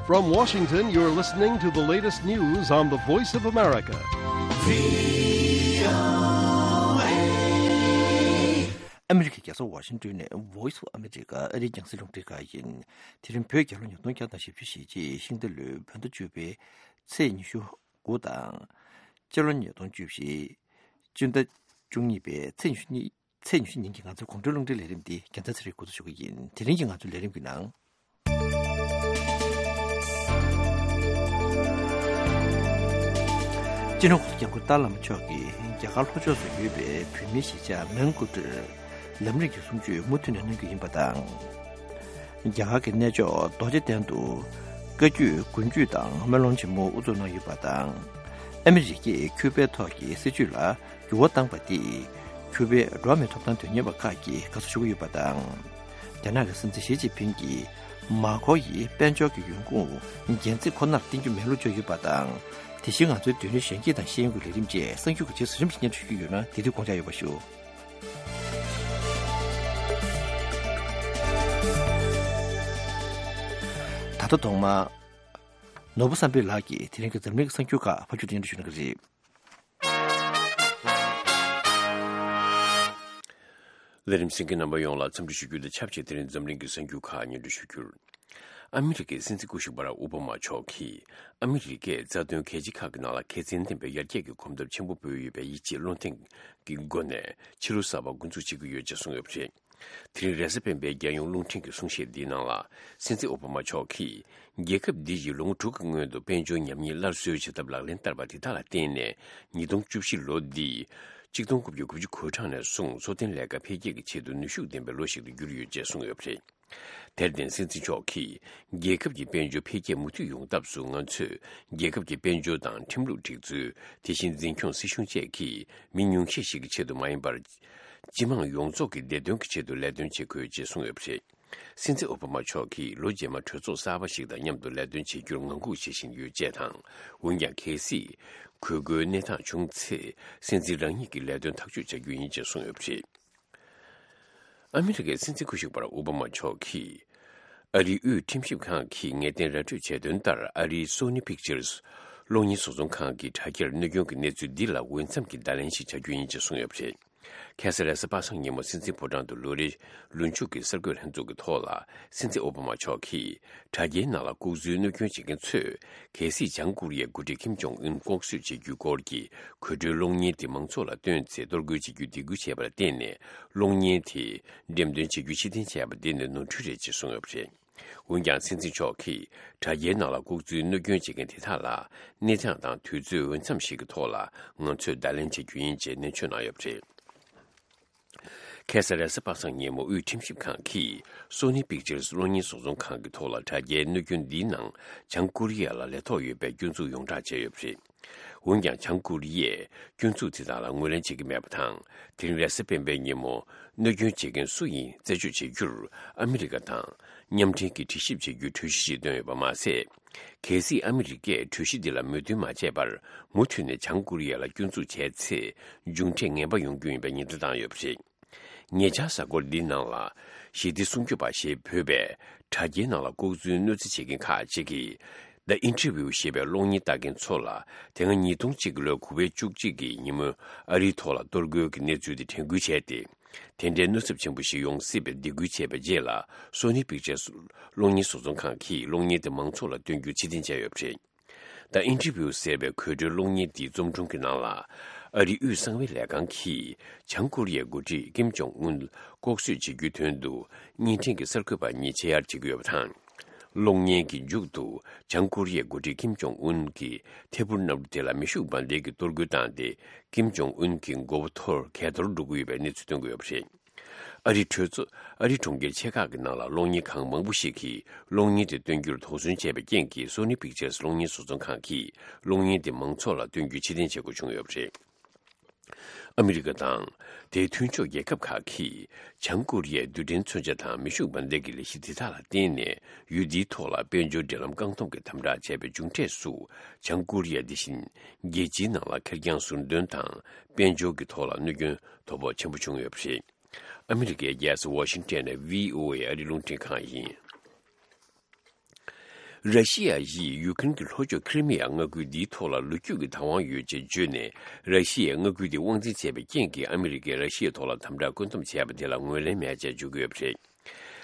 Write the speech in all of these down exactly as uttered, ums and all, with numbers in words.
From Washington, you're listening to the latest news on the Voice of America. ཨ་མི་རི་ཀའི་རྒྱལ་ས་ཝ་ཤིང་ཏོན་ནས་Voice of America ཨ་རིའི་རྒྱང་སྲིང་རླུང་འཕྲིན་ཁང་ཡིན། དེ་རིང་བོད་རྒྱལ་ལོ་ཉིས་སྟོང་བརྒྱ་དང་བཞི་བཅུ་ཞེ་གཅིག་ཤིང་རྟ་ལོའི་བོད་ཟླ་བཅུ་པའི་ཚེས་ཉི་ཤུ་དགུ་དང་། སྤྱི་ལོ་ཉིས་སྟོང་བཅུ་བཞི་སྤྱི་ཟླ་བཅུ་གཉིས་པའི་ཚེས་ཉི་ཤུ་གཉིས། ཚེས་ཉི་ཤུ་ཉིན་གྱི་ང་ཚོའི་དགོང་དྲོའི་རླུང་འཕྲིན་ལས་རིམ་འདི་རྒྱལ་མཚན་ཚེ་རིང་འགོ་འཛུགས་ཞུ་གི་ཡིན། དེ་རིང་གི་ང་ཚོའི་ལས་རིམ་གྱི་ནང་། སྤྱི་ནོར་གོང་ས་སྐྱབས་མགོན་ཏཱ་ལའི་བླ་མ་མཆོག་གིས་རྒྱ་གར་ལྷོ་ཕྱོགས་སུ་ཡོད་པའི་བོད་མིའི་གཞིས་ཆགས་མན་གྷོ་ཊར་ལམ་རིམ་གྱི་གསུང་ཆོས་མུ་མཐུད་ནས་གནང་རྒྱུ་ཡིན་པ་དང་། རྒྱ་གར་གྱི་གནས་མཆོག་རྡོ་རྗེ་གདན་དུ་བཀའ་བརྒྱུད་དགོན་བརྒྱུད་དང་སྨོན་ལམ་ཆེན་མོ་དབུ་འཛུགས་གནང་ཡོད་པ་དང་། ཨ་མི་རི་ཀས་ཁིའུ་པའི་ཐོག་གི་སྲིད་བྱུས་ལ་འགྱུར་བ་བཏང་པ་དེས་ཁིའུ་པའི་འགྲོ་བ་མིའི་ཐོབ་ཐང་དོན་གཉེར་བ་ཁག་གིས་དགའ་བསུ་ཞུ་གི་ཡོད་པ་དང་། རྒྱ་ནག་གི་སྲིད་འཛིན་ཞི་ཅིན་ཕིང་གིས་མར་ཁོ་ཡི་དཔལ་འབྱོར་གྱི་ཡོང་ཁུངས་སྒེར་འཛིན་ཁོ་ནར་བརྟེན་རྒྱུ་མེད་ལུགས་བརྗོད་ཡོད་པ་དང་། དེ་བཞིན་ང་ཚོའི་མདུན་ལམ་གཞན་སྐྱིད་དང་ཤེས་ཡོན་གྱི་ལས་རིམ་བཅས་གསར་འགྱུར་གྱི་རྗེས་སུ་རིམ་བཞིན་སྙན་སྒྲོན་ཞུ་རྒྱུ་ཡོད་ན་དེ་དུས་དགོངས་འཇགས་ཡོད་པ་ཞུ། ད་ལྟ་ཐོག་མར་ནོར་བུ་བསམ་འཕེལ་ལགས་ཀྱིས་དེ་རིང་གི་འཛམ་གླིང་གི་གསར་འགྱུར་ཁག་ཕབ་སྒྱུར་སྙན་སྒྲོན་ཞུ་གནང་གི་རེད། ལས་རིམ་གསན་མཁན་རྣམ་པ་ཡོངས་ལ་འཚམས་འདྲི་ཞུ་རྒྱུ་དང་ཆབས་ཅིག་དེ་རིང་འཛམ་གླིང་གི་གསར་འགྱུར་ཁག་སྙན་སྒྲོན་ཞུ་རྒྱུར། ཨ་མི་རི་ཀའི་སྲིད་འཛིན་སྐུ་ཞབས་བྷ་རག་ཨོ་བྷ་མ་མཆོག་གིས་ཨ་མི་རི་ཀས་རྩ་དོན་གལ་ཆེ་ཁག་གི་ནང་ལ་ཁེ་བཙན་ལྡན་པའི་ཡར་རྒྱས་ཀྱི་གོམ་སྟབས་ཆེན་པོ་སྤོས་ཡོད་པའི་ཡིད་ཆེས་བློ་གདེང་གི་སྒོ་ནས་ཕྱི་ལོ་གསར་པ་འགོ་འཛུགས་བྱེད་ཀྱི་ཡོད་ཅེས་གསུངས་ཡོད་པ་རེད། དེ་རིང་རེས་གཟའ་སྤེན་པའི་རྒྱལ་ཡོངས་རླུང་འཕྲིན་གྱི་གསུང་བཤད་འདིའི་ནང་ལ་སྲིད་འཛིན་ཨོ་བྷ་མ་མཆོག་གིས་རྒྱལ་ཁབ་འདི་ཡིས་ལོ་ངོ་དྲུག་གི་སྔོན་དུ་དཔལ་འབྱོར་ཉམས་ཉེས་སླར་གསོའི་བྱེད་ཐབས་ལག་ལེན་བསྟར་བ་དེ་དག་ལ་བརྟེན་ནས་ཉིས་སྟོང་བཅུ་བཞི་ལོ་འདི་གཅིག་སྟོང་དགུ་བརྒྱ་དགུ་བཅུ་གོ་གྲངས་ནས་བཟུང་འཚོ་རྟེན་ལས་ཀ་འཕེལ་རྒྱས་ཀྱི་ཆེད་དུ་ནུས་ཤུགས་ལྡན་པའི་ལོ་ཞིག་ཏུ་གྱུར་ཡོད་ཅེས་གསུངས་ཡོད་པ་རེད། དེར་བརྟེན་སྲིད་འཛིན་མཆོག་གིས་རྒྱལ་ཁབ་ཀྱི་དཔལ་འབྱོར་འཕེལ་རྒྱས་མུ་མཐུད་ཡོང་ཐབས་སུ་ང་ཚོས་རྒྱལ་ཁབ་ཀྱི་དཔལ་འབྱོར་དང་ཁྲིམས་ལུགས་སྒྲིག་འཛུགས། དེ་བཞིན་འཛིན་སྐྱོང་སྲིད་གཞུང་བཅས་ཀྱིས་མི་ཉུང་ཤས་ཤིག་གི་ཆེད་དུ་མ་ཡིན་པར། སྤྱི་དམངས་ཡོངས་རྫོགས་ཀྱི་བདེ་དོན་གྱི་ཆེད་དུ་ལས་དོན་བྱེད་དགོས་ཅེས་གསུངས་ཡོད་པ་རེད། སྲིད་འཛིན་ཨོ་བྷ་མ་མཆོག་གིས་ལོ་རྗེས་མར་གྲོས་ཚོགས་གསར་པ་ཞིག་དང་མཉམ་དུ་ལས་དོན་བྱེད་རྒྱུར་ངང་སྒུག་བྱེད་བཞིན་ཡོད་ཅེས་དང་། འོན་ཀྱང་། གལ་སྲིད་དགོས་མཁོའི་གནས་སྟངས་བྱུང་ཚེ། སྲིད་འཛིན་རང་ཉིད་ཀྱིས་ལས་དོན་ཐག་གཅོད་བྱ་རྒྱུ་ཡིན་ཅེས་གསུངས་ཡོད་པ་རེད། ཨ་མི་རི་ཀའི་སྲིད་འཛིན་སྐུ་ཞབས་བྷ་རག་ཨོ་བྷ་མ་མཆོག་གིས། ཨ་རིའི་དབུས་ཁྲིམས་ཞིབ་ཁང་གིས་ངེས་གཏན་ར་སྤྲོད་བྱས་དོན་ལྟར། ཨ་རིའི་Sony Pictures གློག་བརྙན་བཟོ་ཚོང་ཁང་གི་དྲ་རྒྱར་གནོད་སྐྱོན་གྱི་གནས་ཚུལ་འདི་ལ་འོས་འཚམ་གྱི་བརྡ་ལན་ཞིག་བྱ་རྒྱུ་ཡིན་ཅེས་གསུངས་ཡོད་པ་རེད། ཁ་སང་རེས་གཟའ་པ་སངས་ཉིན་མོ་སྲིད་འཛིན་ཕོ་བྲང་དུ་ལོ་རེའི་ལོ་མཇུག་གི་གསར་འགོད་ལྷན་ཚོགས་ཀྱི་ཐོག་ལ། སྲིད་འཛིན་ཨོ་བྷ་མ་མཆོག་གིས་དྲ་རྒྱའི་ནང་ལ་ལྐོག་འཛུལ་གནོད་སྐྱོན་བྱེད་མཁན་ཚོས། གལ་སྲིད་བྱང་ཀོ་རི་ཡའི་འགོ་ཁྲིད་ཀིམ་ཇོང་ཨུན་ལྐོག་གསོད་བྱེད་རྒྱུའི་སྐོར་གྱི་གོད་བྲོའི་གློག་བརྙན་དེ་མང་ཚོགས་ལ་སྟོན་ཚེ་གཏོར་རྒོལ་བྱེད་རྒྱུའི་སྡིགས་སྐུལ་བྱས་པར་བརྟེན་ནས། གློག་བརྙན་དེ་འགྲེམས་སྟོན་བྱེད་རྒྱུ་ཕྱིར་འཐེན་བྱས་པ་འདི་ནི་ནོར་འཁྲུལ་རེད་ཅེས་གསུངས་ཡོད་པ་རེད། འོན་ཀྱང་། སྲིད་འཛིན་མཆོག་གིས་དྲ་རྒྱའི་ནང་ལ་ལྐོག་འཛུལ་གནོད་སྐྱོན་བྱེད་མཁན་དེ་དག་ལ། གནས་སྟངས་དང་དུས་ཚོད་འོས་འཚམ་ཞིག་གི་ཐོག་ལ་ང་ཚོས་བརྡ་ལན་བྱེད་རྒྱུ་ཡིན་ཅེས་ནན་བརྗོད་གནང་ཡོད་པ་རེད། ཁ་སང་རེས་གཟའ་པ་སངས་ཉིན་མོ། དབུས་ཁྲིམས་ཞིབ་ཁང་གིས་Sony Pictures གློག་བརྙན་བཟོ་ཚོང་ཁང་གི་ཐོག་ལ་དྲ་རྒྱའི་གནོད་སྐྱོན་འདིའི་ནང་བྱང་ཀོ་རི་ཡ་ལ་ལས་ཐོག་ཡོད་པའི་སྐྱོན་འཛུགས་ཡོངས་བསྒྲགས་བྱས་ཡོད་པ་རེད། འོན་ཀྱང་། བྱང་ཀོ་རི་ཡས་སྐྱོན་འཛུགས་དེ་དག་ལ་ངོས་ལེན་བྱེད་ཀྱི་མེད་པ་དང་། དེ་རིང་རེས་གཟའ་སྤེན་པའི་ཉིན་མོ། གནོད་སྐྱོན་བྱེད་མཁན་སུ་ཡིན་རྩད་གཅོད་བྱེད་རྒྱུར་ཨ་མི་རི་ཀ་དང་མཉམ་འབྲེལ་གྱིས་དྲི་ཞིབ་བྱེད་རྒྱུའི་གྲོས་གཞི་ཞིག་བཏོན་ཡོད་པ་མ་ཟད། གལ་སྲིད་ཨ་མི་རི་ཀས་གྲོས་གཞི་འདི་ལ་མོས་མཐུན་མ་བྱས་པར། མུ་མཐུད་ནས་བྱང་ཀོ་རི་ཡ་ལ་སྐྱོན་འཛུགས་བྱས་ཚེ། མཇུག་འབྲས་ངན་པ་ཡོང་རྒྱུ་ཡིན་པའི་ཉེན་བརྡ་བཏང་ཡོད་པ་རེད། ཉེ་ཆར། གཟའ་འཁོར་འདིའི་ནང་ལ། ཞི་བདེ་སྲུང་སྐྱོབ་པ་ཞེས་འབོད་པའི་དྲ་རྒྱའི་ནང་ལ་ལྐོག་འཛུལ་གནོད་འཚེ་བྱེད་མཁན་ཁག་ཅིག་གིས། The Interview ཞེས་པའི་གློག་བརྙན་ལྟ་མཁན་ཚོ་ལ། དེ་སྔ་ཉིས་སྟོང་གཅིག་གི་ལོའི་གོ་བེད་བཅུ་གཅིག་གི་ཉིན་མོའི་ཨ་རིའི་ཐོག་ལ་གཏོར་རྒོལ་གྱི་གནས་ཚུལ་དེ་དྲན་སྐུལ་བྱས་ཏེ། དེ་འདྲའི་གནོད་ཚབས་ཆེན་པོ་ཞིག་ཡོང་སྲིད་པའི་སྡིགས་སྐུལ་བྱས་པའི་རྗེས་ལ། Sony Pictures གློག་བརྙན་བཟོ་ཚོང་ཁང་གིས་གློག་བརྙན་དེ་མང་ཚོགས་ལ་སྟོན་རྒྱུ་ཕྱིར་འཐེན་བྱས་ཡོད་པ་རེད། The Interview ཟེར་བའི་གོད་བྲོའི་གློག་བརྙན་འདིའི་རྩོམ་སྒྲུང་གི་ནང་ལ། ཨ་རིའི་དབུས་གསང་བའི་ལས་ཁང་གིས་བྱང་ཀོ་རི་ཡའི་འགོ་ཁྲིད་ཀིམ་ཇོང་ཨུན་ལྐོག་གསོད་བྱེད་རྒྱུའི་དོན་དུ་བརྙན་འཕྲིན་གྱི་གསར་འགོད་པ་གཉིས་ཆེད་གཡར་བྱེད་ཀྱི་ཡོད་པ་དང་། གློག་བརྙན་གྱི་མཇུག་ཏུ་བྱང་ཀོ་རི་ཡའི་འགོ་ཁྲིད་ཀིམ་ཇོང་ཨུན་གྱི་ཐད་འཕུར་གནམ་གྲུ་དེ་ལ་མེ་ཤུགས་འབར་མདེལ་གྱིས་གཏོར་རྒོལ་བཏང་སྟེ། ཀིམ་ཇོང་ཨུན་གྱི་མགོ་བོ་འཐོར་གས་གཏོར་འགྲོ་གི་ཡོད་པའི་གནས་ཚུལ་སྟོན་གྱི་ཡོད་པ་རེད། ཨ་རིའི་གྲོས་ཚོགས། ཨ་རིའི་གྲོང་ཁྱེར་ཆེ་ཁག་གི་ནང་ལ་གློག་བརྙན་ཁང་མང་པོ་ཞིག་གིས་གློག་བརྙན་དེ་སྟོན་རྒྱུར་དོགས་ཟོན་བྱས་པའི་རྐྱེན་གྱིས། Sony Pictures གློག་བརྙན་བཟོ་ཚོང་ཁང་གིས་གློག་བརྙན་དེ་མང་ཚོགས་ལ་སྟོན་རྒྱུ་ཕྱིར་འཐེན་བྱེད་དགོས་བྱུང་ཡོད་པ་རེད། ཨ་མི་རི་ཀ་དང་དེའི་མཐུན་ཕྱོགས་རྒྱལ་ཁབ་ཁག་གིས་བྱང་ཀོ་རི་ཡའི་རྡུལ་ཕྲན་མཚོན་ཆ་དང་མེ་ཤུགས་འབར་མདེལ་གྱི་ལས་གཞི་དེ་དག་ལ་བརྟེན་ནས། ཡུལ་འདིའི་ཐོག་ལ་དཔལ་འབྱོར་འབྲེལ་ལམ་བཀག་སྡོམ་གྱི་དམ་དྲག་བྱས་པའི་མཇུག་འབྲས་སུ། བྱང་ཀོ་རི་ཡ་དེ་བཞིན་རྒྱལ་སྤྱིའི་ནང་ལ་ཁེར་རྐྱང་ཟུར་འདོན་དང་། དཔལ་འབྱོར་གྱི་ཐོག་ལ་གནོད་སྐྱོན་དོ་ཕོག་ཆེན་པོ་བྱུང་ཡོད་པ་རེད། ཨ་མི་རི་ཀའི་རྒྱལ་ས་ཝ་ཤིང་ཊོན་ནས་བྷི་ཨོ་ཨེ་ཨ་རིའི་རླུང་འཕྲིན་ཁང་ཡིན། ར་ཤི་ཡ་ཡིས་ཡུ་ཀེ་རེན་གྱི་ལྷོ་ཕྱོགས་ཁི་རི་མི་ཡ་མངའ་ཁུལ་འདིའི་ཐོག་ལ་ལོ་རྒྱུས་ཀྱི་བདག་དབང་ཡོད་ཅེས་བརྗོད་ནས། ར་ཤི་ཡའི་མངའ་ཁུལ་དེ་དབང་འཛིན་བྱས་པའི་རྐྱེན་གྱིས་ཨ་མི་རི་ཀས་ར་ཤི་ཡའི་ཐོག་ལ་དམ་དྲག་བཀོད་འདོམས་བྱས་པ་དེ་ལ་ངོས་ལེན་མེད་ཅེས་བརྗོད་ཀྱི་ཡོད་པ་རེད།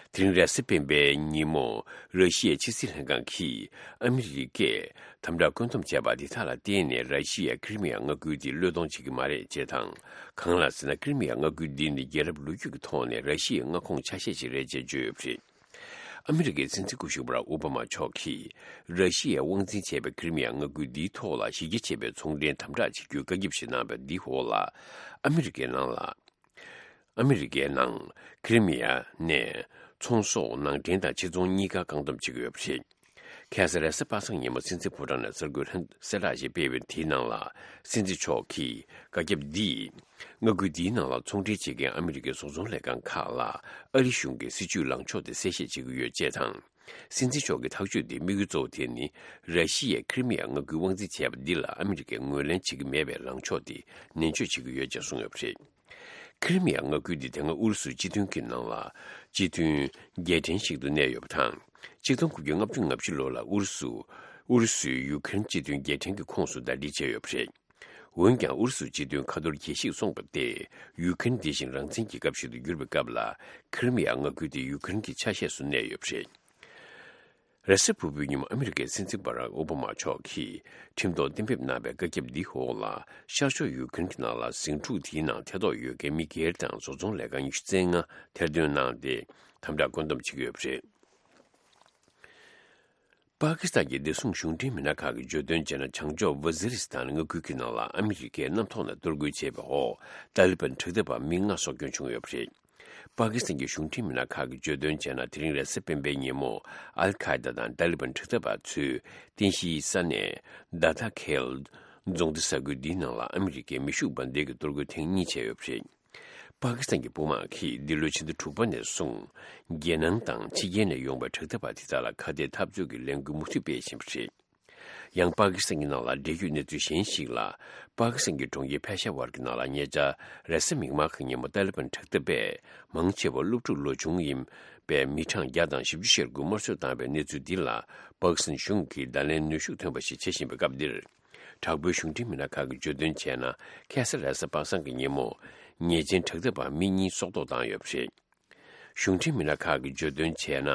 དེ་རིང་རེས་གཟའ་སྤེན་པའི་ཉིན་མོ། ར་ཤི་ཡའི་ཕྱི་སྲིད་ལྷན་ཁང་གིས་ཨ་མི་རི་ཀས་དམ་དྲག་བཀོད་འདོམས་བྱས་པ་དེ་དག་ལ་བརྟེན་ནས། ར་ཤི་ཡའི་ཁི་རི་མི་ཡ་མངའ་ཁུལ་དེ་བློས་གཏོང་བྱེད་ཀྱི་མ་རེད་ཅེས་དང་། གང་ལགས་ཟེར་ན། ཁི་རི་མི་ཡ་མངའ་ཁུལ་འདི་ནི་རྒྱལ་རབས་ལོ་རྒྱུས་ཀྱི་ཐོག་ནས་ར་ཤི་ཡའི་མངའ་ཁོངས་ཆ་ཤས་ཤིག་རེད་ཅེས་བརྗོད་ཡོད་པ་རེད། ཨ་མི་རི་ཀའི་སྲིད་འཛིན་སྐུ་ཞབས་བྷ་རག་ཨོ་བྷ་མ་མཆོག་གིས། ར་ཤི་ཡས་དབང་འཛིན་བྱས་པའི་ཁི་རི་མི་ཡ་མངའ་ཁུལ་འདིའི་ཐོག་ལ་གཞི་རྒྱ་ཆེ་བའི་ཚོང་འབྲེལ་དམ་དྲག་བྱེད་རྒྱུའི་བཀའ་ཁྱབ་ཞིག་གནང་བའི་འདིའི་འོག་ལ། ཨ་མི་རི་ཀའི་ནང་ལ། ཨ་མི་རི་ཀའི་ནང་ཁི་རི་མི་ཡ་ནས་ཚོང་ཟོག་ནང་འདྲེན་དང་ཕྱིར་ཚོང་གཉིས་ཀ་བཀག་སྡོམ་བྱེད་ཀྱི་ཡོད་པ་རེད། ཁ་སང་རེས་གཟའ་པ་སངས་ཉིན་མོ་སྲིད་འཛིན་ཕོ་བྲང་ནས་གསར་འགོད་ལྷན་གསལ་བསྒྲགས་ཤིག་སྤེལ་བའི་དེའི་ནང་ལ། སྲིད་འཛིན་མཆོག་གིས་བཀའ་ཁྱབ་འདིས། མངའ་ཁུལ་འདིའི་ནང་ལ་ཚོང་འབྲེལ་བྱེད་མཁན་ཨ་མི་རི་ཀའི་བཟོ་ཚོང་ལས་ཁང་ཁག་ལ་ཨ་རི་གཞུང་གི་སྲིད་ཇུས་ལངས་ཕྱོགས་དེ་གསལ་བཤད་བྱེད་ཀྱི་ཡོད་ཅེས་དང་། སྲིད་འཛིན་མཆོག་གི་ཐག་གཅོད་དེའི་དམིགས་ཡུལ་གཙོ་བོ་དེ་ནི། ར་ཤི་ཡས་ཁི་རི་མི་ཡ་མངའ་ཁུལ་དབང་འཛིན་བྱས་པ་འདི་ལ་ཨ་མི་རི་ཀས་ངོས་ལེན་བྱེད་ཀྱི་མེད་པའི་ལངས་ཕྱོགས་དེ་ནན་བརྗོད་བྱེད་ཀྱི་ཡོད་ཅེས་གསུངས་ཡོད་པ་རེད། ཁི་རི་མི་ཡ་མངའ་ཁུལ་འདི་དེ་སྔ་ཨུ་རུ་སུའི་སྤྱི་མཐུན་གྱི་ནང་ལ་སྤྱི་མཐུན་རྒྱལ་ཕྲན་ཞིག་ཏུ་གནས་ཡོད་པ་དང་། ཆིག་སྟོང་དགུ་བརྒྱ་ལྔ་བཅུ་ང་བཞི་ལོ་ལ་ཨུ་རུ་སུ། ཨུ་རུ་སུས་ཡུ་ཁེ་རེན་སྤྱི་མཐུན་རྒྱལ་ཕྲན་གྱི་ཁོངས་སུ་ཟླ་སྒྲིལ་བྱས་ཡོད་པ་རེད། འོན་ཀྱང་། ཨུ་རུ་སུ་སྤྱི་མཐུན་ཁ་ཐོར་རྒྱལ་སྤྱིས་སོང་བ་སྟེ། ཡུ་ཁེ་རེན་འདི་བཞིན་རང་བཙན་རྒྱལ་ཁབ་ཞིག་ཏུ་གྱུར་པའི་སྐབས་ལ། ཁི་རི་མི་ཡ་མངའ་ཁུལ་དེ་ཡུ་ཁེ་རེན་གྱི་ཆ་ཤས་སུ་གནས་ཡོད་པ་རེད། རེས་གཟའ་ཕུར་བུའི་ཉིན་མོ་ཨ་མི་རི་ཀའི་སྲིད་འཛིན་བྷ་རག་ཨོ་བྷ་མ་མཆོག་གིས་ཁྲིམས་ཐོག་གཏན་འབེབས་གནང་བའི་བཀའ་ཁྱབ་འདིའི་འོག་ལ། ཤར་ཕྱོགས་ཡུ་ཁེ་རེན་གྱི་ནང་ལ་ཟིང་འཁྲུག་དེའི་ནང་ཐེ་གཏོགས་ཡོད་མཁན་མི་སྒེར་དང་བཟོ་ཚོང་ལས་ཁང་ཉི་ཤུ་རྩ་ལྔ་ཐེར་འདོན་གནང་སྟེ། དམ་དྲག་བཀོད་འདོམས་བྱེད་ཀྱི་ཡོད་པ་རེད། པ་ཀི་སི་ཐན་གྱི་བདེ་སྲུང་གཞུང་འབྲེལ་མི་སྣ་ཁག་གིས་བརྗོད་དོན་བྱས་ན། བྱང་ཕྱོགས་ཝ་ཛི་རི་སི་ཐན་མངའ་ཁུལ་གྱི་ནང་ལ་ཨ་མི་རི་ཀས་གནམ་ཐོག་ནས་གཏོར་རྒོལ་བྱས་པའི་འོག་ཏཱ་ལི་བན་དྲག་འཐབ་པ་མི་ལྔ་སྲོག་སྐྱོན་བྱུང་ཡོད་པ་རེད། པ་ཀི་སི་ཐན་གྱི་གཞུང་འབྲེལ་མི་སྣ་ཁག་གིས་བརྗོད་དོན་བྱས་ན། དེ་རིང་རེས་གཟའ་སྤེན་པའི་ཉིན་མོ། ཨལ་ཁ་ཡེ་ད་དང་ཏཱ་ལི་བན་དྲག་འཐབ་པ་ཚོའི་རྟེན་གཞིའི་ས་གནས་ཌ་ཐ་ཁེལ་རྫོང་སྡེ་ས་ཁུལ་འདིའི་ནང་ལ་ཨ་མི་རི་ཀའི་མེ་ཤུགས་འབར་མདེལ་གྱི་གཏོར་རྒོལ་ཐེངས་གཉིས་བྱས་ཡོད་པ་རེད། པ་ཀི་སི་ཐན་གྱི་དཔུང་དམག་གིས་འདི་ལོའི་ཕྱི་ཟླ་དྲུག་པ་ནས་བཟུང་། རྒྱལ་ནང་དང་ཕྱི་རྒྱལ་ནས་ཡོང་བའི་དྲག་འཐབ་པ་དེ་དག་ལ་ཁ་གཏད་འཐབ་རྩོད་ཀྱི་ལས་འགུལ་མུ་མཐུད་སྤེལ་བཞིན་པ་རེད། ཡང་། པ་ཀི་སི་ཐན་གྱི་ནང་ལ་འབྲེལ་ཡོད་གནས་ཚུལ་གཞན་ཞིག་ལ། པ་ཀི་སི་ཐན་གྱི་གྲོང་ཁྱེར་ཕེ་ཤ་ཝར་གྱི་ནང་ལ་ཉེ་ཆར་རེས་གཟའ་མིག་དམར་གྱི་ཉིན་མོ་ཏཱ་ལི་བན་དྲག་འཐབ་པས་མང་ཆེ་བ་སློབ་ཕྲུག་ལོ་ཆུང་ཡིན་པའི་མི་གྲངས་བརྒྱ་དང་བཞི་བཅུ་ཞེ་དགུ་དམར་གསོད་བཏང་བའི་གནས་ཚུལ་འདི་ལ། པ་ཀི་སི་ཐན་གཞུང་གིས་བརྡ་ལན་ནུས་ཤུགས་ཐོན་པ་ཞིག་བྱེད་བཞིན་པའི་སྐབས་འདིར། དྲག་པོའི་གཞུང་འབྲེལ་མི་སྣ་ཁག་གིས་བརྗོད་དོན་བྱས་ན། ཁ་སང་རེས་གཟའ་པ་སངས་ཀྱི་ཉིན་མོ། ཉེས་ཅན་དྲག་འཐབ་པ་མི་གཉིས་སྲོག་ཐོག་བཏང་ཡོད་པ་རེད། གཞུང་འབྲེལ་མི་སྣ་ཁག་གིས་བརྗོད་དོན་བྱས་ན།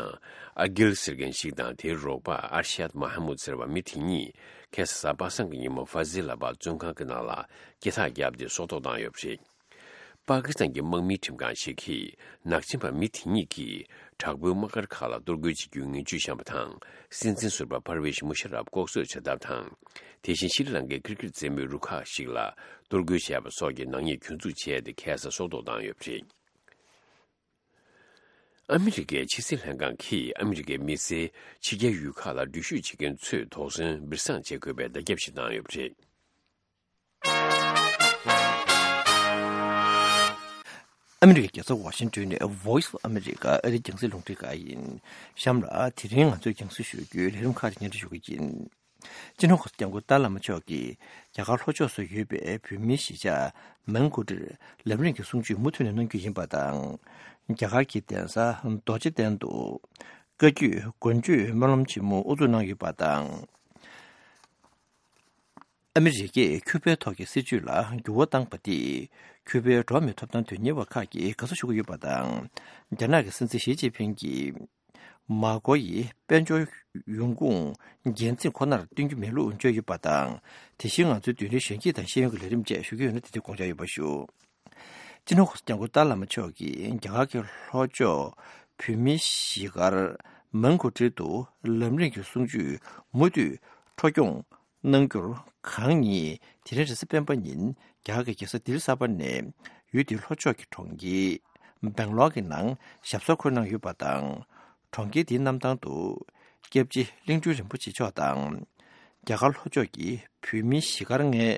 ཨ་གིལ་ཟེར་མཁན་ཞིག་དང་དེའི་རོགས་པ་ཨར་ཤད་མ་ཧ་མུད་ཟེར་བ་མི་དེ་གཉིས། ཁ་སང་གཟའ་པ་སངས་ཀྱི་ཉིན་མོ་ཧྥ་ཟི་ལ་བ་བཙོན་ཁང་གི་ནང་ལ་སྐྱེ་ཐག་བརྒྱབ་སྟེ་སྲོག་ཐོག་བཏང་ཡོད་པ་རེད། པ་ཀི་སི་ཐན་གྱི་དམག་མིའི་ཁྲིམས་ཁང་ཞིག་གིས། ནག་ཅན་པ་མི་དེ་གཉིས་ཀྱིས་དྲག་པོའི་དམག་སྒར་ཁག་ལ་གཏོར་རྒོལ་བྱེད་རྒྱུའི་ངན་ཇུས་བཤམས་པ་དང་། སྲིད་འཛིན་ཟུར་པ་ཕར་ཝེཤ་མུ་ཤ་རབ་ལྐོག་གསོད་བྱ་ཐབས་དང་། དེ་བཞིན་ཤྲི་ལང་ཀའི་ཀིར་ཀིར་རྩེད་མོའི་རུ་ཁག་ཞིག་ལ་གཏོར་རྒོལ་བྱས་པ་སོགས་ཀྱི་ནག་ཉེས་གྱོད་འཛུགས་བྱས་ཏེ། ཁ་སང་སྲོག་ཐོག་བཏང་ཡོད་པ་རེད། ཨ་མི་རི་ཀའི་ཕྱི་སྲིད་ལྷན་ཁང་གིས་ཨ་མི་རི་ཀའི་མི་སེར་ཕྱི་རྒྱལ་ཡུལ་ཁག་ལ་འགྲུལ་བཞུད་བྱེད་མཁན་ཚོས་དོགས་ཟོན་སྦིར་སང་བྱེད་དགོས་པའི་བརྡ་ཁྱབ་ཞིག་བཏང་ཡོད་པ་རེད། ཨ་མི་རི་ཀའི་རྒྱལ་ས་ཝ་ཤིང་ཏོན་ནས་Voice of America ཨ་རིའི་རྒྱང་སྲིང་རླུང་འཕྲིན་ཁང་ཡིན། གཤམ་ལ་དེ་རིང་ང་ཚོས་རྒྱང་སྲིང་ཞུ་རྒྱུའི་ལས་རིམ་ཁག་ཅིག་སྙན་སྒྲོན་ཞུ་གི་ཡིན། སྤྱི་ནོར་གོང་ས་སྐྱབས་མགོན་ཏཱ་བླ་མ་མཆོག་གིས་རྒྱ་གར་ལྷོ་ཕྱོགས་སུ་ཡོད་པའི་བོད་མིའི་གཞིས་ཆགས་མན་གོ་ཏིར་ལམ་རིམ་གྱི་གསུང་ཆོས་མུ་མཐུད་ནས་གནང་རྒྱུ་ཡིན་པ་དང་། རྒྱ་གར་གྱི་གདན་ས་རྡོ་རྗེ་གདན་དུ་བཀའ་བརྒྱུད་མགོན་ཆོས་སྨོན་ལམ་ཆེན་མོ་དབུ་འཛུགས་གནང་ཡོད་པ་དང་། ཨ་མི་རི་ཀས་ཁྱུ་པའི་ཐོག་གི་སྲིད་བྱུས་ལ་འགྱུར་བ་བཏང་པ་དེས་ཁྱུ་པའི་འགྲོ་བ་མིའི་ཐོབ་ཐང་དོན་གཉེར་བ་ཁག་གིས་དགའ་བསུ་ཞུ་གི་ཡོད་པ་དང་། རྒྱ་ནག་གི་སྲིད་འཛིན་ཞི་ཅིན་ཕིང་གིས་མར་ཁོ་ཡི་དཔལ་འབྱོར་ཡོང་ཁུངས་འགན་འཛིན་ཁོ་ནར་བསྟུན་རྒྱུ་མེད་ལུགས་བརྗོད་ཡོད་པ་དང་། དེ་བཞིན་ང་ཚོའི་མདུན་ལམ་གཞོན་སྐྱེས་དང་ཤེས་ཡོན་གྱི་ལས་རིམ་བཅས་ཞུ་གི་ཡོད་ན། དེ་དུས་དགོངས་འཇགས་ཡོད་པ་ཞུ། སྤྱི་ནོར་གོང་ས་སྐྱབས་མགོན་ཏཱ་བླ་མ་མཆོག་གིས་རྒྱ་གར་གྱི་ལྷོ་ཕྱོགས་བོད་མིའི་གཞིས་སྒར་མན་གོ་ཏྲི་དུ་ལམ་རིམ་གྱི་གསུང་ཆོས་མུ་མཐུད་འཕྲོ་སྐྱོང་གནང་རྒྱུར་གང་ཉིད་དེ་རིང་རེས་གཟའ་སྤེན་པ་ཉིན་རྒྱ་གར་གྱི་རྒྱལ་ས་ལྡི་ལི་གསར་པ་ནས་ཡུལ་དེའི་ལྷོ་ཕྱོགས་ཀྱི་གྲོང་ཁྱེར་སྦེང་ལོར་གྱི་ནང་ཞབས་སོར་འཁོད་གནང་ཡོད་པ་དང་། གྲོང་ཁྱེར་དེའི་གནམ་ཐང་དུ་སྐྱབས་རྗེ་གླིང་སྤྲུལ་རིན་པོ་ཆེ་མཆོག་དང་། རྒྱ་གར་ལྷོ་ཕྱོགས་ཀྱི་བོད་མིའི་གཞིས་སྒར་ལྔའི་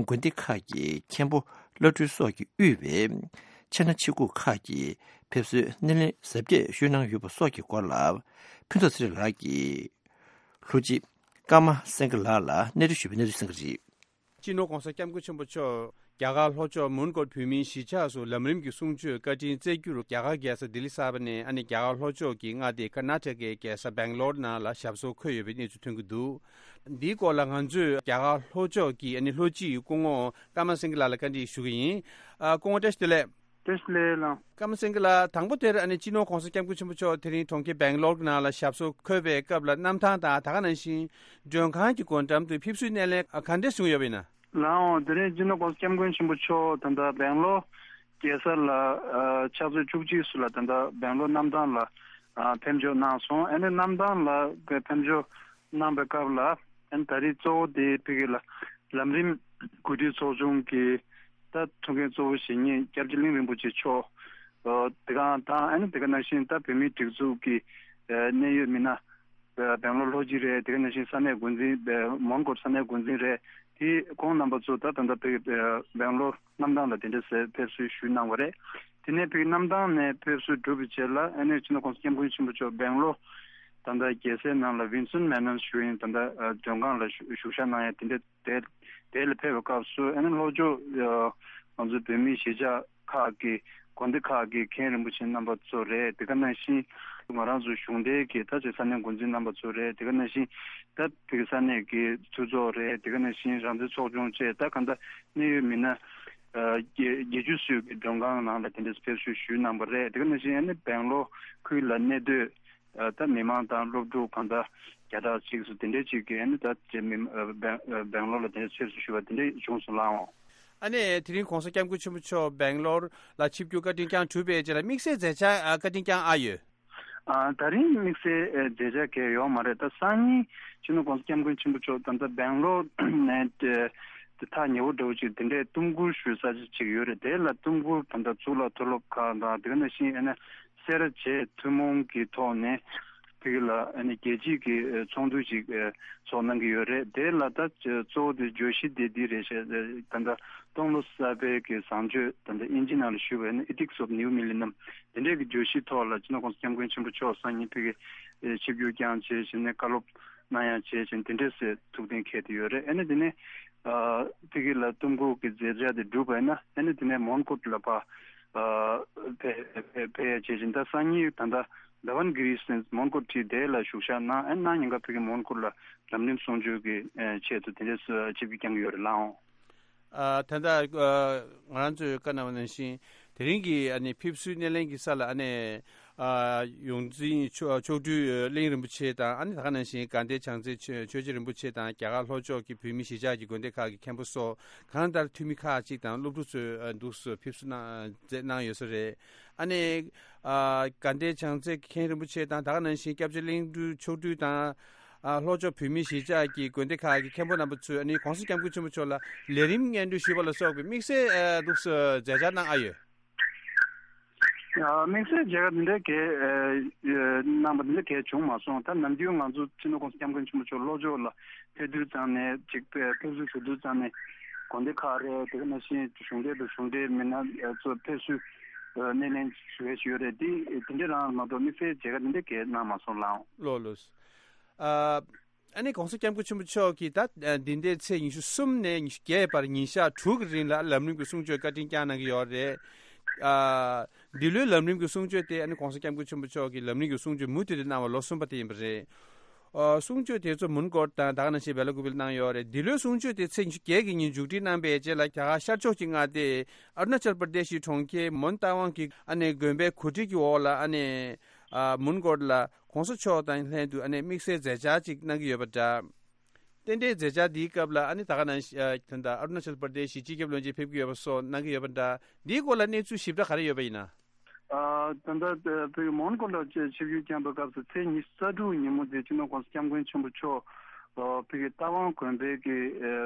དགོན་སྡེ་ཁག་གི་མཁན་པོ་བླ་སྤྲུལ་སོགས་ཀྱིས་དབུས་པའི་ཆེ་ན་ཆེ་ཁུག་ཁག་གི་ཕེབས་བསུའི་སྣེ་ལེན་གཟབ་རྒྱས་ཞུས་གནང་ཡོད་པ་སོགས་ཀྱི་སྐོར་ལ། ཕུན་ཚོགས་ཚེ་རིང་ལགས་ཀྱིས་ལྷུ་ཅི་ཀརྨ་སེང་གེ་ལགས་ལ་གནས་འདྲི་ཞུས་པའི་གནས་ཚུལ་གསན་གྱི་རེད། སྤྱི་ནོར་༧གོང་ས་༧སྐྱབས་མགོན་ཆེན་པོ་མཆོག་ རྒྱ་གར་ལྷོ་ཕྱོགས་མོན་གྷོ་བོད་མིའི་གཞིས་ཆགས་སུ་ལམ་རིམ་གྱི་གསུང་ཆོས་བཀའ་དྲིན་སྩལ་རྒྱུར་རྒྱ་གར་རྒྱལ་ས་ལྡི་ལི་གསར་པ་ནས་ཨ་ནི་རྒྱ་གར་ལྷོ་ཕྱོགས་ཀྱི་མངའ་སྡེ་ཀར་ན་ཊ་ཀའི་རྒྱལ་ས་སྦེང་ལོར་ནང་ལ་ཞབས་སོར་འཁོད་ཡོད་པའི་གནས་ཚུལ་ཐོན་གྱི་འདུག་འདིའི་སྐོར་ལ་ང་ཚོས་རྒྱ་གར་ལྷོ་ཕྱོགས་ཀྱི་ཨ་ནི་ལྷོ་སྤྱི་ཡི་སྐུ་ངོ་ཀརྨ་སེང་གེ་ལགས་ལ་བཀའ་འདྲི་ཞུ་གི་ཡིན། ཨ། སྐུ་ངོ་བཀྲ་ཤིས་བདེ་ལེགས། བཀྲ་ཤིས་བདེ་ལེགས་ལགས། ཀརྨ་སེང་གེ་ལགས། དང་པོ་དེར་ཨ་ནི་སྤྱི་ནོར་གོང་ས་སྐྱབས་མགོན་ཆེན་པོ་མཆོག་དེ་རིང་གྲོང་ཁྱེར་སྦེང་ལོར་གྱི་ནང་ལ་ཞབས་སོར་འཁོད་པའི་སྐབས་ལ་གནམ་ཐང་དང་ད་ག་ནང་བཞིན་མགྲོན་ཁང་གི་སྒོ་འགྲམ་དུ་ཕེབས་བསུའི་སྣེ་ལེན་ག་འདྲས་བྱུང་ཡོད་པ་ཡིན་ན། ལགས་འོང་། དེ་རིང་སྤྱི་ནོར་གོང་ས་སྐྱབས་མགོན་ཆེན་པོ་མཆོག་ད་ལྟ་སྦེང་ལོར་རྒྱལ་ས་ལ་ཨ་ཕྱག་ཚོད་བཅུ་གཅིག་སུ་ལ་ད་ལྟ་སྦེང་ལོར་གནམ་ཐང་ལ་ཨ་ཕེབས་འབྱོར་གནང་སོང་། ཨ་ནི་གནམ་ཐང་ལ་ཕེབས་འབྱོར་གནང་བའི་སྐབས་ལ་ཨ་ནི་ད་རེས་གཙོ་བོ་དེ་ཕ་གི་ལ་ལམ་རིམ་གོ་སྒྲིག་ཚོགས་ཆུང་གི་ད་ཐུགས་འགན་གཙོ་བོ་བཞེས་མཁན་སྐྱབས་རྗེ་གླིང་རིན་པོ་ཆེ་མཆོག་ཨ་དེ་ག་དང་ཨ་ནི་དེ་ག་ནང་བཞིན་ད་བོད་མིའི་སྒྲིག་འཛུགས་ཀྱི་ཨ་གནད་ཡོད་མི་སྣ་སྦེང་ལོར་ལྷོ་སྤྱི་རེད། དེ་ག་ནང་བཞིན་ས་གནས་འགོ་འཛིན་སྦེ་མོན་གྷོ་ས་གནས་འགོ་འཛིན་རེད། དེ་ཁོང་རྣམ་པ་ཚོ་ད་ད་ལྟ་ཕ་སྦེང་ལོར་གནམ་ཐང་ལ་དེ་འདྲ་ཟེར་ཕེབས་བསུ་ཞུས་གནང་བ་རེད། དེ་ནས་ཕ་གནམ་ཐང་ནས་ཕེབས་བསུ་གྲུབ་པའི་རྗེས་ལ་ཨ་ནི་སྤྱི་ནོར་གོང་ས་སྐྱབས་མགོན་ཆེན་པོ་མཆོག་སྦེང་ལོར་ད་ལྟ་རྒྱལ་སའི་ནང་ལ་ཝིན་སོན་མེ་ནོན་ཞུ་ཡིན་ད་ལྟ་མགྲོན་ཁང་ལ་བཞུགས་ཞག་གནང་ཡ་དེ་འདྲ་དེ་དེ་ལ་ཕེབས་པའི་སྐབས་སུ་ཨ་ནི་ལྷོ་ཕྱོགས་ང་ཚོ་བོད་མིའི་གཞིས་ཆགས་ཁག་གི་དགོན་སྡེ་ཁག་གི་མཁན་རིན་པོ་ཆེ་རྣམ་པ་ཚོ་རེད། དེ་ག་ནང་བཞིན་ང་རང་ཚོ་གཞུང་འབྲེལ་གྱི་ད་ཆ་ས་གནས་འགོ་འཛིན་རྣམ་པ་ཚོ་རེད། དེ་ག་ནང་བཞིན་ད་དེ་ག་ས་གནས་ཀྱི་ཚོགས་གཙོ་རེད། དེ་ག་ནང་བཞིན་རང་བཙན་ཚོགས་ཆུང་བཅས་ད་ག་ད་གནད་ཡོད་མི་སྣ་བརྒྱད་ཅུ་ཙམ་གྱི་མགྲོན་ཁང་ནང་ལ་དེ་འདྲ་ཕེབས་བསུ་ཞུས་གནང་བ་རེད། དེ་ག་ནང་བཞིན་ཨ་ནི་སྦེང་ལོར་ཁུལ་ལ་གནས་སྡོད་ད་མི་མང་དང་སློབ་ཕྲུག་གང་ལྟར་བརྒྱ་ཕྲག་གཅིག་སུ་དེ་འདྲའི་གཅིག་གིས་ཨ་ནི་ད་ཅེ་མི་སྦེང་སྦེང་ལོར་ལ་དེ་འདྲའི་ཕེབས་བསུ་ཞུ་བ་དེ་འདྲའི་བྱུང་སོང་ལགས་འོང་། ཨ་ནེ་དེ་རིང་གོང་ས་སྐྱབས་མགོན་ཆེན་པོ་མཆོག་སྦེང་ལོར་ལ་ཆིབས་བསྒྱུར་བཀའ་དྲིན་བསྐྱངས་གྲུབ་པའི་རྗེས་ལ་དམིགས་བསལ་མཛད་འཆར་བཀའ་དྲིན་བསྐྱངས་ཨ་ཡོད། ཨ་ད་རིང་དམིགས་བསལ་མཛད་འཆར་གང་ཡང་ཡོད་མ་རེད། ད་སང་ཉིན་སྤྱི་ནོར་གོང་ས་སྐྱབས་མགོན་ཆེན་པོ་མཆོག་ད་ལྟ་སྦེང་ལོར་ནས་དེ་ཐག་ཉེ་བོ་འདྲ་བོ་ཅིག་དེ་འདྲའི་གཏུམ་སྒུལ་ཞུ་ས་ཅིག་ཡོད་རེད། དེ་ལ་གཏུམ་སྒུལ་ད་ལྟ་གཙུག་ལག་མཐོ་སློབ་ཁག་དང་དེ་ག་ནང་བཞིན་ཨ་ནི་སེ་ར་བྱེས་ཐུན་མོང་གི་ཐོག་ནས་ཕ་གི་ལ་ཨ་ནི་རྒྱལ་སྤྱིའི་གི་ཚོགས་འདུ་ཅིག་ཚོགས་གནང་གི་ཡོད་རེད། དེ་ལ་ད་གཙོ་བོ་དེ་བརྗོད་གཞི་དེ་འདི་རེད་ཤག་ད་ལྟ་སྟོང་ལོ་གསར་པའི་གི་བཟང་སྤྱོད་ད་ལྟ་ཨིན་ཇི་ནང་ལ་ཞུས་པ་ཡིན་ན་Ethics of New Millennium དེ་འདྲའི་གི་བརྗོད་གཞིའི་ཐོག་ལ་སྤྱི་ནོར་གོང་ས་སྐྱབས་མགོན་ཆེན་པོ་མཆོག་སང་ཉིན་ཕ་གི་ཆིབས་བསྒྱུར་བསྐྱངས་བྱས་བྱས་ནས་བཀའ་སློབ་གནང་ཡ་བྱས་བྱས་དེ་འདྲས་སེ་ཐུགས་གཏན་འཁེལ་དེ་ཡོད་རེད། ཨ་ནི་དེ་ནས་ཕ་གི་ལ་གཏུམ་སྒུལ་གི་མཛད་འཆར་དེ་གྲུབ་པ་ཡིན་ན་ཨ་ནི་དེ་ནས་མོན་གྷོ་ལ་ཕ་ཕེ་ཕེ་ཕེ་ཡ་བྱས་བྱས་ད་སང་ཉིན་ད་ལྟ་དྷ་བན་གྷི་རི་སེ་མོན་གྷོ་ཁྲིད་དེ་ལ་བཞུགས་ཞག་གནང་ཨ་ནི་གནངས་ཉིན་ཀ་ཕ་གི་མོན་གྷོ་ལ་ལམ་རིམ་གསུང་ཆོས་ཀྱི་ཆེད་དུ་དེ་འདྲས་སེ་ཆིབས་བསྒྱུར་བསྐྱངས་ཀྱི་ཡོད་རེད་ལགས་འོང་། ཨ་ད་ལྟ་ཨ་ང་རང་ཚོས་བཀའ་གནང་བ་ནང་བཞིན་དེ་རིང་གི་ཨ་ནི་ཕེབས་བསུའི་སྣེ་ལེན་གྱི་ས་ལ་ཨ་ནི་ཨ་ཡོངས་འཛིན་མཆོག་མཆོག་སྤྲུལ་གླིང་རིན་པོ་ཆེ་དང་ཨ་ནི་ད་ག་ནང་བཞིན་དགའ་ལྡན་བྱང་རྩེ་ཆོས་ཆོས་རྗེ་རིན་པོ་ཆེ་དང་རྒྱ་གར་ལྷོ་ཕྱོགས་ཀྱི་བོད་མི་གཞིས་ཆགས་ཀྱི་དགོན་སྡེ་ཁག་གི་མཁན་པོ་སོགས་གང་ལྟར་འཐུས་མི་ཁག་ཅིག་དང་སློབ་ཕྲུག་ཚོས་ཨ་འདུག་སེ་ཕེབས་བསུ་གནང་མཛད་གནང་ཡོད་ས་རེད། ཨ་ནི་ཨ་དགའ་ལྡན་བྱང་རྩེ་མཁན་རིན་པོ་ཆེ་དང་ད་ག་ནང་བཞིན་སྐྱབས་རྗེ་གླིང་སྤྲུལ་མཆོག་སྤྲུལ་དང་། ཨ་ལྷོ་ཕྱོགས་བོད་མིའི་གཞིས་ཆགས་ཀྱི་དགོན་སྡེ་ཁག་གི་མཁན་པོ་རྣམ་པ་ཚོས་ཨ་ནི་གོང་ས་སྐྱབས་མགོན་ཆེན་པོ་མཆོག་ལ་ལས་རིམ་སྙན་སྒྲོན་ཞུས་པ་ལ་སོགས་པའི་དམིགས་བསལ་ཨ་འདུག་སེ་མཛད་འཆར་གནང་ཨ་ཡོད། ཨ་དམིགས་བསལ་མཇལ་ཁ་འདི་འདྲའི་གས་ཨ་གནང་པ་འདི་འདྲ་གས་བྱུང་མ་སོང་། ད་ནམ་རྒྱུན་ང་ཚོ་སྤྱི་ནོར་གོང་ས་སྐྱབས་མགོན་ཆེན་པོ་མཆོག་ལྷོ་ཕྱོགས་ལ་ཕེབས་དུས་ཙམ་ནས་ཅིག་ཕེབས་བསུ་ཞུ་དུས་ཙམ་ནས་དགོན་སྡེ་ཁག་རེད་དེ་ག་ནང་བཞིན་གཞུང་འབྲེལ་དང་གཞུང་འབྲེལ་མི་སྣ་ཚོ་ཕེབས་བསུ་སྣེ་ལེན་ཞུ་ཡས་ཞུ་ཡོད་རེད། འདི་འདི་འདྲ་རང་མ་གཏོགས་དམིགས་བསལ་མཇལ་ཁ་འདི་འདྲ་གས་གནང་མ་སོང་ལགས་འོང་། ལགས་ལགས། ཨ་ཨ་ནི་གོང་ས་སྐྱབས་མགོན་ཆེན་པོ་མཆོག་གིས་ད་ཨ་འདི་ཟླའི་ཚེས་ཉི་ཤུ་གསུམ་ནས་ཉི་ཤུ་བརྒྱད་བར་ཉིན་ཞག་དྲུག་གི་རིང་ལ་ལམ་རིམ་གྱི་གསུང་ཆོས་བཀའ་དྲིན་བསྐྱངས་གནང་གི་ཡོད་རེད། ཨ་འདི་ལོའི་ལམ་རིམ་གྱི་གསུང་ཆོས་དེ་ཨ་ནི་གོང་ས་སྐྱབས་མགོན་ཆེན་པོ་མཆོག་གིས་ལམ་རིམ་གྱི་གསུང་ཆོས་མུ་མཐུད་དུ་གནང་བ་ལོ་གསུམ་པ་དེ་ཡིན་པ་རེད། ཨ་གསུང་ཆོས་དེ་ཚོ་མོན་གྷོ་དང་ད་ག་ནང་བཞིན་བེ་ལ་ཀུ་པེ་ལ་གནང་ཡོད་རེད། འདི་ལོའི་གསུང་ཆོས་དེ་ཚེས་ཉི་ཤུ་བརྒྱད་ཀྱི་ཉིན་མཇུག་སྒྲིལ་གནང་པའི་རྗེས་ལ་རྒྱ་གར་ཤར་ཕྱོགས་ཀྱི་མངའ་སྡེ་ཨ་རུ་ན་ཅལ་པར་དེ་ཤི་གྲོང་ཁྱེར་མོན་རྟ་དབང་གི་ཨ་ནི་དགོན་པའི་གོ་སྒྲིག་གི་འོག་ལ་ཨ་ནི་ཨ་མོན་གྷོ་ལ་གོང་ས་མཆོག་དང་ལྷན་དུ་ཨ་ནི་དམིགས་བསལ་མཛད་འཆར་ཅིག་གནང་གི་ཡོད་པ་འདྲ། རྟེན་འབྲེལ་མཛད་འཆར་འདིའི་སྐབས་ལ་ཨ་ནི་ད་ག་ནང་བཞིན་ཨ་ད་ལྟ་ཨ་རུ་ན་ཅལ་པར་དེ་ཤི་སྤྱི་ཁྱབ་བློན་ཆེན་ཕེབས་ཀྱི་ཡོད་པ་སོགས་གནང་གི་ཡོད་པ་འདྲ། འདིའི་སྐོར་ལ་གནས་ཚུལ་ཞིབ་ཕྲ་ག་རེ་ཡོད་པ་ཡིན་ན། ཨ་ད་ལྟ་བོད་ཀྱི་མོན་གྷོ་ལ་ཆིབས་བསྒྱུར་བསྐྱངས་པའི་སྐབས་སུ་ཚེས་ཉི་ཤུ་རྩ་དྲུག་ཉིན་མོ་དེ་སྤྱི་ནོར་གོང་ས་སྐྱབས་མགོན་ཆེན་པོ་མཆོག་བོད་ཀྱི་རྟ་དབང་དགོན་པའི་གི་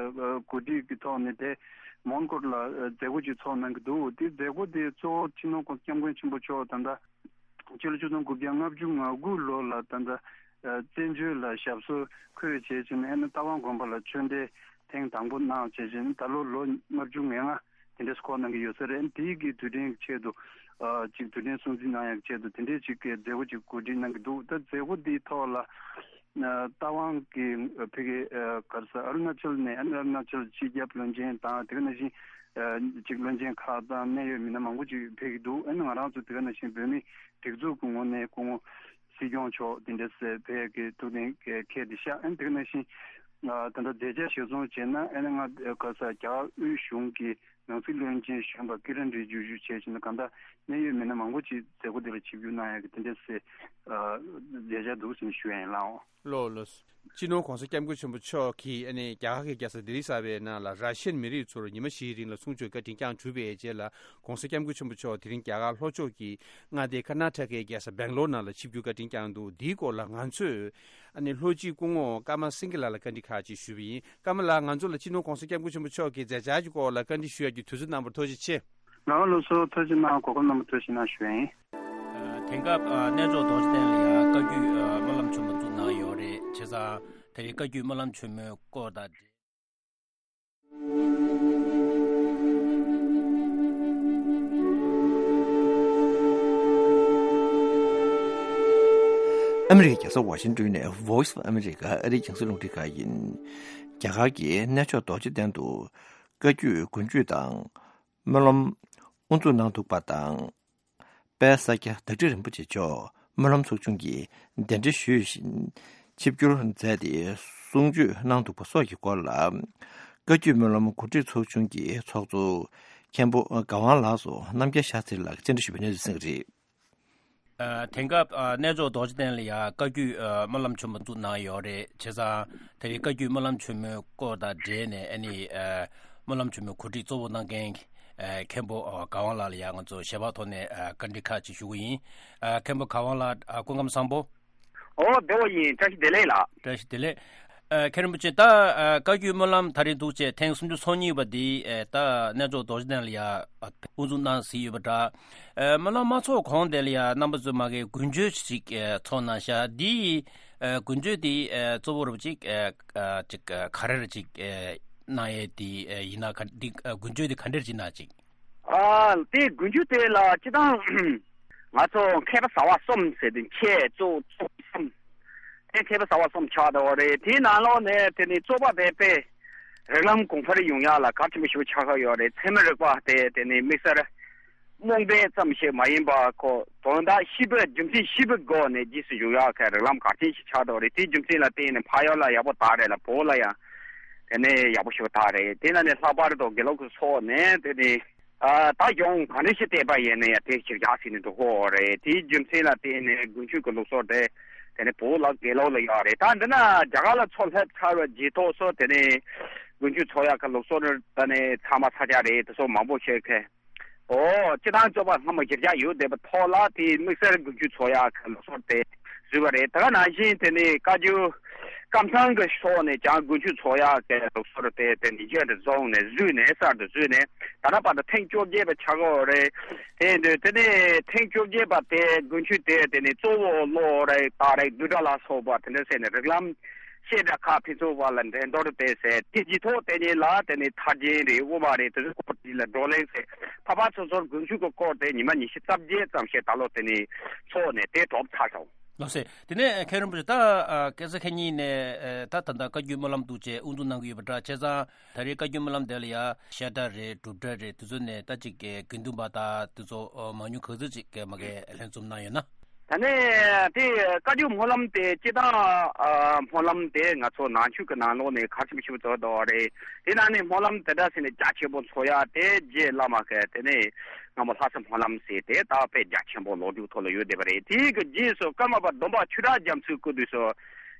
གོ་སྒྲིག་གི་ཐོག་ནས་དེ་མོན་གྷོ་ལ་མཛད་སྒོ་ཅིག་ཚོགས་གནང་གི་འདུག་དེ་མཛད་སྒོ་དེ་གཙོ་བོ་སྤྱི་ནོར་གོང་ས་སྐྱབས་མགོན་ཆེན་པོ་མཆོག་ད་ལྟ་ཕྱི་ལོ་ཆིག་སྟོང་དགུ་བརྒྱ་ལྔ་བཅུ་ང་དགུ་ལོ་ལ་ད་ལྟ་བཙན་བྱོལ་ལ་ཞབས་སོར་འཁོད་བྱས་བྱས་ནས་ཨ་ནི་རྟ་དབང་དགོན་པ་ལ་ཆོས་འབྲེལ་ཐེངས་དང་པོ་གནང་བྱས་བྱས་ནས་ད་ལོ་ལོ་ལྔ་བཅུ་ང་ལྔ་དེ་འདྲས་འཁོར་གནང་གི་ཡོད་ས་རེད། དེའི་གི་དུས་དྲན་གྱི་ཆེད་དུ་ཨ་ཅིག་དུས་དྲན་སྲུང་བརྩི་གནང་ཡག་ཆེད་དུ་དེ་འདྲས་ཅིག་གི་མཛད་སྒོ་ཅིག་གོ་སྒྲིག་གནང་གི་འདུག་ད་མཛད་སྒོ་འདིའི་ཐོག་ལ་ཨ་རྟ་དབང་གི་ཨ་ཕ་གི་ཨ་ག་རེ་ཟེར་ཨ་རུ་ན་ཅལ་ནས་ཨ་ནི་ཨ་རུ་ན་ཅལ་སྤྱི་ཁྱབ་བློན་ཆེན་དང་དེ་ག་ནང་བཞིན་ ཅིག་བློན་ཆེན་ཁག་དང་གནད་ཡོད་མི་སྣ་མང་པོ་ཅིག་ཕེབས་ཀྱི་འདུག་ཨ་ནི་ང་རང་ཚོ་དེ་ག་ནང་བཞིན་བོད་མི་སྒྲིག་འཛུགས་ཀྱི་ངོས་ནས་སྐུ་ངོ་སྲིད་སྐྱོང་མཆོག་དེ་འདྲ་ཟེར་ཕེབས་ཀྱི་ཐུགས་གཏན་འཁེལ་དེ་ཤག་ཨ་ནི་དེ་ག་ནང་བཞིན་ད་ལྟ་མཛད་འཆར་གཞིར་བཟུང་བྱས་ན་ཨ་ནི་ང་ག་ས་རྒྱ་གར་དབུས་གཞུང་གི་ནང་སྲིད་བློན་ཆེན་གཞོན་པ་ཀི་རན་རི་ཇི་ཇུ་བྱས་ཕྱིན་ན་གང་ལྟར་གནད་ཡོད་མི་སྣ་མང་པོ་ཅིག་མཛད་སྒོ་དེ་ལ་ཆིབས་བསྒྱུར་གནང་ཡག་གི་དེ་འདྲ་ཟེར་མཛད་འཆར་འདུག་ཟེར་ནས་ཞུ་ཡ་ཡིན་ལགས། ལགས་ལགས། སྤྱི་ནོར་༸གོང་ས་༸སྐྱབས་མགོན་ཆེན་པོ་མཆོག་གིས་ཨ་ནི་རྒྱ་གར་གྱི་རྒྱལ་ས་ལྡི་ལི་གསར་པའི་ནང་ལ་ར་ཤི་ཡན་མི་རིགས་ཚོར་ཉི་མ་བཞིའི་རིང་ལ་གསུང་ཆོས་བཀའ་དྲིན་བསྐྱངས་གྲུབ་པའི་རྗེས་ལ་༸གོང་ས་༸སྐྱབས་མགོན་ཆེན་པོ་མཆོག་དེ་རིང་རྒྱ་གར་ལྷོ་ཕྱོགས་ཀྱི་མངའ་སྡེ་ཀར་ནཱ་ཊ་ཀའི་རྒྱལ་ས་སྦེང་ལོར་ནང་ལ་ཆིབས་བསྒྱུར་བཀའ་དྲིན་བསྐྱངས་འདུག་འདིའི་སྐོར་ལ་ང་ཚོས་ཨ་ནི་ལྷོ་སྤྱི་སྐུ་ངོ་ཀརྨ་སེང་གེ་ལགས་ལ་བཀའ་འདྲི་ཁག་ཅིག་ཞུས་པ་ཡིན། ཀརྨ་ལགས། ང་ཚོ་ལ་སྤྱི་ནོར་༸གོང་ས་༸སྐྱབས་མགོན་ཆེན་པོ་མཆོག་གི་མཛད་འཆར་གྱི་སྐོར་ལ་བཀའ་འདྲི་ཞུ་ཡག་གི་དུས་ཚོད་གནང་བར་ཐུགས་རྗེ་ཆེ། ལགས་ལགས་སོ། ཐུགས་རྗེ་གནང་། གོ་སྐབས་གནང་བར་ཐུགས་རྗེ་གནང་ཞུ་ཡ་ཡིན། ཨ། དེང་སྐབས་ཨ་གནས་མཆོག་རྡོ་རྗེ་གདན་ལ་ཡང་བཀའ་བརྒྱུད་ཨ་སྨོན་ལམ་ཆེན་མོ་བཙུགས་གནང་ཡོད་རེད། བྱས་ཙང་དེ་རིང་བཀའ་བརྒྱུད་སྨོན་ལམ་ཆེན་མོའི་སྐོར་དང་འབྲེལ། ཨ་མི་རི་ཀའི་རྒྱལ་ས་ཝ་ཤིང་ཏོན་ནས་Voice of America ཨ་རིའི་རྒྱང་སྲིང་རླུང་འཕྲིན་ཁང་ཡིན། རྒྱ་གར་གྱི་གནས་མཆོག་རྡོ་རྗེ་གདན་དུ་བཀའ་བརྒྱུད་དགུན་ཆོས་དང་། སྨོན་ལམ་དབུ་འཛུགས་གནང་འདུག་པ་དང་། དཔལ་ས་སྐྱ་བདག་ཁྲི་རིན་པོ་ཆེ་མཆོག་སྨོན་ལམ་ཚོགས་ཆུང་གི་གདན་འདྲེན་ཞུས་བཞིན་ཆིབས་བསྒྱུར་མཛད་དེ་གསུང་ཆོས་གནང་འདུག་པ་སོགས་ཀྱི་སྐོར་ལ། བཀའ་བརྒྱུད་སྨོན་ལམ་གོ་སྒྲིག་ཚོགས་ཆུང་གི་ཚོགས་གཙོ་མཁན་པོ་ག་ཝང་ལགས་སུ་རྣམ་རྒྱལ་ཤཱ་ཚེ་རིང་ལགས་ཀྱིས་བཅར་འདྲི་ཞུས་པའི་གནས་ཚུལ་གསན་གྱི་རེད། ཨ། དེང་སྐབས་ཨ་གནས་མཆོག་རྡོ་རྗེ་གདན་ལ་ཡང་བཀའ་བརྒྱུད་ཨ་སྨོན་ལམ་ཆེན་མོ་བཙུགས་གནང་ཡོད་རེད། བྱས་ཙང་དེ་རིང་བཀའ་བརྒྱུད་སྨོན་ལམ་ཆེན་མོའི་སྐོར་དང་འབྲེལ་ནས་ཨ་ནི་ཨ་སྨོན་ལམ་ཆེན་མོའི་གོ་སྒྲིག་གཙོ་བོ་གནང་མཁན་ཨ་མཁན་པོ་ཨ་ག་ཝང་ལགས་ལ་ཡང་ང་ཚོ་ཞལ་པར་ཐོག་ནས་ཨ་བཀའ་འདྲི་ཁག་ཅིག་ཞུ་གི་ཡིན། ཨ་མཁན་པོ་ག་ཝང་ལགས། ཨ། སྐུ་ཁམས་བཟང་པོ། ཨོ། བདེ་པོ་ཡིན། བཀྲ་ཤིས་བདེ་ལེགས་ལགས། བཀྲ་ཤིས་བདེ་ལེགས། ཨ། མཁན་རིན་པོ་ཆེ། ད་ཨ་བཀའ་བརྒྱུད་སྨོན་ལམ་ད་རེས་འདུག་བྱས་ཐེངས་སུམ་ཅུ་སོ་གཉིས་པ་འདི་ཨ་ད་གནས་མཆོག་རྡོ་རྗེ་གདན་ལ་ཡ་ཨ་དབུ་འཛུགས་གནང་ཟིན་ཡོད་པ་འདྲ། ཨ་སྨོན་ལམ་མ་ཚོགས་གོང་དེ་ལ་ཡ་རྣམ་པ་ཚོས་མ་གི་དགུན་ཆོས་ཅིག་ཨ་ཚོགས་གནང་ཤག་འདི་ཨ་དགུན་ཆོས་འདི་ཨ་གཙོ་བོ་རུ་ཅིག་ཨ་ཨ་ཅིག་ཨ་ག་རེ་རེ་ཅིག་ཨ་གནང་ཡས་འདི་ཨ་ཡིན་ན། ག་འདི་ཨ་དགུན་ཆོས་འདི་ག་འདྲས་ཅིག་གནང་ཅིག་ཨ། དེ་དགུན་ཆོས་དེ་ལ་སྤྱིར་བཏང་ང་ཚོ་མཁས་པ་ཟབ་པ་གསུམ་ཟེར་དུས་མཁས་གཙོ་གཙོ་གསུམ། དེ་མཁས་པ་ཟབ་པ་གསུམ་ཆགས་འདུག་རེད། དེའི་ནང་ལོགས་ནས་དེ་ནི་རྩོད་པ་དེ་དཔེ་རིགས་ལམ་གོང་འཕེལ་ཡོང་ཡག་ལ་གལ་ཆེན་པོ་ཞིག་ཆགས་ཀྱི་ཡོད་རེད། ཚད་མའི་རིག་པ་དེ་དེ་ནི་དམིགས་བསལ་རྨོངས་དད་ཙམ་ཞིག་མ་ཡིན་པ་ཁོ་དོན་དག་ཞིབ་པའི་རྒྱུ་མཚན་ཞིབ་པའི་སྒོ་ནས་རྗེས་སུ་འཇུག་ཡག་གི་རིགས་ལམ་གལ་ཆེན་ཞིག་ཆགས་འདུག་རེད། དེའི་རྒྱུ་མཚན་ལ་བརྟེན་ནས་ཕ་ཡུལ་ལ་ཡག་པོ་དར་རེད་ལ་བོད་ལ་ཡང་དེ་ནས་ཡག་པོ་ཞིག་དར་རེད། དེ་ན་ནས་ལྷག་པར་དུ་དགེ་ལུགས་ཀྱི་ཕྱོགས་ནས་དེ་ནས་ཨ་ད་གཞུང་ག་འདྲ་ཞིག་བལྟས་པ་ཡིན་ན་ཡང་དེ་ཞིག་རྒྱག་ཟིན་ནས་འདུག་གོ་རེད། དེའི་རྒྱུ་མཚན་ལ་བརྟེན་ནས་དགུན་ཆོས་ཀྱི་ལུགས་སྲོལ་དེ་དེ་ནས་བོད་ལ་དགེ་ལུགས་ལ་ཡོད་རེད། ད་འདི་ན་རྒྱ་གར་ལ་ཚུར་སླེབས་ཚར་བའི་རྗེས་ཐོག་སུ་དེ་ནས་དགུན་ཆོས་ཚོགས་ཡག་གི་ལུགས་སྲོལ་ད་ནས་ཚང་མ་ཚ་རྒྱག་རེད། དེ་ཚོ་མང་པོ་བཤད་མཁན། ཨོ། སྤྱིར་བཏང་རྩོད་པ་སྔ་མོ་གཞི་རྒྱ་ཡོད་བསྡད་པའི་ཐོག་ལ་དེའི་དམིགས་བསལ་དགུན་ཆོས་ཚོགས་ཡག་གི་ལུགས་སྲོལ་དེ་བཟོས་པ་རེད། དེ་ག་ནང་བཞིན་དེ་ནི་བཀའ་བརྒྱུད་ཀམ་ཚང་གི་ཕྱོགས་ནས་ཀྱང་དགུན་ཆོས་ཚོགས་ཡག་གི་ལུགས་སྲོལ་དེ་དེ་ནི་རྗེས་འདྲ་བཟུང་ནས་བཟོས་ནས་གསར་དུ་བཟོས་ནས་ད་ལྟ་བར་དུ་ཐེངས་བཅོ་བརྒྱད་པ་ཆགས་ཀྱི་ཡོད་རེད། དེ་འདུག་དེ་ནས་ཐེངས་བཅོ་བརྒྱད་པ་དེ་དགུན་ཆོས་དེ་དེ་ནི་གཙོ་བོ་བློ་རིག་རྟགས་རིགས་བསྡུས་གྲྭ་ལ་སོགས་པ་དེ་འདྲ་ཟེར་ནས་རིགས་ལམ་བཤད་གྲྭ་ཁག་ཕན་ཚུན་བར་ལ་འགྲན་བསྡུར་དེ་ཟེར། དེ་རྗེས་ཐོག་དེ་ཉིད་ལ་དེ་ནི་ཐར་རྒྱན་རེད། དབུ་མ་རེད། དེ་ཚོའི་སྐོར་དེ་ལ་བགྲོ་གླེང་ཟེར། ཕར་ཕར་ཚུར་ཚུར་དགུན་ཆོས་ཀྱི་སྐོར་དེ་ཉི་མ་ཉི་ཤུ་རྩ་བརྒྱད་ཙམ་ཞིག་ད་ལོ་དེ་ནི་ཚོགས་ནས་དེ་གྲུབ་ཚར་སོང་། ལགས་སེ། དེ་ནས་མཁན་རིན་པོ་ཆེ། ད་ཨ་སྐལ་བཟང་ཁྱེད་གཉིས་ནས་ཨ་ད་ད་ལྟ་བཀའ་བརྒྱུད་སྨོན་ལམ་འདུག་བྱས་དབུ་འཛུགས་གནང་གི་ཡོད་པ་འདྲ། བྱས་ཙང་ད་རེས་བཀའ་བརྒྱུད་སྨོན་ལམ་དེ་ལ་ཡ་བཤད་གྲྭ་རེད། སྒྲུབ་གྲྭ་རེད། དེ་ཚོ་ནས་ད་ཅིག་དགེ་འདུན་པ་དང་དེ་ཚོ་མང་ཉུང་ག་ཚོད་ཅིག་མ་གི་ལྷན་འཛོམས་གནང་ཡོད་ན། ད་ནས་དེ་བཀའ་བརྒྱུད་སྨོན་ལམ་དེ་སྤྱིར་བཏང་ཨ་སྨོན་ལམ་དེ་ང་ཚོ་ནང་ཆོས་ཀྱི་ནང་ལོགས་ནས་གལ་ཆེན་པོ་ཞིག་བཟོ་འདུག་རེད། དེ་ནང་ནས་སྨོན་ལམ་དེ་འདྲ་ཟེར་ནས་རྒྱ་ཆེན་པོ་ཚོགས་ཡག་དེ་རྗེ་བླ་མ་གི་དེ་ནས་སྔ་མོ་ལྷ་ས་སྨོན་ལམ་ཟེར་དེ་ད་དཔེ་རྒྱ་ཆེན་པོ་ལོ་རྒྱུས་ཐོག་ལ་ཡོད་བསྡད་པ་རེད། དེའི་གི་རྗེས་སུ་ཀརྨ་པ་སྡོམ་པ་ཆོས་གྲགས་རྒྱ་མཚོའི་སྐུ་དུས་སུ་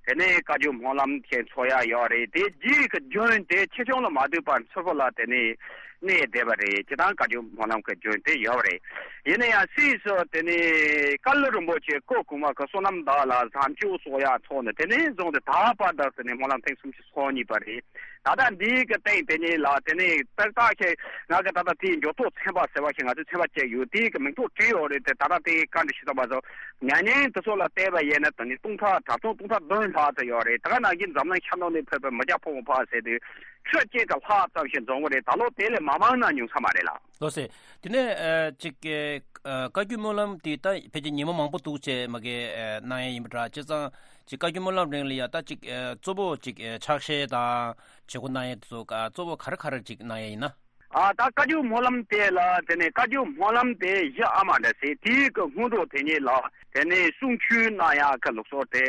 དེ་ནས་བཀའ་བརྒྱུད་སྨོན་ལམ་ཞིག་ཚོགས་ཡག་ཡོད་རེད། དེ་རྗེས་ཀྱི་རྒྱུན་དེ་ཆེ་ཆུང་ལ་མ་ལྟོས་པར་མཚུར་ཕུ་ལ་དེ་ནས་གནས་བསྡད་པ་རེད། སྤྱིར་བཏང་བཀའ་བརྒྱུད་སྨོན་ལམ་གྱི་རྒྱུན་དེ་ཡོད་པ་རེད། ཡིན་ན་ཡང་སྲིད་སུ་དེ་ནས་ཀ་ལི་རིན་པོ་ཆེ་སྐུ་གོང་མ་གི་བསོད་ནམས་དག་ལ་གཟབ་མཆོར་གསོག་ཡག་ཚོགས་ནས་དེ་ནས་བཟུང་སྟེ་ད་བར་དུ་དེ་ནས་སྨོན་ལམ་ཐེངས་སུམ་ཅུ་སོ་གཉིས་པ་རེད། ད་ལྟ་འདིའི་གི་སྟེང་དེ་ཉིད་ལ་དེ་ནས་ཏག་ཏག་ཞིག་ང་གི་ད་ལྟ་དེའི་འགྱུར་ལྡོག་ཚན་པ་ཟེར་བ་ཞིག་ང་ཚོས་ཚན་པ་བཅད་ཡོད། དེའི་གི་མིང་ཐོ་བྲིས་ཡོད་རེད་དེ། ད་ལྟ་དེའི་བཀའ་འདྲི་ཞུ་ཐུབ་པ་སོགས་ཉམས་ཉེས་དེ་ཚོ་ལ་བལྟས་པ་ཡིན་ན་དེ་ནི་སྟོང་ཕྲག་གྲངས་ཆུང་སྟོང་ཕྲག་བདུན་ལྷག་ཙམ་ཡོད་རེད། ད་ག་ནང་བཞིན་འཛམ་གླིང་ཤར་ནུབ་ནས་ཕེབས་པའི་མི་སྐྱ་ཕོ་མོ་ཕར་ཟེར་དུས་ཁྲི་གཅིག་གི་ལྷག་ཙམ་ཞིག་འཛོམས་ཀྱི་རེད། ད་ལོ་དེ་ལས་མང་མང་ན་ཉུང་ས་མ་རེད་ལགས། ལགས་སེ། དེ་ནས་ཨ་ཅིག་ཨ་བཀའ་བརྒྱུད་སྨོན་ལམ་དེ་ད་ཕལ་ཆེར་ཉིན་མོ་མང་པོ་འདུག་བྱས་མ་གི་ཨ་གནང་ཡས་ཡིན་པ་འདྲ། བྱས་ཙང་ཅིག་བཀའ་བརྒྱུད་སྨོན་ལམ་རིང་ལ་ཡ་ད་ཅིག་ཨ་གཙོ་བོ་ཅིག་ཨ་ཕྱག་བཞེས་དང་བྱེད་སྒོ་གནང་ཡས་དེ་ཚོ་ག་གཙོ་བོ་ག་རེ་ག་རེ་ཅིག་གནང་ཡས་ཡིན་ན། ཨ་ད་བཀའ་བརྒྱུད་སྨོན་ལམ་དེ་ལ་དེ་ནས་བཀའ་བརྒྱུད་སྨོན་ལམ་དེ་གཞི་ཨ་མ་འདྲ་ཟེར་དེའི་གི་སྔོན་འགྲོ་དེ་ཉིད་ལ་དེ་ནས་གསུང་ཆོས་གནང་ཡག་གི་ལུགས་སྲོལ་དེ་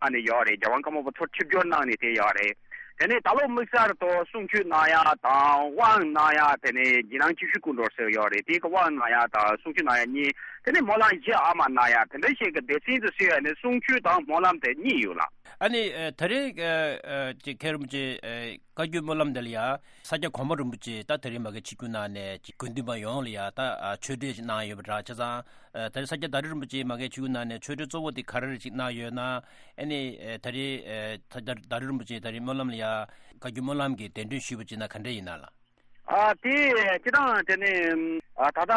ཨ་ནི་ཡོད་རེད། རྒྱལ་དབང་ཀརྨ་པ་ཐོག་ཆིབས་བསྒྱུར་གནང་ནས་དེ་ཡོད་རེད། དེ་ནས་ད་ལོ་དམིགས་བསལ་དུ་གསུང་ཆོས་གནང་ཡག་དང་དབང་གནང་ཡག་དེ་ནས་རྗེས་གནང་གཅིག་ཤོས་སྐུ་འགྲོ་ཟེར་ཡོད་རེད། དེའི་གི་དབང་གནང་ཡག་དང་གསུང་ཆོས་གནང་ཡག་གཉིས་དེ་ནས་སྨོན་ལམ་གཞི་ཨ་མ་གནང་ཡག་དེ་འདྲ་ཞིག་གི་སྡེ་ཚན་དུ་ཟེར་ཡག་ནས་གསུང་ཆོས་དང་སྨོན་ལམ་དེ་གཉིས་ཡོད་ལ། ཨ་ནི་ཨ་ད་རེས་ཨ་ཨ་ཅིག་མཁན་རིན་པོ་ཆེ་ཨ་བཀའ་བརྒྱུད་སྨོན་ལམ་འདི་ལ་ཡ་ས་སྐྱ་གོང་མ་རིན་པོ་ཆེ་ད་ད་རེས་མ་གི་ཆིབས་བསྒྱུར་གནང་ནས་ཅིག་དགེ་འདུན་པ་ཡོངས་ལ་ཡ་ད་ཨ་ཆོས་འབྲེལ་ཅིག་གནང་ཡོད་པ་འདྲ། བྱས་ཙང་ཨ་ད་རེས་ས་སྐྱ་བདག་ཁྲི་རིན་པོ་ཆེ་མ་གི་ཆིབས་བསྒྱུར་གནང་ནས་ཆོས་འབྲེལ་གཙོ་བོ་དེ་ག་རེ་རེ་ཅིག་གནང་ཡོད་ན། ཨ་ནི་ཨ་ད་རེས་ཨ་ད་ད་རེས་རིན་པོ་ཆེ་ད་རེས་སྨོན་ལམ་ལ་ཡ་བཀའ་བརྒྱུད་སྨོན་ལམ་གྱི་གདན་འདྲེན་ཞུས་པ་ཅིག་ན་ག་འདྲ་ཡིན་ན་ལགས། ཨ་དེ་སྤྱིར་བཏང་དེ་ནི་ཨ་ད་ལྟ་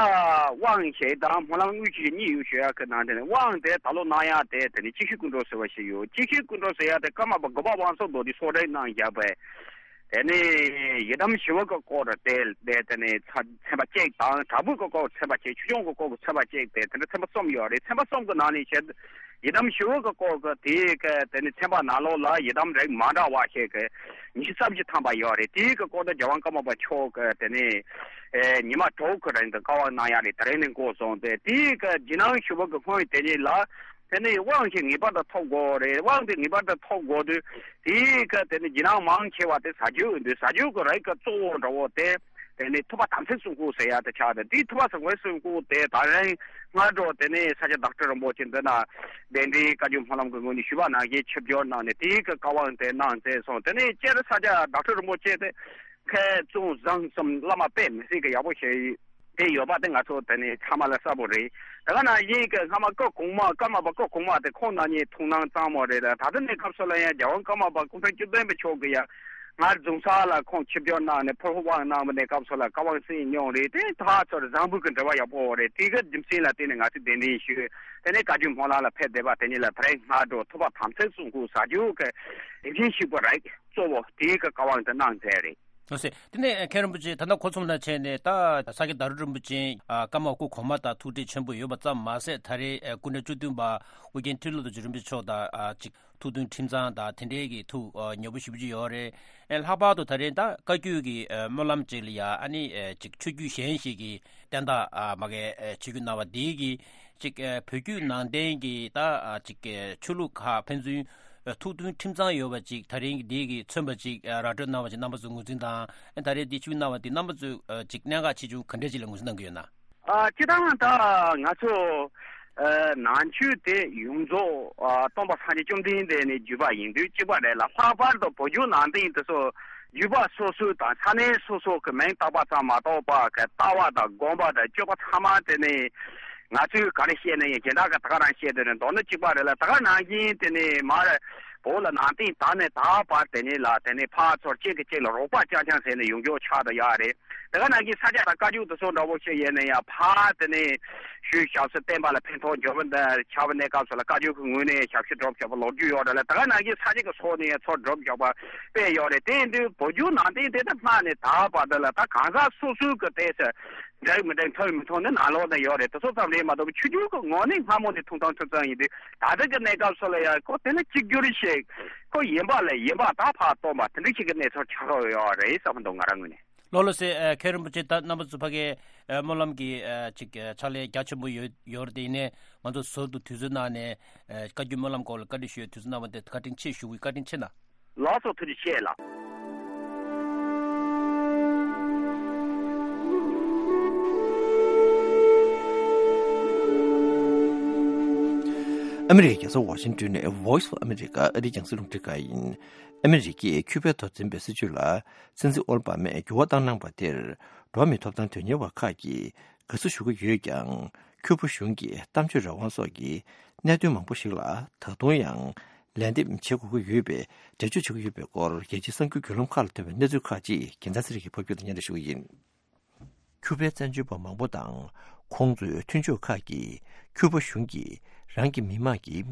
དབང་ཞིག་དང་སྨོན་ལམ་དངོས་གཞི་གཉིས་ཡོད་ཞུ་ཡག་གི་ནང་དེ་ནི་དབང་དེ་ད་ལོ་གནང་ཡག་དེ་དེ་ནི་གཅིག་ཤོས་སྐུ་འགྲོ་ཟེར་བ་ཞིག་ཡོད། གཅིག་ཤོས་སྐུ་འགྲོ་ཟེར་ཡག་དེ་ཀརྨ་པ་དགོན་པ་དབང་ཕྱུག་རྡོ་རྗེ་གསོལ་འདེབས་གནང་བཞག་པས། དེ་ནི་ཡི་དམ་ཞི་བ་གི་སྐོར་དེ་དེ་དེ་ནི་ཚ་ཚན་པ་གཅིག་དང་དྲག་པོའི་གི་སྐོར་ཚན་པ་གཅིག་ཆོས་སྐྱོང་གི་སྐོར་གྱི་ཚན་པ་གཅིག་དེ་དེ་འདྲ་ཚན་པ་གསུམ་ཡོད་རེད། ཚན་པ་གསུམ་གྱི་ནང་ནས་བཤད་ཡི་དམ་ཞི་བ་གི་སྐོར་གྱི་དེའི་གི་དེ་ནི་ཚན་པ་ནང་ལོགས་ལ་ཡི་དམ་རིགས་མ་འདྲ་བ་ཞིག་གི་ཉི་ཤུ་རྩ་བཞི་ཐམ་པ་ཡོད་རེད། དེའི་གི་སྐོར་དུ་རྒྱལ་དབང་ཀརྨ་པ་མཆོག་གི་དེ་ནི་ཨེ་ཉི་མ་དྲུག་གི་རིང་དུ་བཀའ་དབང་གནང་ཡག་རེད། དེ་རིང་ནས་འགོ་བཟུང་སྟེ་དེའི་གི་རྗེས་གནང་ཞུ་བ་གི་སྔོན་དེ་ཉིད་ལ་དེ་ནི་དབང་ཞིག་ངེས་པར་དུ་ཐོབ་དགོས་རེད། དབང་དེ་ངེས་པར་དུ་ཐོབ་དགོས་དུས་དེའི་གི་དེ་ནི་རྗེས་གནང་མང་ཆེ་བ་དེ་ཟ་རྒྱུ་ཡིན་དུས་ཟ་རྒྱུ་གི་རིགས་གི་གཙོ་བོ་འདྲ་བོ་དེ། དེ་ནས་ཐུབ་པ་དམ་ཚིག་གསུང་སྐོར་ཟེར་ཡག་དེ་ཆགས་ཏེ། དེའི་ཐུབ་པ་དམ་ཚིག་གསུང་སྐོར་དེ་ད་རིང་སྔ་དྲོ་དེ་ནས་ས་སྐྱ་བདག་ཁྲི་རིན་པོ་ཆེ་འདི་ན་གདན་འདྲེན་བཀའ་བརྒྱུད་སྨོན་ལམ་གྱི་ངོས་ནས་ཞུས་པ་ནང་བཞིན་ཆིབས་བསྒྱུར་གནང་ནས་དེའི་གི་བཀའ་དབང་དེ་གནང་མཛད་སོང་། དེ་ནས་སྤྱིར་ས་སྐྱ་བདག་ཁྲི་རིན་པོ་ཆེ་དེ་མཁས་བཙུན་བཟང་གསུམ་བླ་མ་དཔེ་མི་སྲིད་ཀྱི་ཡག་པོ་ཞིག་དེ་ཡོད་པ་དེ་ང་ཚོ་དེ་ནས་ཚང་མ་ལ་གསལ་པོ་རེད། དེ་ག་ནང་བཞིན་གྱི་སྔ་མ་སྐུ་གོང་མ་ཀརྨ་པ་སྐུ་གོང་མ་དེ་ཁོང་རྣམ་གཉིས་ཐུགས་སྣང་གཙང་མོ་རེད། ད་ལྟ་གནས་སྐབས་སུ་ལ་ཡང་རྒྱལ་དབང་ཀརྨ་པ་སྐུ་ཕྲེང་བཅུ་བདུན་པ་མཆོག་གིས་ཡང་ང་རྫོང་སར་ལ་ཁོང་ཆིབས་བསྒྱུར་གནང་ནས་ཕུར་བུ་དབང་གནང་བའི་གནས་སྐབས་སུ་ལ་བཀའ་དབང་གསན་མྱོང་རེད། དེ་ད་ཚོར་བཟང་པོའི་གི་འབྲེལ་བ་ཡག་པོ་རེད། དེ་གི་རྒྱུ་མཚན་ལ་བརྟེན་ནས་ང་ཚོས་གདན་འདྲེན་ཞུས། དེ་ནས་བཀའ་བརྒྱུད་སྨོན་ལམ་ལ་ཕེབས་བསྡད་པ་དེ་ཉིད་ལ་ད་རེས་སྔ་དྲོ་ཐུབ་པ་དམ་ཚིག་གསུང་སྐོར་ཟ་རྒྱུ་གི་རིམ་བཞིན་ཞུས་པ་རེད། གཙོ་བོ་དེའི་གི་བཀའ་དབང་དེ་གནང་མཛད་རེད། ལགས་སོ། དེ་ནས་མཁན་རིན་པོ་ཆེ་ད་ལྟ་གོ་ཚོམས་ལ་བྱས་ནས་ད་ས་སྐྱ་བདག་ཁྲི་རིན་པོ་ཆེ་ཨ་ཀརྨ་སྐུ་གོང་མ་དང་ཐུག་འཕྲད་ཆེན་པོ་ཡོད་པ་ཙམ་མ་ཟད་ད་རེས་ཨ་སྐུ་ཕྲེང་བཅུ་བདུན་པ་ཨོ་རྒྱན་ཁྲི་ལོ་རྡོ་རྗེ་རིན་པོ་ཆེ་མཆོག་དང་ཨ་ཅིག་ཐུགས་མཐུན་ཁྲིམས་གཙང་དང་དེ་འདྲའི་གི་ཐུགས་ཨ་ཉེ་པོ་ཞེ་པོ་ཅིག་ཡོད་རེད། ཨ་ལྷག་པར་དུ་ད་རེས་ད་བཀའ་བརྒྱུད་ཀྱི་ཨ་སྨོན་ལམ་ཅིག་ལ་ཡ་ཨ་ནི་ཨ་ཅིག་ཆོས་བརྒྱུད་གཞན་ཞིག་གི་བསྟན་བདག་ཨ་མ་གི་ཨ་ཆིབས་བསྒྱུར་གནང་བ་འདི་གི་ཅིག་ཨ་བོད་བརྒྱུད་ནང་བསྟན་གྱི་ད་ཨ་ཅིག་ཨ་ཆོས་ལུགས་ཁག་ཕན་ཚུན་ཨ་ཐུགས་མཐུན་ཁྲིམས་གཙང་ཡོད་པ་ཅིག་ད་རིང་འདི་གི་མཚོན་པ་ཅིག་ཨ་ར་སྤྲོད་གནང་བ་ཅིག་རྣམ་པ་ཚོས་ངོས་འཛིན་དང་། ཨ་ད་རེས་འདི་ཆིབས་བསྒྱུར་གནང་བ་འདི་རྣམ་པ་ཚོས་ཨ་ཅིག་གནད་འགག་ཆེ་ཆུང་ག་འདྲས་ཅིག་ལ་ངོས་འཛིན་གནང་གི་ཡོད་ན། ཨ་སྤྱིར་བཏང་ད་ང་ཚོ་ཨ་ནང་ཆོས་དེ་ཡོངས་རྫོགས་ཨ་སྟོན་པ་སངས་རྒྱས་བཅོམ་ལྡན་འདས་ནས་བརྒྱུད་པ་ཡིན་དུས་གཅིག་པ་རེད་ལ། ལྷག་པར་དུ་བོད་བརྒྱུད་ནང་བསྟན་དེ་ཚོ་བརྒྱུད་པ་སོ་སོའི་དང་ས་གནས་སོ་སོ་གི་མིང་བཏགས་པ་ཙམ་མ་གཏོགས་པ་གི་ལྟ་བ་དང་དགོངས་པ་དང་སྤྱོད་པ་ཚང་མ་དེ་ནི་ང་ཚོས་ག་རེ་བཤད་ན་ཡང་གཞན་དག་གིས་ད་ག་རང་བཤད་དེ་ནི་མདོར་ན་གཅིག་པ་རེད་ལ། ད་ག་ནང་བཞིན་དེ་ནི་མར་བོད་ལ་ནང་བསྟན་དར་ནས་ད་བར་དེ་ནི་ལ་དེ་ནི་ཕར་ཚུར་གཅིག་གིས་གཅིག་ལ་རོགས་པ་རྐྱང་རྐྱང་བྱས་ནས་ཡོང་རྒྱུ་ཆགས་བསྡད་ཡོད་རེད། དེ་ག་ནང་བཞིན་ས་སྐྱ་དང་བཀའ་བརྒྱུད་དེ་ཚོ་འདྲ་བོ་ཞིག་ཡིན་ན་ཡང་ཕར་དེ་ནི་ཆོས་ཞབས་སུ་བསྟན་པ་ལ་ཕན་ཐོགས་འབྱོར་བ་འདི་ཆགས་པའི་གནས་སྐབས་སུ་ལ་བཀའ་བརྒྱུད་ཀྱི་ངོས་ནས་ཞབས་ཕྱི་སྒྲུབ་བཞག་པ་ལོ་རྒྱུས་ཡོད་རེད་ལ། དེ་ག་ནང་བཞིན་ས་སྐྱ་གི་ཕྱོགས་ནས་ཡང་ཚུར་སྒྲུབ་བཞག་པ་དཔེ་ཡོད་རེད། དེ་ཡིན་དུས་བོད་བརྒྱུད་ནང་བསྟན་དེ་ད་སྔ་ནས་ད་བར་དུ་ལ་ད་གང་ཟག་སོ་སོའི་གི་དེ་ཚོ་འགྲིག་མི་འགྲིག་མཐུན་མི་མཐུན་ནི་ནང་ལོགས་ན་ཡོད་རེད། དེ་ཚོ་ཙམ་རེད་མ་གཏོགས་ཆོས་བརྒྱུད་ཀྱི་ངོས་ནས་སྔ་མོ་ནས་ཐུགས་དམ་ཁྲིམས་གཙང་ཡིན་དུས་ད་ལྟ་གི་གནས་སྐབས་སུ་ལ་ཡང་ཁོ་དེ་ལ་གཅིག་གྱུར་ཞིག་ཁོ་ཡིན་པ་ལ་ཡིན་པ་ད་ཕར་སྟོན་པ་དེ་འདྲ་ཞིག་གི་གནས་ཚུལ་ཆགས་ཡོད་རེད་བསམ་འདུག་ང་རང་ངོས་ནས། ལགས་ལགས་སེ། ཨ་མཁན་རིན་པོ་ཆེ་ད་རྣམ་པ་ཚོ་ཕ་གིའི་ཨ་སྨོན་ལམ་གྱི་ཨ་ཅིག་ཨ་ཕྱག་ལས་རྒྱ་ཆེན་པོ་ཡོད་ཡོད་རེད། དེ་ཡིན་ནའི་ང་ཚོ་ཟུར་དུ་དུས་ཚོད་གནང་ནས་ཨ་བཀའ་བརྒྱུད་སྨོན་ལམ་སྐོར་ལ་བཀའ་འདྲི་ཞུ་ཡའི་དུས་ཚོད་གནང་བ་དེ་བཀའ་དྲིན་ཆེ་ཞུ་གི། བཀའ་དྲིན་ཆེ་གནང་། ལགས་སོ། ཐུགས་རྗེ་ཆེ་ལགས། ཨ་མི་རི་ཀའི་རྒྱལ་ས་ཝ་ཤིང་ཏོན་ནས་Voice of America ཨ་རིའི་རྒྱང་སྲིང་རླུང་འཕྲིན་ཁང་ཡིན། ཨ་མི་རི་ཀས་ཁྱུ་པའི་ཐོག་འཛིན་པའི་སྲིད་བྱུས་ལ་སྲིད་འཛིན་ཨོ་བྷ་མས་འགྱུར་བ་བཏང་གནང་བ་དེར་འགྲོ་བ་མིའི་ཐོབ་ཐང་དོན་གཉེར་བ་ཁག་གིས་དགའ་བསུ་ཞུ་གི་ཡོད་ཀྱང་། ཁྱུ་པ་གཞུང་གིས་གཏམ་བརྗོད་རང་དབང་སོགས་ཀྱི་གནད་དོན་མང་པོ་ཞིག་ལ་ད་དུང་ཡང་ལན་འདེབས་བྱེད་དགོས་ཀྱི་ཡོད་པའི་འགྲེལ་བརྗོད་བྱེད་ཀྱི་ཡོད་པའི་སྐོར། རྒྱལ་སྤྱིའི་གསར་འགྱུར་བརྒྱུད་ལམ་ཁག་ལ་ཐོན་པའི་གནས་ཚུལ་ཁག་ཅིག་རྒྱལ་མཚན་ཚེ་རིང་གིས་ཕབ་སྒྱུར་དང་སྙན་སྒྲོན་ཞུ་གི་ཡིན། ཁྱུ་པའི་བཙན་བྱོལ་བ་མང་པོ་དང་ཁོང་ཚོའི་མཐུན་ཕྱོགས་ཁག་གིས་ཁྱུ་པ་གཞུང་གིས་རང་གི་མི་དམངས་ཀྱི་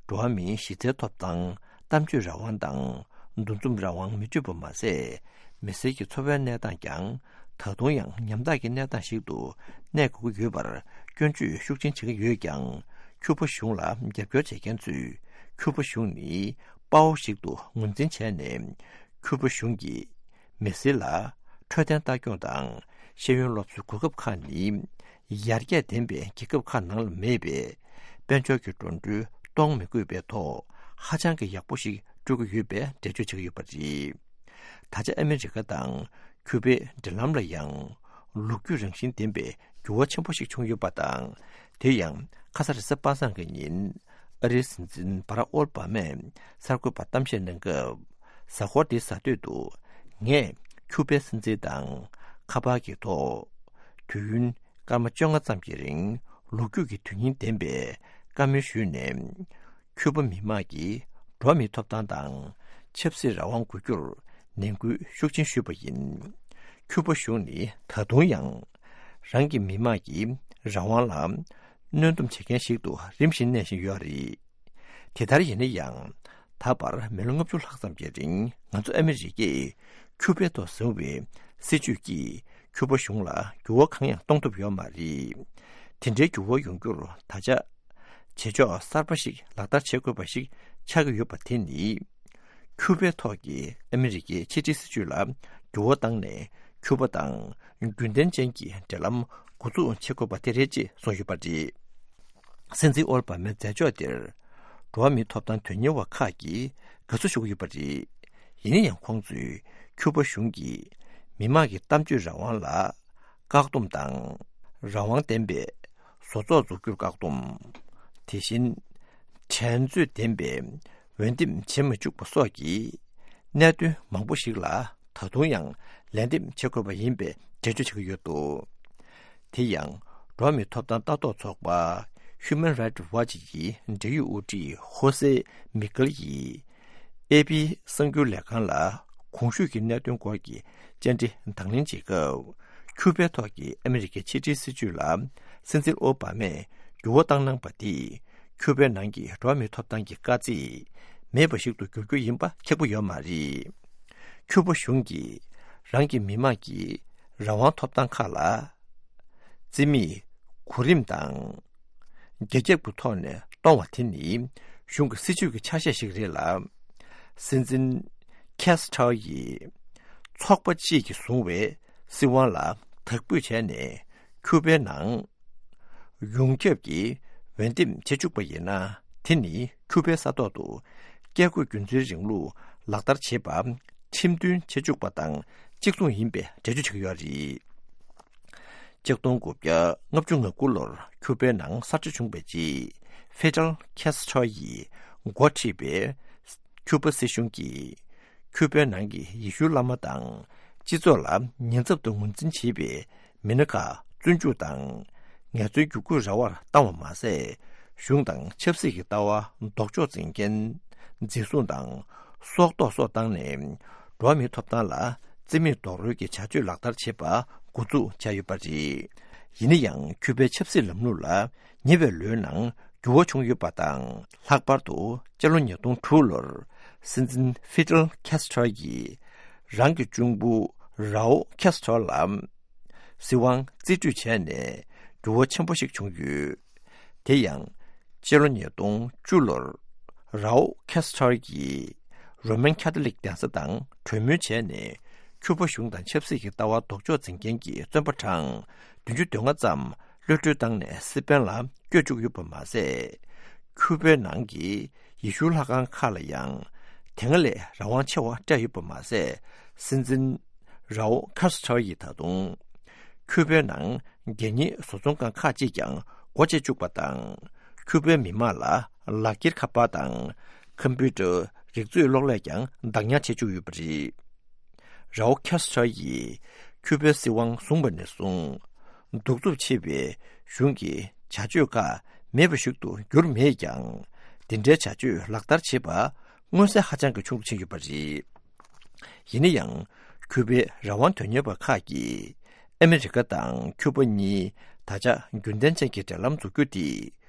འགྲོ་བ་མིའི་གཞི་རྩའི་ཐོབ་ཐང་། གཏམ་བརྗོད་རང་དབང་དང་འདུ་འཛོམས་རང་དབང་མི་སྤྲོད་པ་མ་ཟད། མི་སེར་གྱི་འཚོ་བའི་གནས་སྟངས་ཀྱང་ད་དུང་ཡང་ཉམ་ཐག་གི་གནས་སྟངས་ཤིག་ཏུ་གནས་དགོས་ཀྱི་ཡོད་པར་སྐྱོན་བརྗོད་ཤུགས་ཆེན་བྱེད་ཀྱི་ཡོད་ཀྱང་། ཁྱུ་པ་གཞུང་ལ་རྒྱབ་སྐྱོར་བྱེད་མཁན་ཚོས་ཁྱུ་པ་གཞུང་ནི་དཔའ་བོ་ཞིག་ཏུ་ངོས་འཛིན་བྱས་ནས། ཁྱུ་པ་གཞུང་གིས་མི་སེར་ལ་འཕྲོད་བསྟེན་ལྟ་སྐྱོང་དང་ ཤེས་ཡོན་སློབ་གསོའི་གོ་སྐབས་ཁག་ནི་ཡར་རྒྱས་ལྡན་པའི་རྒྱལ་ཁབ་ཁག་ནང་ལ་མེད་པས། དཔལ་འབྱོར་གྱི་འགྲོ་གྲོན་གཏོང་མི་དགོས་པའི་ཐོག་ཧ་ཅང་གི་ཡག་པོ་ཞིག་སྤྲོད་ཀྱི་ཡོད་པའི་འགྲེལ་བརྗོད་བྱེད་ཀྱི་ཡོད་པ་རེད། ད་ཆ་ཨ་མི་རི་ཀ་དང་ཁྱུ་པའི་འབྲེལ་ལམ་ལ་ཡང་ལོ་རྒྱུས་རང་བཞིན་ལྡན་པའི་འགྱུར་བ་ཆེན་པོ་ཞིག་བྱུང་ཡོད་པ་དང་། དེ་ཡང་ཁ་སང་རེས་གཟའ་པ་སངས་ཀྱི་ཉིན་ཨ་རིའི་སྲིད་འཛིན་བྷ་རག་ཨོ་བྷ་མས་གསར་འགོད་པར་གཏམ་བཤད་གནང་སྐབས། གཟའ་འཁོར་འདིའི་གཟའ་སྟོད་དུ་ངས་ཁྱུ་པའི་སྲིད་འཛིན་དང་ཁ་པར་གྱི་ཐོག་དུས་ཡུན་སྐར་མ་བཅོ་ལྔ་ཙམ་གྱི་རིང་ལོ་རྒྱུས་ཀྱི་དོན་སྙིང་ལྡན་པའི་བཀའ་མོལ་ཞུས་ནས། ཁྱུ་པ་མི་དམངས་ཀྱི་འགྲོ་བ་མིའི་ཐོབ་ཐང་དང་ཆབ་སྲིད་རང་དབང་དགོས་རྒྱུར་ནན་སྐུལ་ཤུགས་ཆེན་ཞུས་པ་ཡིན། ཁྱུ་པ་གཞུང་ནི་ད་དུང་ཡང་རང་གི་མི་དམངས་ཀྱི་རང་དབང་ལ་གནོན་སྡོམ་བྱེད་མཁན་ཞིག་ཏུ་རིམ་བཞིན་གནས་བཞིན་ཡོད་རེད། དེ་ལྟར་ཡིན་ན་ཡང་། ད་བར་མི་ལོ་ལྔ་བཅུ་ལྷག་ཙམ་གྱི་རིང་ང་ཚོ་ཨ་མི་རི་ཀས་ཁྱུ་པའི་ཐོག་བཟུང་བའི་སྲིད་བྱུས་ཀྱིས་ཁྱུ་པ་གཞུང་ལ་འགྱུར་བ་གང་ཡང་གཏོང་ཐུབ་ཡོད་མ་རེད། དེ་འདྲའི་འགྱུར་བ་ཡོང་རྒྱུར་ད་ཆ་བྱེད་ཕྱོགས་གསར་པ་ཞིག་ལག་བསྟར་བྱེད་དགོས་པ་ཞིག་ཆགས་ཀྱི་ཡོད་པ་དེ་ནི། ཁྱུ་པའི་ཐོག་གི་ཨ་མི་རི་ཀའི་ཕྱི་འབྲེལ་སྲིད་བྱུས་ལ་འགྱུར་བ་བཏང་ནས། ཁྱུ་པ་དང་རྒྱུན་ལྡན་ཅན་གྱི་འབྲེལ་ལམ་འགོ་འཛུགས་བྱེད་དགོས་པ་དེ་རེད་ཅེས་གསུངས་ཡོད་པ་རེད། སྲིད་འཛིན་ཨོ་བྷ་མའི་མཛད་ཕྱོགས་དེར་འགྲོ་བ་མིའི་ཐོབ་ཐང་དོན་གཉེར་བ་ཁག་གིས་དགའ་བསུ་ཞུ་གི་ཡོད་པ་རེད། ཡིན་ན་ཡང་ཁོང་ཚོས་ཁྱུ་པ་གཞུང་གིས་མི་དམངས་ཀྱི་གཏམ་བརྗོད་རང་དབང་ལ་བཀག་སྡོམ་དང་། རང་དབང་ལྡན་པའི་བཟོ་ཚོགས་འཛུགས་རྒྱུར་བཀག་སྡོམ། དེ་བཞིན་འགྲན་རྩོད་ལྡན་པའི་འོས་འདེམས་བྱེད་མི་བཅུག་པ་སོགས་ཀྱི་གནད་དོན་མང་པོ་ཞིག་ལ་ད་དུང་ཡང་ལན་འདེབས་བྱེད་དགོས་པ་ཡིན་པའི་འགྲེལ་བརྗོད་བྱེད་ཀྱི་ཡོད་འདུག་དེ་ཡང་འགྲོ་བ་མིའི་ཐོབ་ཐང་ལྟ་རྟོག་ཚོགས་པ་Human Rights Watch ཡི་འབྲེལ་ཡོད་དབུ་ཁྲིད་ཧོ་སེ་མི་ཀལ་ཡིས་ཨེ་པི་གསར་འགྱུར་ལས་ཁང་ལ་གོང་ཞུས་ཀྱི་གནད་དོན་སྐོར་གྱི་བཅར་འདྲི་དང་ལེན་བྱེད་སྐབས། ཁྱུ་པའི་ཐོག་གི་ཨ་མི་རི་ཀའི་ཕྱི་འབྲེལ་སྲིད་བྱུས་ལ་སྲིད་འཛིན་ཨོ་བྷ་མས་འགྱུར་བ་བཏང་གནང་པ་དེས། ཁྱུ་པའི་ནང་གི་འགྲོ་བ་མིའི་ཐོབ་ཐང་གི་དཀའ་ཚེགས་མེད་པ་ཞིག་ཏུ་འགྱུར་རྒྱུ་ཡིན་པ་ཁེགས་པོ་ཡོད་མ་རེད། ཁྱུ་པ་གཞུང་གིས་རང་གི་མི་དམངས་ཀྱི་རང་དབང་ཐོབ་ཐང་ཁག་ལ་རྩིས་མེད་གོ་རིམ་དང་རྒྱ་ཁྱབ་ཀྱི་ཐོག་ནས་གཏོང་བ་དེ་ནི་གཞུང་གི་སྲིད་བྱུས་ཀྱི་ཆ་ཤས་ཤིག་རེད་ལ། སྲིད་འཛིན་ཁེ་སི་ཊར་ཡིས་ཚོགས་པ་གཅིག་གིས་བཟུང་བའི་སྲིད་དབང་ལ་དག་འབུད་བྱས་ནས་ཁྱུ་པའི་ནང་ཡོངས་ཁྱབ་ཀྱིས་འོས་འདེམས་བྱེད་བཅུག་པ་ཡིན་ན། དེ་ནི་ཁྱུ་པའི་ས་ཐོག་ཏུ་བཀས་བཀོད་རྒྱུད་འཛིན་རིང་ལུགས་ལག་བསྟར་བྱེད་པ་ཁྲིམས་མཐུན་བྱེད་བཅུག་པ་དང་གཅིག་མཚུངས་ཡིན་པའི་འགྲེལ་བརྗོད་བྱེད་ཀྱི་ཡོད་རེད། ཆིག་སྟོང་དགུ་བརྒྱ་ལྔ་བཅུ་ང་དགུ་ལོར་ཁྱུ་པའི་ནང་གསར་བརྗེ་བྱུང་བའི་རྗེས། ཧྥི་ཌེལ་ཁེ་སི་ཊོ་ཡིས་འགོ་ཁྲིད་པའི་ཁྱུ་པ་སྲིད་གཞུང་གིས་ཁྱུ་པའི་ནང་གི་ཡེ་ཤུའི་བླ་མ་དང་སྤྱི་ཚོགས་ལ་ཉེན་ཚབས་ཏུ་ངོས་འཛིན་བྱེད་པའི་མི་སྣ་ཁག་བཙོན་འཇུག་དང་ངལ་རྩོལ་བརྒྱུད་སྐུལ་ར་བར་བཏང་བ་མ་ཟད། གཞུང་དང་ཆབ་སྲིད་ཀྱི་ལྟ་བ་ལྡོག་ཕྱོགས་འཛིན་མཁན་འཛིན་བཟུང་དང་སྲོག་ཐོག་སོགས་བཏང་ནས་འགྲོ་བ་མིའི་ཐོབ་ཐང་ལ་རྩིས་མེད་རྡོག་རོལ་གྱི་བྱ་སྤྱོད་ལག་བསྟར་བྱེད་པ་འགོ་འཛུགས་བྱས་ཡོད་པ་རེད། ཡིན་ན་ཡང་ཁྱུ་པའི་ཆབ་སྲིད་ལམ་ལུགས་ལ་ཉེ་བའི་ལོའི་ནང་འགྱུར་བ་བྱུང་ཡོད་པ་དང་། ལྷག་པར་དུ་སྤྱི་ལོ་ཉིས་སྟོང་དྲུག་ལོར་སྲིད་འཛིན་ཧྥི་ཌེལ་ཁེ་སི་ཊོ་ཡིས་རང་གི་གཅུང་པོ་རའོ་ཁེ་སི་ཊོ་ལ་སྲིད་དབང་རྩིས་སྤྲོད་བྱས་ནས་འགྱུར་བ་ཆེན་པོ་ཞིག་བྱུང་ཡོད། དེ་ཡང་སྤྱི་ལོ་ཉིས་སྟོང་བཅུ་ལོར་རའོ་ཁེ་སི་ཊོ་ཡིས་རོ་མན་ཁ་ཐོ་ལིག་གདན་ས་དང་གྲོས་མོལ་བྱས་ནས། ཁྱུ་པ་གཞུང་དང་ཆབ་སྲིད་ཀྱི་ལྟ་བ་ལྡོག་ཕྱོགས་འཛིན་མཁན་གྱི་བཙོན་པ་གྲངས་བདུན་ཅུ་དོན་ལྔ་ཙམ་གློད་གྲོལ་བཏང་ནས་སི་པན་ལ་བསྐྱོད་བཅུག་ཡོད་པ་མ་ཟད། ཁྱུ་པའི་ནང་གི་ཡེ་ཤུའི་ལྷ་ཁང་ཁག་ལ་ཡང་དེ་སྔ་ལས་རང་དབང་ཆེ་བ་སྤྲད་ཡོད་པ་མ་ཟད། སྲིད་འཛིན་རའོ་ཁ་སི་ཐར་ཡིས་ད་དུང་ཁྱུ་པའི་ནང་གད་སྙིགས་བཟོ་ཚོང་ཁང་ཁག་ཅིག་ཀྱང་སྒོ་ཕྱེ་བཅུག་པ་དང་། ཁྱུ་པའི་མི་དམངས་ལ་ལག་འཁྱེར་ཁ་པར་དང་ཁམ་པུ་ཊར། རིག་མཛོད་གློག་ཀླད་ཀྱང་བདག་ཉར་བྱེད་བཅུག་ཡོད་པ་རེད། རའོ་ཁེ་སི་ཐར་ཡིས་ཁྱུ་པའི་སྲིད་དབང་བཟུང་བ་ནས་བཟུང་། གདུག་རྩུབ་ཆེ་བའི་གཞུང་གི་བྱ་སྤྱོད་ཁག་མེད་པ་ཞིག་ཏུ་གྱུར་མེད་ཀྱང་། འདི་འདྲའི་བྱ་སྤྱོད་ལག་བསྟར་བྱེད་པ་མངོན་གསལ་ཧ་ཅང་གི་ཆུང་དུ་ཕྱིན་ཡོད་པ་རེད། ཡིན་ན་ཡང་། ཁྱུ་པའི་རང་དབང་དོན་གཉེར་བ་ཁག་གིས་ཨ་མི་རི་ཀ་དང་ཁྱུ་པ་གཉིས་ད་ཆ་རྒྱུན་ལྡན་ཅན་གྱི་འབྲེལ་ལམ་འཛུགས་རྒྱུ་དེ།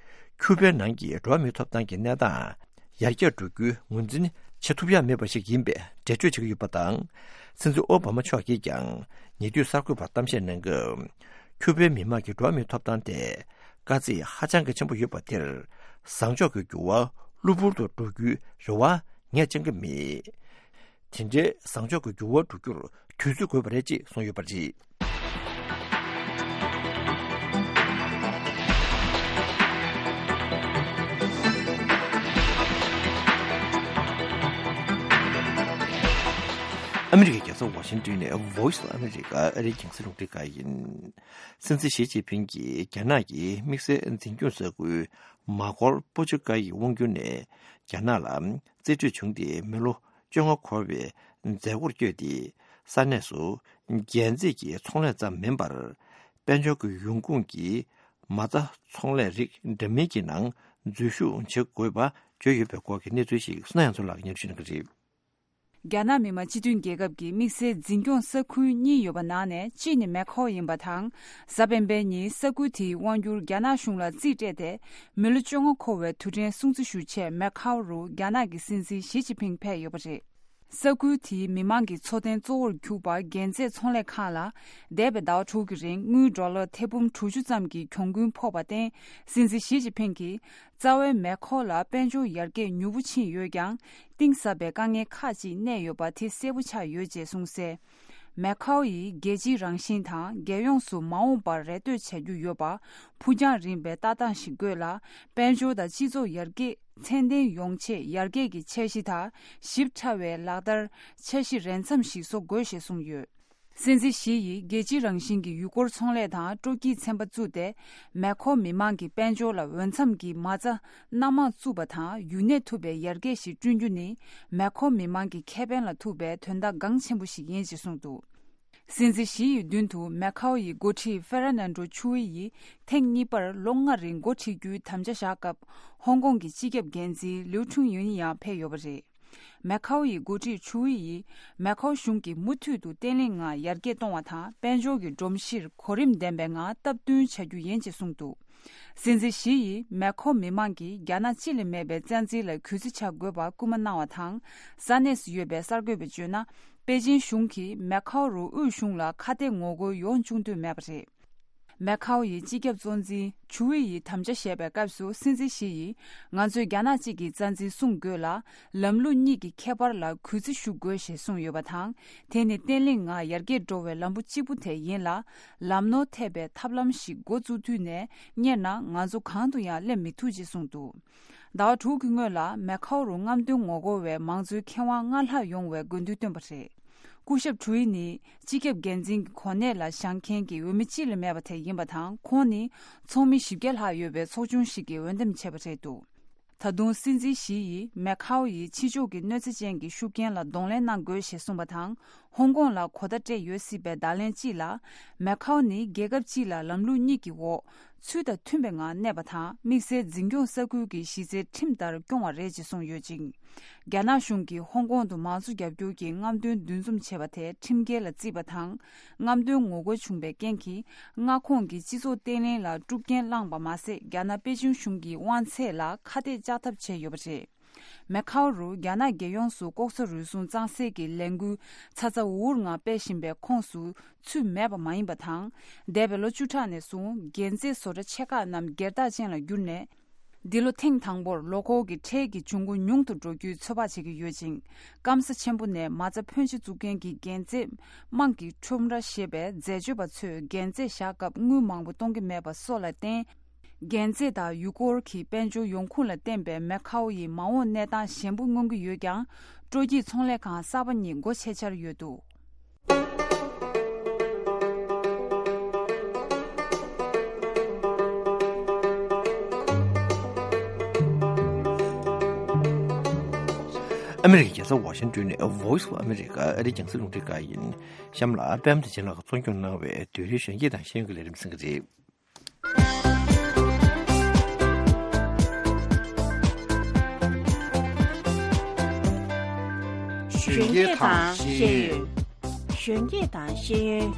ཁྱུ་པའི་ནང་གི་འགྲོ་བ་མིའི་ཐོབ་ཐང་གི་གནས་སྟངས་ཡར་རྒྱས་འགྲོ་རྒྱུའི་ངོས་འཛིན་བྱེད་ཐུབ་ཡ་མེད་པ་ཞིག་ཡིན་པའི་འགྲེལ་བརྗོད་བྱེད་ཀྱི་ཡོད་པ་དང་། སྲིད་འཛིན་ཨོ་བྷ་མ་མཆོག་གིས་ཀྱང་ཉེ་དུས་གསར་འགོད་པར་གཏམ་བཤད་གནང་སྐབས། ཁྱུ་པའི་མི་དམངས་ཀྱི་འགྲོ་བ་མིའི་ཐོབ་ཐང་ཐད་དཀའ་ཚེགས་ཧ་ཅང་གི་ཆེན་པོ་ཡོད་པ་དེར། བཟང་ཕྱོགས་ཀྱི་འགྱུར་བ་གློ་བུར་དུ་འགྲོ་རྒྱུའི་རེ་བ་ངས་བཅང་གི་མེད། དེ་འདྲའི་བཟང་ཕྱོགས་ཀྱི་འགྱུར་བ་འགྲོ་རྒྱུར་དུས་ཚོད་དགོས་པ་རེད་ཅེས་གསུངས་ཡོད་པ་རེད། ཨ་མི་རི་ཀའི་རྒྱལ་ས་ཝ་ཤིང་ཏོན་ནས་Voice of America ཨ་རིའི་རྒྱང་སྲིང་རླུང་འཕྲིན་ཁང་ཡིན། སྲིད་འཛིན་ཞི་ཅིན་ཕིང་གིས་རྒྱ་ནག་གི་དམིགས་བསལ་འཛིན་སྐྱོང་ས་ཁུལ་མ་ཁོར་པོ་ཅོ་ཀ་ཡི་དབང་སྒྱུར་ནས་རྒྱ་ནག་ལ་རྩིས་སྤྲོད་བྱུང་སྟེ་མི་ལོ་བཅོ་ལྔ་འཁོར་བའི་མཛད་སྒོར་བསྐྱོད་དེ། ས་གནས་སུ་རྒྱལ་རྩེད་ཀྱི་ཚོང་ལས་ཙམ་མིན་པར། དཔལ་འབྱོར་གྱི་ཡོང་ཁུངས་ཀྱི་མ་རྩ་ཚོང་ལས་རིགས་འདྲ་མིན་གྱི་ནང་འཛུལ་ཞུགས་བྱེད་དགོས་པ་བརྗོད་ཡོད་པའི་སྐོར་གྱི་གནས་ཚུལ་ཞིག་བསོད་ནམས་ཚོ་ལགས་ཀྱིས་སྙན་སྒྲོན་ཞུ་གནང་གི་རེད། རྒྱ་ནག་མི་དམངས་སྤྱི་མཐུན་རྒྱལ་ཁབ་ཀྱི་དམིགས་བསལ་འཛིན་སྐྱོང་ས་ཁུལ་གཉིས་ཡོད་པ་ནང་ནས་གཅིག་ནི་མེ་ཁའོ་ཡིན་པ་དང་། གཟའ་སྤེན་པའི་ཉིན་ས་ཁུལ་དེའི་དབང་སྒྱུར་རྒྱ་ནག་གཞུང་ལ་རྩིས་སྤྲད་དེ་མི་ལོ་བཅོ་ལྔ་འཁོར་བའི་དུས་དྲན་སྲུང་བརྩི་ཞུ་ཆེད་མེ་ཁའོ་རུ་རྒྱ་ནག་གི་སྲིད་འཛིན་ཞི་ཅིན་ཕིང་ཕེབས་ཡོད་པ་རེད། ས་ཁུལ་དེའི་མི་མང་གི་འཚོ་རྟེན་གཙོ་བོར་གྱུར་པ་རྒྱལ་རྩེད་ཚོང་ལས་ཁང་ལ་འདས་པའི་ཟླ་བ་དྲུག་གི་རིང་དངུལ་ཌོ་ལར་ཐེར་འབུམ་དྲུག་ཅུ་ཙམ་གྱི་གྱོང་གུན་ཕོག་པར་བརྟེན། སྲིད་འཛིན་ཞི་ཅིན་ཕིང་གིས་རྩ་བའི་མེ་ཁའོ་ལ་དཔལ་འབྱོར་ཡར་རྒྱས་མྱུར་པོ་ཕྱིན་ཡོད་ཀྱང་། གཏིང་ཟབ་པའི་དཀའ་ངལ་ཁག་ཅིག་གནས་ཡོད་པ་དེ་གསལ་པོ་ཆགས་ཡོད་ཅེས་གསུངས་གསལ། མེ་ཁའོ་ཡིས་རྒྱལ་སྤྱིའི་རང་བཞིན་དང་རྒྱལ་ཡོངས་སུ་མ་འོངས་པར་རེ་ལྟོས་བྱ་རྒྱུ་ཡོད་པ། ཕུགས་རྒྱང་རིང་བའི་ལྟ་སྟངས་ཤིག་དགོས་ལ། དཔལ་འབྱོར་དང་སྤྱི་ཚོགས་ཡར་རྒྱས་ཚད་ལྡན་ཡོང་ཆེད་ཡར་རྒྱས་ཀྱི་འཆར་གཞི་དང་ཞིབ་ཕྲ་བའི་ལག་བསྟར་འཆར་གཞི་རན་ཙམ་ཞིག་བཟོ་དགོས་ཞེས་གསུངས་ཡོད། སྲིད་འཛིན་ཞི་ཡིས་རྒྱལ་སྤྱིའི་རང་བཞིན་གྱི་ཡུལ་སྐོར་ཚོང་ལས་དང་སྤྲོ་སྐྱིད་ཚན་པ་བཙུགས་ཏེ། མེ་ཁའོ་མི་མང་གི་དཔལ་འབྱོར་ལ་འོས་འཚམ་གྱི་མ་རྩ་སྣ་མང་བཙུགས་པ་དང་ཡུན་གནས་ཐུབ་པའི་ཡར་རྒྱས་ཤིག་བསྐྲུན་རྒྱུ་ནི་མེ་ཁའོ་མི་མང་གི་ཁེ་ཕན་ལ་ཐུག་པའི་དོན་དག་འགངས་ཆེན་པོ་ཞིག་ཡིན་ཅེས་གསུངས་འདུག། སྲིད་འཛིན་ཞི་ཡི་མདུན་དུ་མེ་ཁའོ་ཡི་འགོ་ཁྲིད་ཧྥེ་ར་ནན་ཌོ་ཆུ་ཝེ་ཡིས་ཐེངས་གཉིས་པར་ལོ་ལྔ་རིང་འགོ་ཁྲིད་རྒྱུའི་དམ་བཅའ་བཞག་སྐབས། ཧོང་ཀོང་གི་སྤྱི་ཁྱབ་འགན་འཛིན་ལིའུ་ཁྲུང་ཡུན་ཡང་ཕེབས་ཡོད་པ་རེད། མེ་ཁའོ་ཡི་འགོ་ཁྲིད་ཆུ་ཝེ་ཡིས་མེ་ཁའོ་གཞུང་གིས་མུ་མཐུད་དུ་བརྟན་བརླིང་ངང་ཡར་རྒྱས་གཏོང་བ་དང་། དཔལ་འབྱོར་གྱི་སྒྲོམ་གཞིར་གོ་རིམ་ལྡན་པའི་ངང་སྟབས་བསྟུན་བྱ་རྒྱུ་ཡིན་ཅེས་གསུངས་འདུག། སྲིད་འཛིན་ཞི་ཡིས་མེ་ཁའོ་མི་མང་གིས་རྒྱ་ནག་ཅི་ལས་མེད་པའི་རྩ་འཛིན་ལ་གུས་བརྩི་བྱ་དགོས་པར་སྐུལ་མ་གནང་བ་དང་། ས་གནས་སུ་ཡོད་པའི་གསར་འགོད་པས་བརྗོད་ན། པེ་ཅིན་གཞུང་གིས་མེ་ཁའོ་རུ་དབུས་གཞུང་ལ་ཁ་གཏད་ངོ་རྒོལ་ཡོང་བཅུག་འདོད་མེད་པ་རེད། མེ་ཁའོ་ཡི་སྤྱི་ཁྱབ་གཙོ་འཛིན་ཆུ་ཝེ་ཡིས་དམ་བཅའ་བཞེས་པའི་སྐབས་སུ། སྲིད་འཛིན་ཞི་ཡིས་ང་ཚོས་རྒྱ་ནག་གཅིག་གི་རྩ་འཛིན་སྲུང་དགོས་ལ། ལམ་ལུགས་གཉིས་ཀྱི་ཁྱད་པར་ལ་གུས་བརྩི་ཞུ་དགོས་ཞེས་གསུངས་ཡོད་པ་དང་། དེ་ནི་བརྟན་བརླིང་ངང་ཡར་རྒྱས་འགྲོ་བའི་ལམ་བུ་གཅིག་པུ་དེ་ཡིན་ལ། ལམ་ནོར་ཐེབས་པའི་ཐབས་ལམ་ཞིག་འགོ་བཙུགས་དུས་ནས་གཉེར་ན། ང་ཚོ་གང་དུ་ཡང་སླེབས་མི་ཐུབ་ཅེས་གསུངས་འདུག། ཟླ་བ་དྲུག་གི་སྔོན་ལ་མེ་ཁའོ་རུ་རྔམ་སྟོན་ངོ་རྒོལ་བས་མང་གཙོའི་ཁེ་དབང་སྔར་ལྷག་ཡོང་བའི་དགོས་འདུན་བཏོན་པ་རེད། སྐུ་ཞབས་ཁྲུའི་ནི་སྤྱི་ཁྱབ་འགན་འཛིན་གྱི་གོ་གནས་ལ་བཞེངས་མཁན་གྱི་འོས་མི་གཅིག་ལས་མེད་པ་དེ་ཡིན་པ་དང་། ཁོང་ནི་ཚོགས་མི་བཞི་བརྒྱ་ལྷག་ཡོད་པའི་ཚོགས་ཆུང་ཞིག་གིས་འོས་འདེམས་བྱས་པ་རེད་འདུག། ད་དུང་སྲིད་འཛིན་ཞི་ཡིས་མེ་ཁའོ་ཡི་ཕྱི་ཕྱོགས་ཀྱི་གནོད་འཚེ་ཅན་གྱི་ཤུགས་རྐྱེན་ལ་གདོང་ལེན་གནང་དགོས་ཞེས་གསུངས་པ་དང་། ཧོང་ཀོང་ལ་གོ་བརྡ་སྤྲད་ཡོད་སྲིད་པའི་བརྡ་ལན་གཅིག་ལ། མེ་ཁའོ་ནི་རྒྱལ་ཁབ་གཅིག་ལ་ལམ་ལུགས་གཉིས་ཀྱི་འོག་ཚུལ་དང་མཐུན་པའི་ངང་གནས་པ་དང་། དམིགས་བསལ་འཛིན་སྐྱོང་ས་ཁུལ་གྱི་གཞི་རྩའི་ཁྲིམས་ལྟར་སྐྱོང་བ་རེད་ཅེས་གསུངས་ཡོད་ཅིང་། རྒྱ་ནག་གཞུང་གིས་ཧོང་ཀོང་དུ་མང་གཙོ་རྒྱབ་སྐྱོར་གྱི་རྔམ་སྟོན་འདུ་འཛོམས་བྱས་པ་དེ་ཁྲིམས་འགལ་ལ་བརྩིས་པ་དང་། རྔམ་སྟོན་ངོ་རྒོལ་བྱུང་བའི་རྐྱེན་གྱིས། མངའ་ཁོངས་ཀྱི་སྤྱི་ཚོགས་བརྟན་ལྷིང་ལ་དཀྲུག་རྐྱེན་བསླངས་པ་མ་ཟད། རྒྱ་ནག་པེ་ཅིང་གཞུང་གི་དབང་ཚད་ལ་ཁ་གཏད་བཅག་ཐབས་བྱས་ཡོད་པ་རེད། མེ་ཁའོ་རུ་རྒྱ་ནག་རྒྱལ་ཡོངས་སུ་ལྐོག་ཟ་རུལ་སུངས་གཙང་སེལ་གྱི་ལས་འགུལ་ཚ་ཚ་འུར་འུར་ངང་སྤེལ་བཞིན་པའི་ཁོངས་སུ་ཚུད་མེད་པ་མ་ཡིན་པ་དང་། འདས་པའི་ལོ་བཅུ་ཕྲག་ནས་བཟུང་རྒྱལ་རྩེད་བཟོ་གྲྭ་ཆེ་ཁག་རྣམས་སྒེར་བདག་ཅན་ལ་བསྒྱུར་ནས། འདི་ལོ་ཐེངས་དང་པོར་ལོ་འཁོར་གྱི་ཁྲལ་གྱི་འབྱུང་ཁུངས་ཉུང་དུ་འགྲོ་རྒྱུའི་ཚོད་དཔག་བྱེད་ཀྱི་ཡོད་ཅིང་། སྐམ་ས་ཆེན་པོ་ནས་མ་རྩ་ཕོན་ཆེ་བཙུགས་མཁན་གྱི་རྒྱལ་རྩེད་དམངས་ཀྱི་ཁྲོམ་ར་ཞེས་པའི་འཛད་སྤྱོད་པ་ཚོས་རྒྱལ་རྩེད་བཞག་སྐབས་དངུལ་མང་པོ་གཏོང་གི་མེད་པ་སོགས་ལ་བརྟེན། རྒྱལ་རྩེད་དང་ཡུལ་སྐོར་གྱི་དཔལ་འབྱོར་ཡོང་ཁུངས་ལ་བརྟེན་པའི་མེ་ཁའོ་ཡི་མ་འོངས་གནས་སྟངས་ཞན་པོ་མངོན་གྱི་ཡོད་ཀྱང་། སྤྲོ་སྐྱིད་ཚོང་ལས་ཁང་གསར་པ་གཉིས་སྒོ་ཕྱེ་འཆར་ཡོད་འདུག། ཨ་མི་རི་ཀའི་རྒྱལ་ས་ཝ་ཤིང་ཏོན་ནས་Voice of America ཨ་རིའི་རྒྱང་སྲིང་རླུང་འཕྲིན་ཁང་ཡིན། གཤམ་ལ་པད་མ་བདེ་ཆེན་ལགས་ཀྱིས་གཙོ་སྐྱོང་གནང་བའི་བོད་རིགས་གཞོན་སྐྱེས་དང་ཤེས་ཡོན་གྱི་ལས་རིམ་གསན་གྱི་རེད། གཞོན་སྐྱེས་དང་ཤེས་ཡོན། གཞོན་སྐྱེས་དང་ཤེས་ཡོན།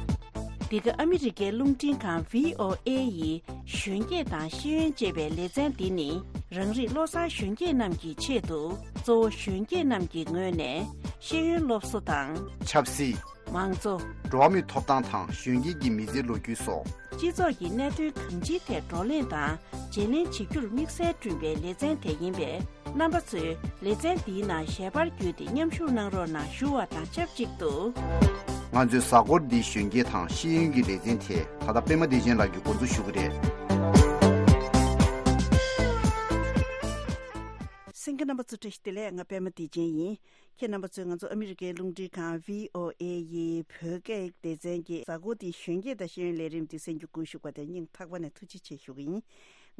འདི་ག་ཨ་མི་རི་ཀའི་རླུང་འཕྲིན་ཁང་V O A ཡི་གཞོན་སྐྱེས་དང་ཤེས་ཡོན་ཅེས་པའི་ལེ་ཚན་འདི་ནི། རང་རིགས་བློ་བཟང་གཞོན་སྐྱེས་རྣམས་ཀྱི་ཆེད་དུ། གཙོ་བོ་གཞོན་སྐྱེས་རྣམས་ཀྱི་ངོས་ནས་ཤེས་ཡོན་སློབ་གསོ་དང་། ཆབ་སྲིད། མང་གཙོ། འགྲོ་བ་མིའི་ཐོབ་ཐང་དང་གཞོན་སྐྱེས་ཀྱི་མི་ཚེའི་ལོ་རྒྱུས་སོགས། སྤྱི་ཚོགས་ཀྱི་གནད་དོན་གང་ཅིའི་ཐད་བགྲོ་གླེང་དང་བརྗེ་ལེན་བྱེད་རྒྱུར་དམིགས་བསལ་བསྐྲུན་པའི་ལེ་ཚན་དེ་ཡིན་པས། རྣམ་པ་ཚོས་ལེ་ཚན་འདིའི་ནང་ཞལ་པར་བརྒྱུད་དེ་མཉམ་ཞུགས་གནང་རོགས་གནང་ཞུ་བ་དང་ཆབས་ཅིག་ཏུ། ང་ཚོའི་གཟའ་འཁོར་འདིའི་གཞོན་སྐྱེས་དང་ཤེས་ཡོན་གྱི་ལེ་ཚན་དེ་ད་ལྟ་པད་མ་བདེ་ཆེན་ལགས་ཀྱིས་འགོ་འཛུགས་ཞུ་གི་རེད། ལྷན་རྒྱས་རྣམ་པ་ཚོ་བཀྲ་ཤིས་བདེ་ལེགས། ང་པད་མ་བདེ་ཆེན་ཡིན། ཁྱེད་རྣམ་པ་ཚོས་ང་ཚོ་ཨ་མི་རི་ཀའི་རླུང་འཕྲིན་ཁང་བྷི་ཨོ་ཨེ་ཡི་བོད་སྐད་སྡེ་ཚན་གྱི་གཟའ་འཁོར་འདིའི་གཞོན་སྐྱེས་དང་ཤེས་ཡོན་ལས་རིམ་འདི་གསན་རྒྱུ་བསྐུལ་ཞུ་བ་དེ་སྙིང་ཐག་པ་ནས་ཐུགས་རྗེ་ཆེ་ཞུ་གི་ཡིན།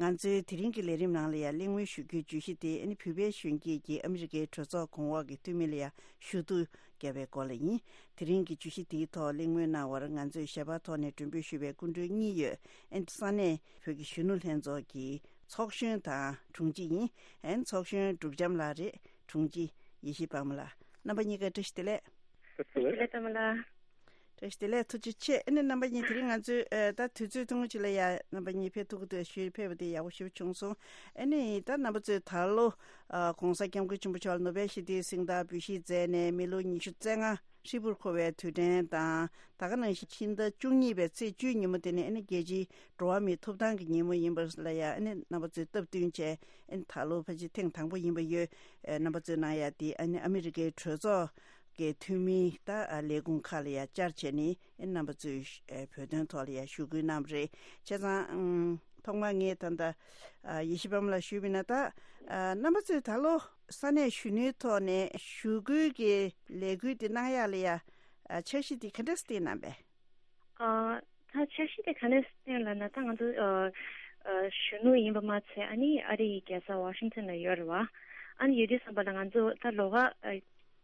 ང་ཚོའི་དེ་རིང་གི་ལས་རིམ་ནང་ལ་ཡང་གླེང་མོལ་ཞུ་རྒྱུའི་བརྗོད་གཞི་དེ་ཨ་ནི་བོད་པའི་གཞོན་སྐྱེས་ཀྱིས་ཨ་མི་རི་ཀའི་གྲོས་ཚོགས་གོང་འོག་གི་འཐུས་མི་ལ་ཡང་ཞུ་གཏུག་བརྒྱབ་པའི་སྐོར་ལ་ཡིན། དེ་རིང་གི་བརྗོད་གཞི་དེའི་ཐོག་གླེང་མོལ་གནང་བར་ང་ཚོས་ཞལ་པར་ཐོག་ནས་མགྲོན་འབོད་ཞུས་པའི་སྐུ་མགྲོན་གཉིས་ཡོད། ཨ་ནི་ས་གནས་བོད་ཀྱི་གཞོན་ནུ་ལྷན་ཚོགས་ཀྱི་ཚོགས་གཞོན་དང་དྲུང་ཆེ་ཡིན། ཨན་ཚོགས་གཞོན་འབྲུག་བྱམས་ལགས་རེད། དྲུང་ཆེ་ཡེ་ཤེས་དཔལ་མོ་ལགས། རྣམ་པ་གཉིས་ཀ་བཀྲ་ཤིས་བདེ་ལེགས། བཀྲ་ཤིས་བདེ་ལེགས་དཔལ་མོ་ལགས། བཀྲ་ཤིས་བདེ་ལེགས། ཐུགས་རྗེ་ཆེ། ཨ་ནི་རྣམ་པ་གཉིས་དེ་རིང་ང་ཚོས་ཨ་ད་དུས་ཚོད་ཐུང་ངུ་ཅིག་ལ་ཡ་རྣམ་པ་གཉིས་ཕེབས་ཐུབ་ཀྱི་འདུག་ཞུས་ཕེབས་པ་དེ་ཡག་པོ་ཞེ་པོ་བྱུང་སོང་། ཨ་ནི་ད་རྣམ་པ་ཚོས་ད་ལོ་ཨ་༸གོང་ས་༸སྐྱབས་མགོན་ཆེན་པོ་མཆོག་ལ་ནོ་བེལ་ཞི་བདེའི་གཟེངས་རྟགས་འབུལ་བཞེས་མཛད་ནས་མི་ལོ་ཉི་ཤུ་རྩ་ལྔ་ཧྲིལ་པོར་འཁོར་བའི་དུས་དྲན་དང་། ད་ག་ནང་བཞིན་ཕྱི་ཟླ་བཅུ་གཉིས་པའི་ཚེས་བཅུའི་ཉིན་མོ་དེ་ནི་ཨ་ནི་རྒྱལ་སྤྱིའི་འགྲོ་བ་མིའི་ཐོབ་ཐང་གི་ཉིན་མོ་ཡིན་པ་ལ་ཡང་ཨ་ནི་རྣམ་པ་ཚོས་སྟབས་བསྟུན་བྱས། ཨ་ནི་ད་ལོ་ཕལ་ཆེར་ཐེངས་དང་པོ་ཡིན་པ་ཡོད། ཨ་རྣམ་པ་ཚོས་གནང་ཡ་དེ་ཨ་ནི་ཨ་མི་རི་ཀའི་གྲོས་ཚོགས་ཀྱི་འཐུས་མི་ད་ལས་ཁུངས་ཁག་ལ་ཡང་བཅར་བྱས་ནས་ཨ་ནི་རྣམ་པ་ཚོས་ཨ་བོད་དོན་ཐོག་ལ་ཡང་ཞུ་སྐུལ་གནང་བ་རེད། བྱས་ཙང་ཨ་ཐོག་མར་ངས་ད་ལྟ་ཨ་ཡེ་ཤེས་དཔལ་མོ་ལ་ཞུས་པ་ཡིན་ན། ད་ཨ་རྣམ་པ་ཚོས་ད་ལོ་ས་གནས་གཞོན་ནུའི་ཐོག་ནས་ཞུ་སྐུལ་གྱི་ལས་འགུལ་དེ་གནང་ཡ་ལ་ཡ་ཨ་འཆར་གཞི་དེ་ག་འདྲས་བཏིང་གནང་པས། ཨ་ད་འཆར་གཞི་དེ་ག་འདྲས་བཏིང་ལབ་ན། ད་ང་ཚོ་ཨ་ཨ་གཞོན་ནུ་ཡིན་པ་མ་ཚད་ཨ་ནི་ཨ་རི་ཡི་རྒྱལ་ས་ཝ་ཤིང་ཊོན་ལ་ཡོད་རེད་བ། ཨ་ནི་ཡོད་དུས་ཙམ་པ་ལ་ང་ཚོ་ད་ལོགས་ཀ་ཨ་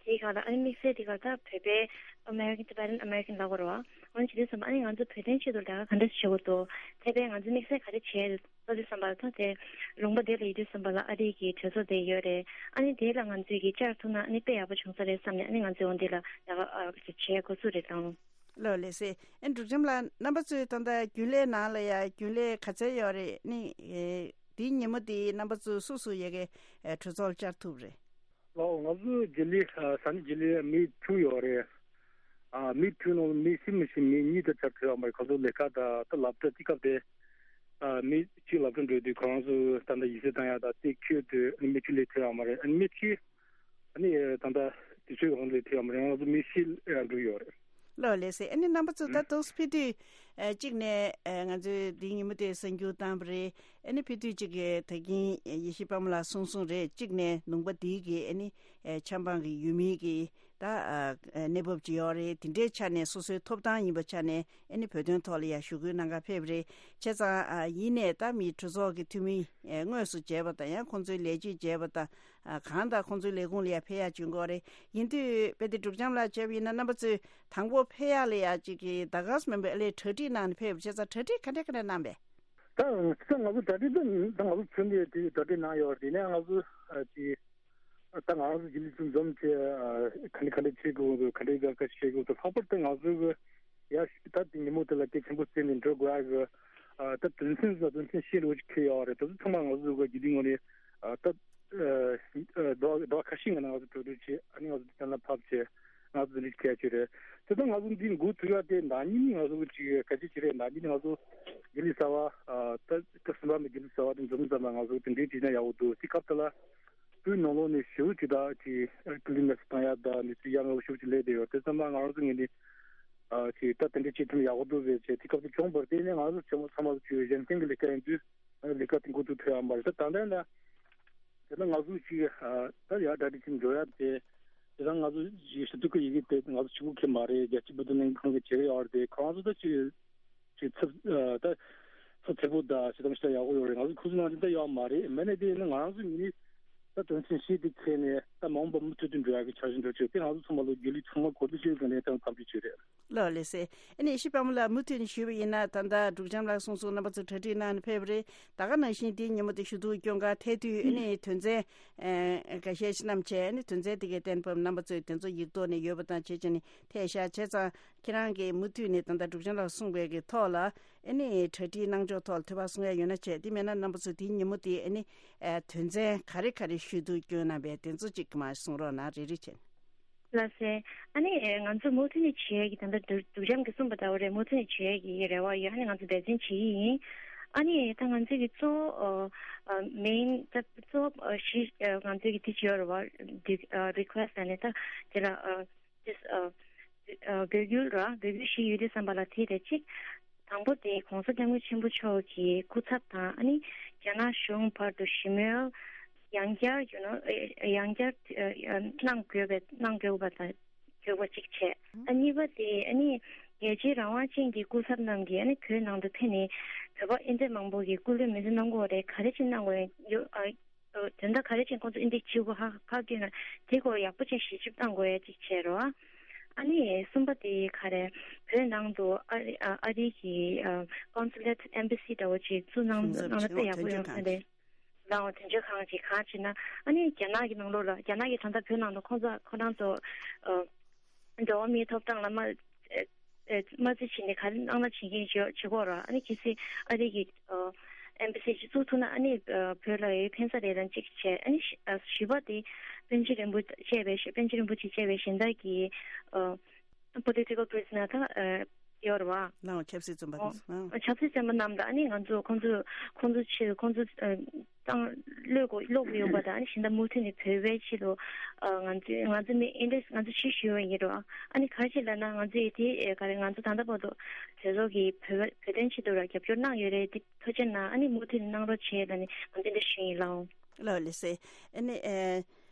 དེའི་སྒང་ལ་ཨ་ནི་དམིགས་བསལ་དེ་ག་ད་བོད་པའི་American Tibetan American ལབ་དགོས་རེད་བ། འོ་ན་བྱེད་དུས་ཙམ་པ་ཨ་ནི་ང་ཚོ་བོད་དོན་ཆེད་དུ་ལས་ཀ་ག་འདྲ་བྱེད་དགོས་འདུག་དེ་བས་ང་ཚོ་དམིགས་བསལ་ག་རེ་བྱས་ལབ་དུས་ཙམ་པ་ལ། ད་དེ་ལུང་པ་དེ་ལ་ཡོད་དུས་ཙམ་པ་ལ་ཨ་རི་གི་གྲོས་ཚོགས་དེ་ཡོད་རེད། ཨ་ནི་དེ་ལ་ང་ཚོས་ཀྱི་བཅར་ཐུབ་ན་ཨ་ནི་དཔེ་ཡག་པོ་བྱུང་ས་རེད་བསམ་ནས་ཨ་ནི་ང་ཚོས་འོ་འདི་ལ་ལས་ཀ་ཨ་བྱེད་འགོ་ཚུགས་རེད་དང་། ལགས་ལགས་སེ། ཨེ་འབྲུག་བྱམས་ལགས། རྣམ་པ་ཚོས་ད་ལྟ་རྒྱུན་ལས་ནང་ལ་ཡ་རྒྱུན་ལས་ག་ཚད་ཡོད་རེད། ཨ་ནི་ཨེ་འདིའི་ཉིན་མོ་འདི་རྣམ་པ་ཚོ་སུ་སུ་ཡ་གི་ཨེ་གྲོས་ཚོགས་ལ་བཅར་ཐུབ་རེད། ལགས་ང་ཚོ་རྒྱུན་ལས་ཨ་ས་གནས་རྒྱུན་ལས་མི་དྲུག་ཡོད་རེད། ཨ་མི་དྲུག་ནང་ལ་མི་བཞི་མི་བཞི་མི་གཉིས་དེ་ཆ་བྲལ་བ་མ་རེད། ཁོ་ཚོ་ལས་ཀ་དང་ད་སློབ་གྲྭ་དེ་སྐབས་དེ་ཨ་མི་གཅིག་སློབ་གྲྭ་འགྲོ་དུས་ཁོ་རང་ཚོ་ད་ལྟ་ཡིག་ཚད་བཏང་ཡ་དང་དེ་ཁྱོད་དུ་ཨ་ནི་མི་བཅུ་ལས་བྲལ་བ་མ་རེད། ཨ་ནི་མི་གཅིག་ཨ་ནི་ད་ལྟ་དུས་ཚོད་གང་ལས་བྲལ་བ་མ་རེད། ང་ཚོ་མི་བཞི་ཨ་འགྲོ་ཡོད་རེད། ལགས་ལགས་སེ། ཨ་ནི་རྣམ་པ་ཚོ་ད་དུང་ཕེབས་དུས་ཨ་གཅིག་ནས་ཨ་ང་ཚོའི་འདིའི་ཉིན་མོ་དེ་གསར་འགྱུར་བཏང་བ་རེད། ཨ་ནི་ཕེབས་དུས་གཅིག་གི་ད་གིན་ཡེ་ཤེས་དཔལ་མོ་ལགས་གསུངས་གསུངས་རེད། གཅིག་ནས་ལུང་པ་འདིའི་གི་ཨ་ནི་ཨ་ཆབ་འབངས་ཀྱི་ཡུལ་མིའི་གི་ད་ཨ་གནས་བབ་ཅིག་ཡོད་རེད། དེ་འདྲའི་ཆ་ནས་སོ་སོའི་ཐོབ་ཐང་ཡིན་པ་ཆ་ནས་ཨ་ནི་བོད་དོན་ཐོག་ལ་ཡ་ཞུ་སྐུལ་གནང་གར་ཕེབས་རེད། བྱས་ཙང་ཨ་ཡིན་ནས་ད་མི་གྲོས་ཚོགས་ཀྱི་འཐུས་མི་ཨ་དངོས་སུ་མཇལ་བ་དང་ཡང་ཁོང་ཚོའི་ལས་བྱེད་མཇལ་བ་དང་ཨ་གང་ལྟར་ཁོང་ཚོའི་ལས་ཁུངས་ལ་ཡ་ཕེབས་ཡ་བྱུང་གི་ཡོད་རེད། ཡིན་དུས་དཔེ་དེ་འབྲུག་བྱམས་ལགས་བྱས་པ་ཡིན་ན་རྣམ་པ་ཚོས་དང་པོ་ཕེབས་ཡ་ལ་ཡ་གཅིག་གི་ཟླ་སྐར་མིན་པའི་ཨ་ལས་གྲ་སྒྲིག་གནང་ནས་ཕེབས་པ། བྱས་ཙང་གྲ་སྒྲིག་ག་འདྲ་ག་འདྲ་གནང་པས། ད་ད་ང་ཚོ་གྲ་སྒྲིག་ད་ད་ང་ཚོ་ཚུན་ཆད་དེ་གྲ་སྒྲིག་གནང་ཡོད་རེད། དེ་ནས་ང་ཚོ་ཨ་ཅིག་ད་ང་རང་ཚོ་རྒྱུན་ལས་ཚོ་འཛོམས་བྱས་ཨ་ག་འདྲ་ག་འདྲ་བྱེད་དགོས་འདུག་ག་འདྲ་ག་འདྲ་བྱེད་དགོས་འདུག་ལྷག་པར་དུ་ང་ཚོ་གི་ཡ་ད་དེ་ཉིན་མོ་དེ་ལ་གལ་ཆེན་པོ་བརྩིས་ནས་འགྲོ་དགོས་ཡ་གི་ཨ་ད་དོན་ཚན་ད་དོན་ཚན་བཞི་ལོ་ཅིག་འཁེལ་ཡོད་རེད། དེ་ཚོ་ཚང་མ་ང་ཚོ་གི་རྒྱུན་ལས་ངོས་ནས་ཨ་ད་ཨ་ཟླ་བ་ཁ་ཤས་སྔོན་ནས་ང་ཚོ་གྲོས་བསྡུར་བྱས། ཨ་ནི་ང་ཚོ་གཏན་ལ་ཕབ་བྱས། ང་ཚོ་འདི་འདྲ་ཞིག་འཁེལ་ཡ་ཅིག་རེད། དེ་ད་ང་ཚོ་འདི་འགོ་ཚུགས་ཡ་དེ་ཟླ་ཉིན་ང་ཚོ་གི་ཅིག་ག་ཅིག་ཅིག་རེད། ཟླ་ཉིན་ང་ཚོ་རྒྱུན་ལས་གསར་པ་ཨ་ད་སྐབས་གསུམ་པ་མི་རྒྱུན་ལས་གསར་པ་དེ་འཛོམས་ཙམ་པ་ང་ཚོ་དེ་འདྲའི་བྱས་ན་ཡག་པོ་འདུག་དེ་སྐབས་དེ་ལ་བོད་ནང་ལོགས་ནས་ཞེ་པོ་ཅིག་ད་ཅིག་ཀུན་གླེང་མེད་སར་བཏང་ཡ་ད་མི་ཚོས་ཡ་ང་ལ་ཞེ་པོ་ཅིག་སླེབས་བསྡད་ཡོད། དེ་ཙམ་པ་ང་རང་ཚོ་ངོས་ནས་ཨ་ཅིག་ད་དེ་འདྲ་བྱེད་ཐུབ་ན་ཡག་པོ་འདུག་ཟེར་བྱས་དེ་སྐབས་དེ་བྱུང་བར་བརྟེན་ནས་ང་ཚོ་ཚང་མ་ཚང་མ་ཚོ་གཞན་བརྟེན་གྱི་ལས་ཀ་ཡིན་དུས་ལས་ཀ་དེ་འགོ་ཚུགས་ཐུབ་ཡ་མ་རེད། ད་ད་ལྟ་ཡིན་ན། དེ་ན་ང་ཚོ་ཅིག་ཨ་ད་ཡར་གྲ་སྒྲིག་བྱེད་འགྲོ་ཡ་དེ། དེ་ད་ང་ཚོ་ཅིག་ཞུ་གཏུག་གི་ཡི་གེ་དེ་ང་ཚོ་གཅིག་པུ་གི་མ་རེད། རྒྱལ་སྤྱིའི་བོད་དོན་ལྷན་ཁང་གི་བྱེད་ཀྱི་ཡོད་རེད་དེ། ཁོ་རང་ཚོ་ད་ཅིག་ཅིག་ཚབ་ཨ་ད་ཚབ་ཚད་པོ་ད་ཅིག་དང་ཞིག་ད་ཡག་པོ་ཡོད་རེད། ང་ཚོ་ཁོ་ཚོ་ནང་དེ་ད་ཡོད་མ་རེད། མེད་ནས་དེ་ཡིན་ན་ང་རང་ཚོ་ངོས་ནས་ད་དོན་ཚན་བཞི་དེ་འཁྱེར་ནས་ད་མ་འོངས་པ་མུ་མཐུད་དུ་འགྲོ་ཡ་གི་འཆར་གཞི་འདྲ་བྱས་དེ་ང་ཚོ་ཚང་མ་ལོ་རྒྱུས་ལས་ཚང་མ་གོ་བསྡུར་བྱེད་དགོས་ནས་ད་དམ་འབུལ་བྱས་རེད། ལགས་ལགས་སེ། ཨ་ནི་ཡེ་ཤེས་དཔལ་མོ་ལགས་མུ་མཐུད་ནས་ཞུས་པ་ཡིན་ན། ད་ལྟ་འབྲུག་བྱམས་ལགས་གསུངས་སོང་། རྣམ་པ་ཚོ་གྲ་སྒྲིག་གནང་ནས་ཕེབས་པ་རེད། ད་ག་ནང་བཞིན་དེའི་ཉིན་མོ་དེ་ཞུ་གཏུག་སྐྱོན་ག་ཐད་དུས་ཨ་ནི་དོན་ཚན་ཨ་འགའ་ཤས་ཤིག་བསྣམས་བྱས། ཨ་ནི་དོན་ཚན་དེ་གའི་གཏན་ཕབ་རྣམ་པ་ཚོས་དེ་ཚོ་ཡིག་ཐོག་ནས་ཡོད་པ་དང་བྱས་བྱས་ནས་ཐད་བཞག་བྱས་ཙང་། ཁྱེད་རང་གིས་མུ་མཐུད་ནས་ད་ལྟ་འབྲུག་བྱམས་ལགས་གསུངས་པའི་གི་ཐོག་ལ་ཨ་ནི་གྲ་སྒྲིག་གནང་ཕྱོགས་ཐོག་ལ་དོད་པ་གསུང་ཡ་ཡོད་ན་བྱས། དེ་མེད་ན་རྣམ་པ་ཚོས་དེའི་ཉིན་མོ་དེ་ཨ་ནི་ཨ་དོན་ཚན་ག་རེ་ག་རེ་ཞུ་གཏུག་སྐྱོན་གནང་པའི་དེ་ཚོ་ཅིག་མར་གསུང་རོགས་གནང་། རེ་རེ་བྱས་ནས། ལགས་སེ། ཨ་ནི་ང་ཚོ་མུ་མཐུད་ནས་བྱེད་ཡས་ཀྱི་ད་ལྟ་འབྲུག་འབྲུག་བྱམས་ཀྱིས་གསུངས་པ་ལྟ་བུ་རེད། མུ་མཐུད་ནས་བྱེད་ཡས་ཀྱི་རེ་བ་ཡོད། ཨ་ནི་ང་ཚོ་འབད་བརྩོན་བྱེད་ཀྱི་ཡིན། ཨ་ནི་ད་ང་ཚོའི་གི་གཙོ་བོ་ཨ་ཨ་མེན་ད་གཙོ་བོ་ཨ་གཞི་ཨ་ང་ཚོའི་གི་དེ་བྱེད་ཡོད་རེད་བ། ཨ་རི་ཁུ་ཨེ་སི་ཊི་ཨ་ནི་ད་དེ་ལ་ཨ་དེ་ཨ་ཨ་འབོད་སྐུལ་ར་འབོད་སྐུལ་བཞི་ཡོད་དུས་ཙམ་པ་ལ་དེ་རེད་གཅིག་དང་པོ་དེ་༸གོང་ས་༸སྐྱབས་མགོན་ཆེན་པོ་མཆོག་གི་སྐུ་ཚབ་དང་ཨ་ནི་རྒྱ་ནག་གཞུང་བར་དུ་ཞི་མོལ་ ཡང་བསྐྱར་you know ཡང་བསྐྱར་གནང་དགོས་པའི་གནང་དགོས་པ་དང་དགོས་པ་གཅིག་བྱས། ཨ་གཉིས་པ་དེ་ཨ་ནི་རྒྱལ་གཅེས་རང་དབང་ཅན་གྱི་སྐུ་ཚབ་རྣམས་ཀྱིས་ཨ་ནི་བོད་ནང་དུ་ཕེབས་ནས་བོད་པ་ཨིན་ཇི་མང་པོ་གིས་སྐུ་ལུས་མེ་མཆོད་གནང་དགོས་རེད། ག་རེ་བྱས་གནང་དགོས་ཡོད་ཨ། དོན་དག་ག་རེ་བྱས་ཁོང་ཚོ་ཨིན་ཇི་ཕྱིར་ཁ་ཁ་བསྐྱོད་ན་དེ་སྐོར་ཡག་པོ་བྱས་ཞིབ་འཇུག་གནང་དགོས་ཡ་གཅིག་བྱས་རོགས། ཨ་ནི་གསུམ་པ་དེ་ག་རེ་བོད་ནང་དུ་ཨ་རི་ཨ་ཨ་རི་གི་ཨ་consulate embassy འདྲ་བོ་ཅིག་བཙུགས་གནང་གནང་ན་དཔེ་ཡག་པོ་ཡོང་ས་རེད། ལའོ་དོན་གཅོད་ཁང་ཅིག་གང་བྱེད་ན་ཨ་ནི་རྒྱ་ནག་གི་ནང་ལོགས་ལ་རྒྱ་ནག་གི་ད་ལྟ་བོད་ནང་དུ་ཁོང་ཚོ་ཁོ་རང་ཚོ་ཨ་འགྲོ་བ་མིའི་ཐོབ་ཐང་ལ་མ་ཨེ་མ་རྩིས་བྱས་ནས་ག་རེ་གནང་ན་བྱེད་མཁན་བྱེད་བྱེད་ཀྱི་ཡོད་རེད། ཨ་ནི་གལ་སྲིད་ཨ་རི་གི་ཨ་embassy ཅིག་བཙུགས་ཐུབ་ན་ཨ་ནི་ཨ་བོད་ལ་ཡང་ཕན་ས་རེད་ལབ་གཅིག་བྱས། ཨ་ནི་བཞི་ཨ་བཞི་པ་དེ་པཎ་ཆེན་རིན་པོ་ཆེ་བཅས་པའི་པཎ་ཆེན་རིན་པོ་ཆེ་བཅས་པའི་གཞན་དག་གི་ཨ་political prisoner དང་ཨ་ཡོད་རེད་བ། ལའོ་ཆབ་སྲིད་བཙོན་པ་ཨོ། དང་ཨ་ཆབ་སྲིད་བཙོན་པ་རྣམས་དང་ཨ་ནི་ང་ཚོ་ཁོང་ཚོ་ཁོང་ཚོ་ཆེད་ཁོང་ཚོ་ཨ་བཏང་གློད་དགོས་གློད་དགོས་ཡོད་པ་དང་ཨ་ནི་གཞན་དག་མུ་མཐུད་ནས་བོད་པའི་ཆེད་དུ་ཨ་ང་ཚོ་ང་ཚོ་མི་ཨིན་ཌི་ང་ཚོ་ཕྱིར་ཞུ་བ་ཡིན་རོགས། ཨ་ནི་ག་རེ་བྱས་ལབ་ན་ང་ཚོ་ཡི་དེ་ག་རེ་ང་ཚོ་ད་ལྟ་བར་དུ་བོད་ཚོགས་ཀྱི་བོད་བོད་དོན་ཆེད་དུ་ར་རྒྱབ་སྐྱོར་གནང་ཡོད་རེད། དེ་ཐུགས་རྗེ་གནང་། ཨ་ནི་མུ་མཐུད་ནས་གནང་རོགས་བྱས་ལབ་ནས་ང་ཚོ་འདི་ཞུ་ཡིན་ལགས། ལགས་ལགས་སེ། ཨ་ནི་ཨེ།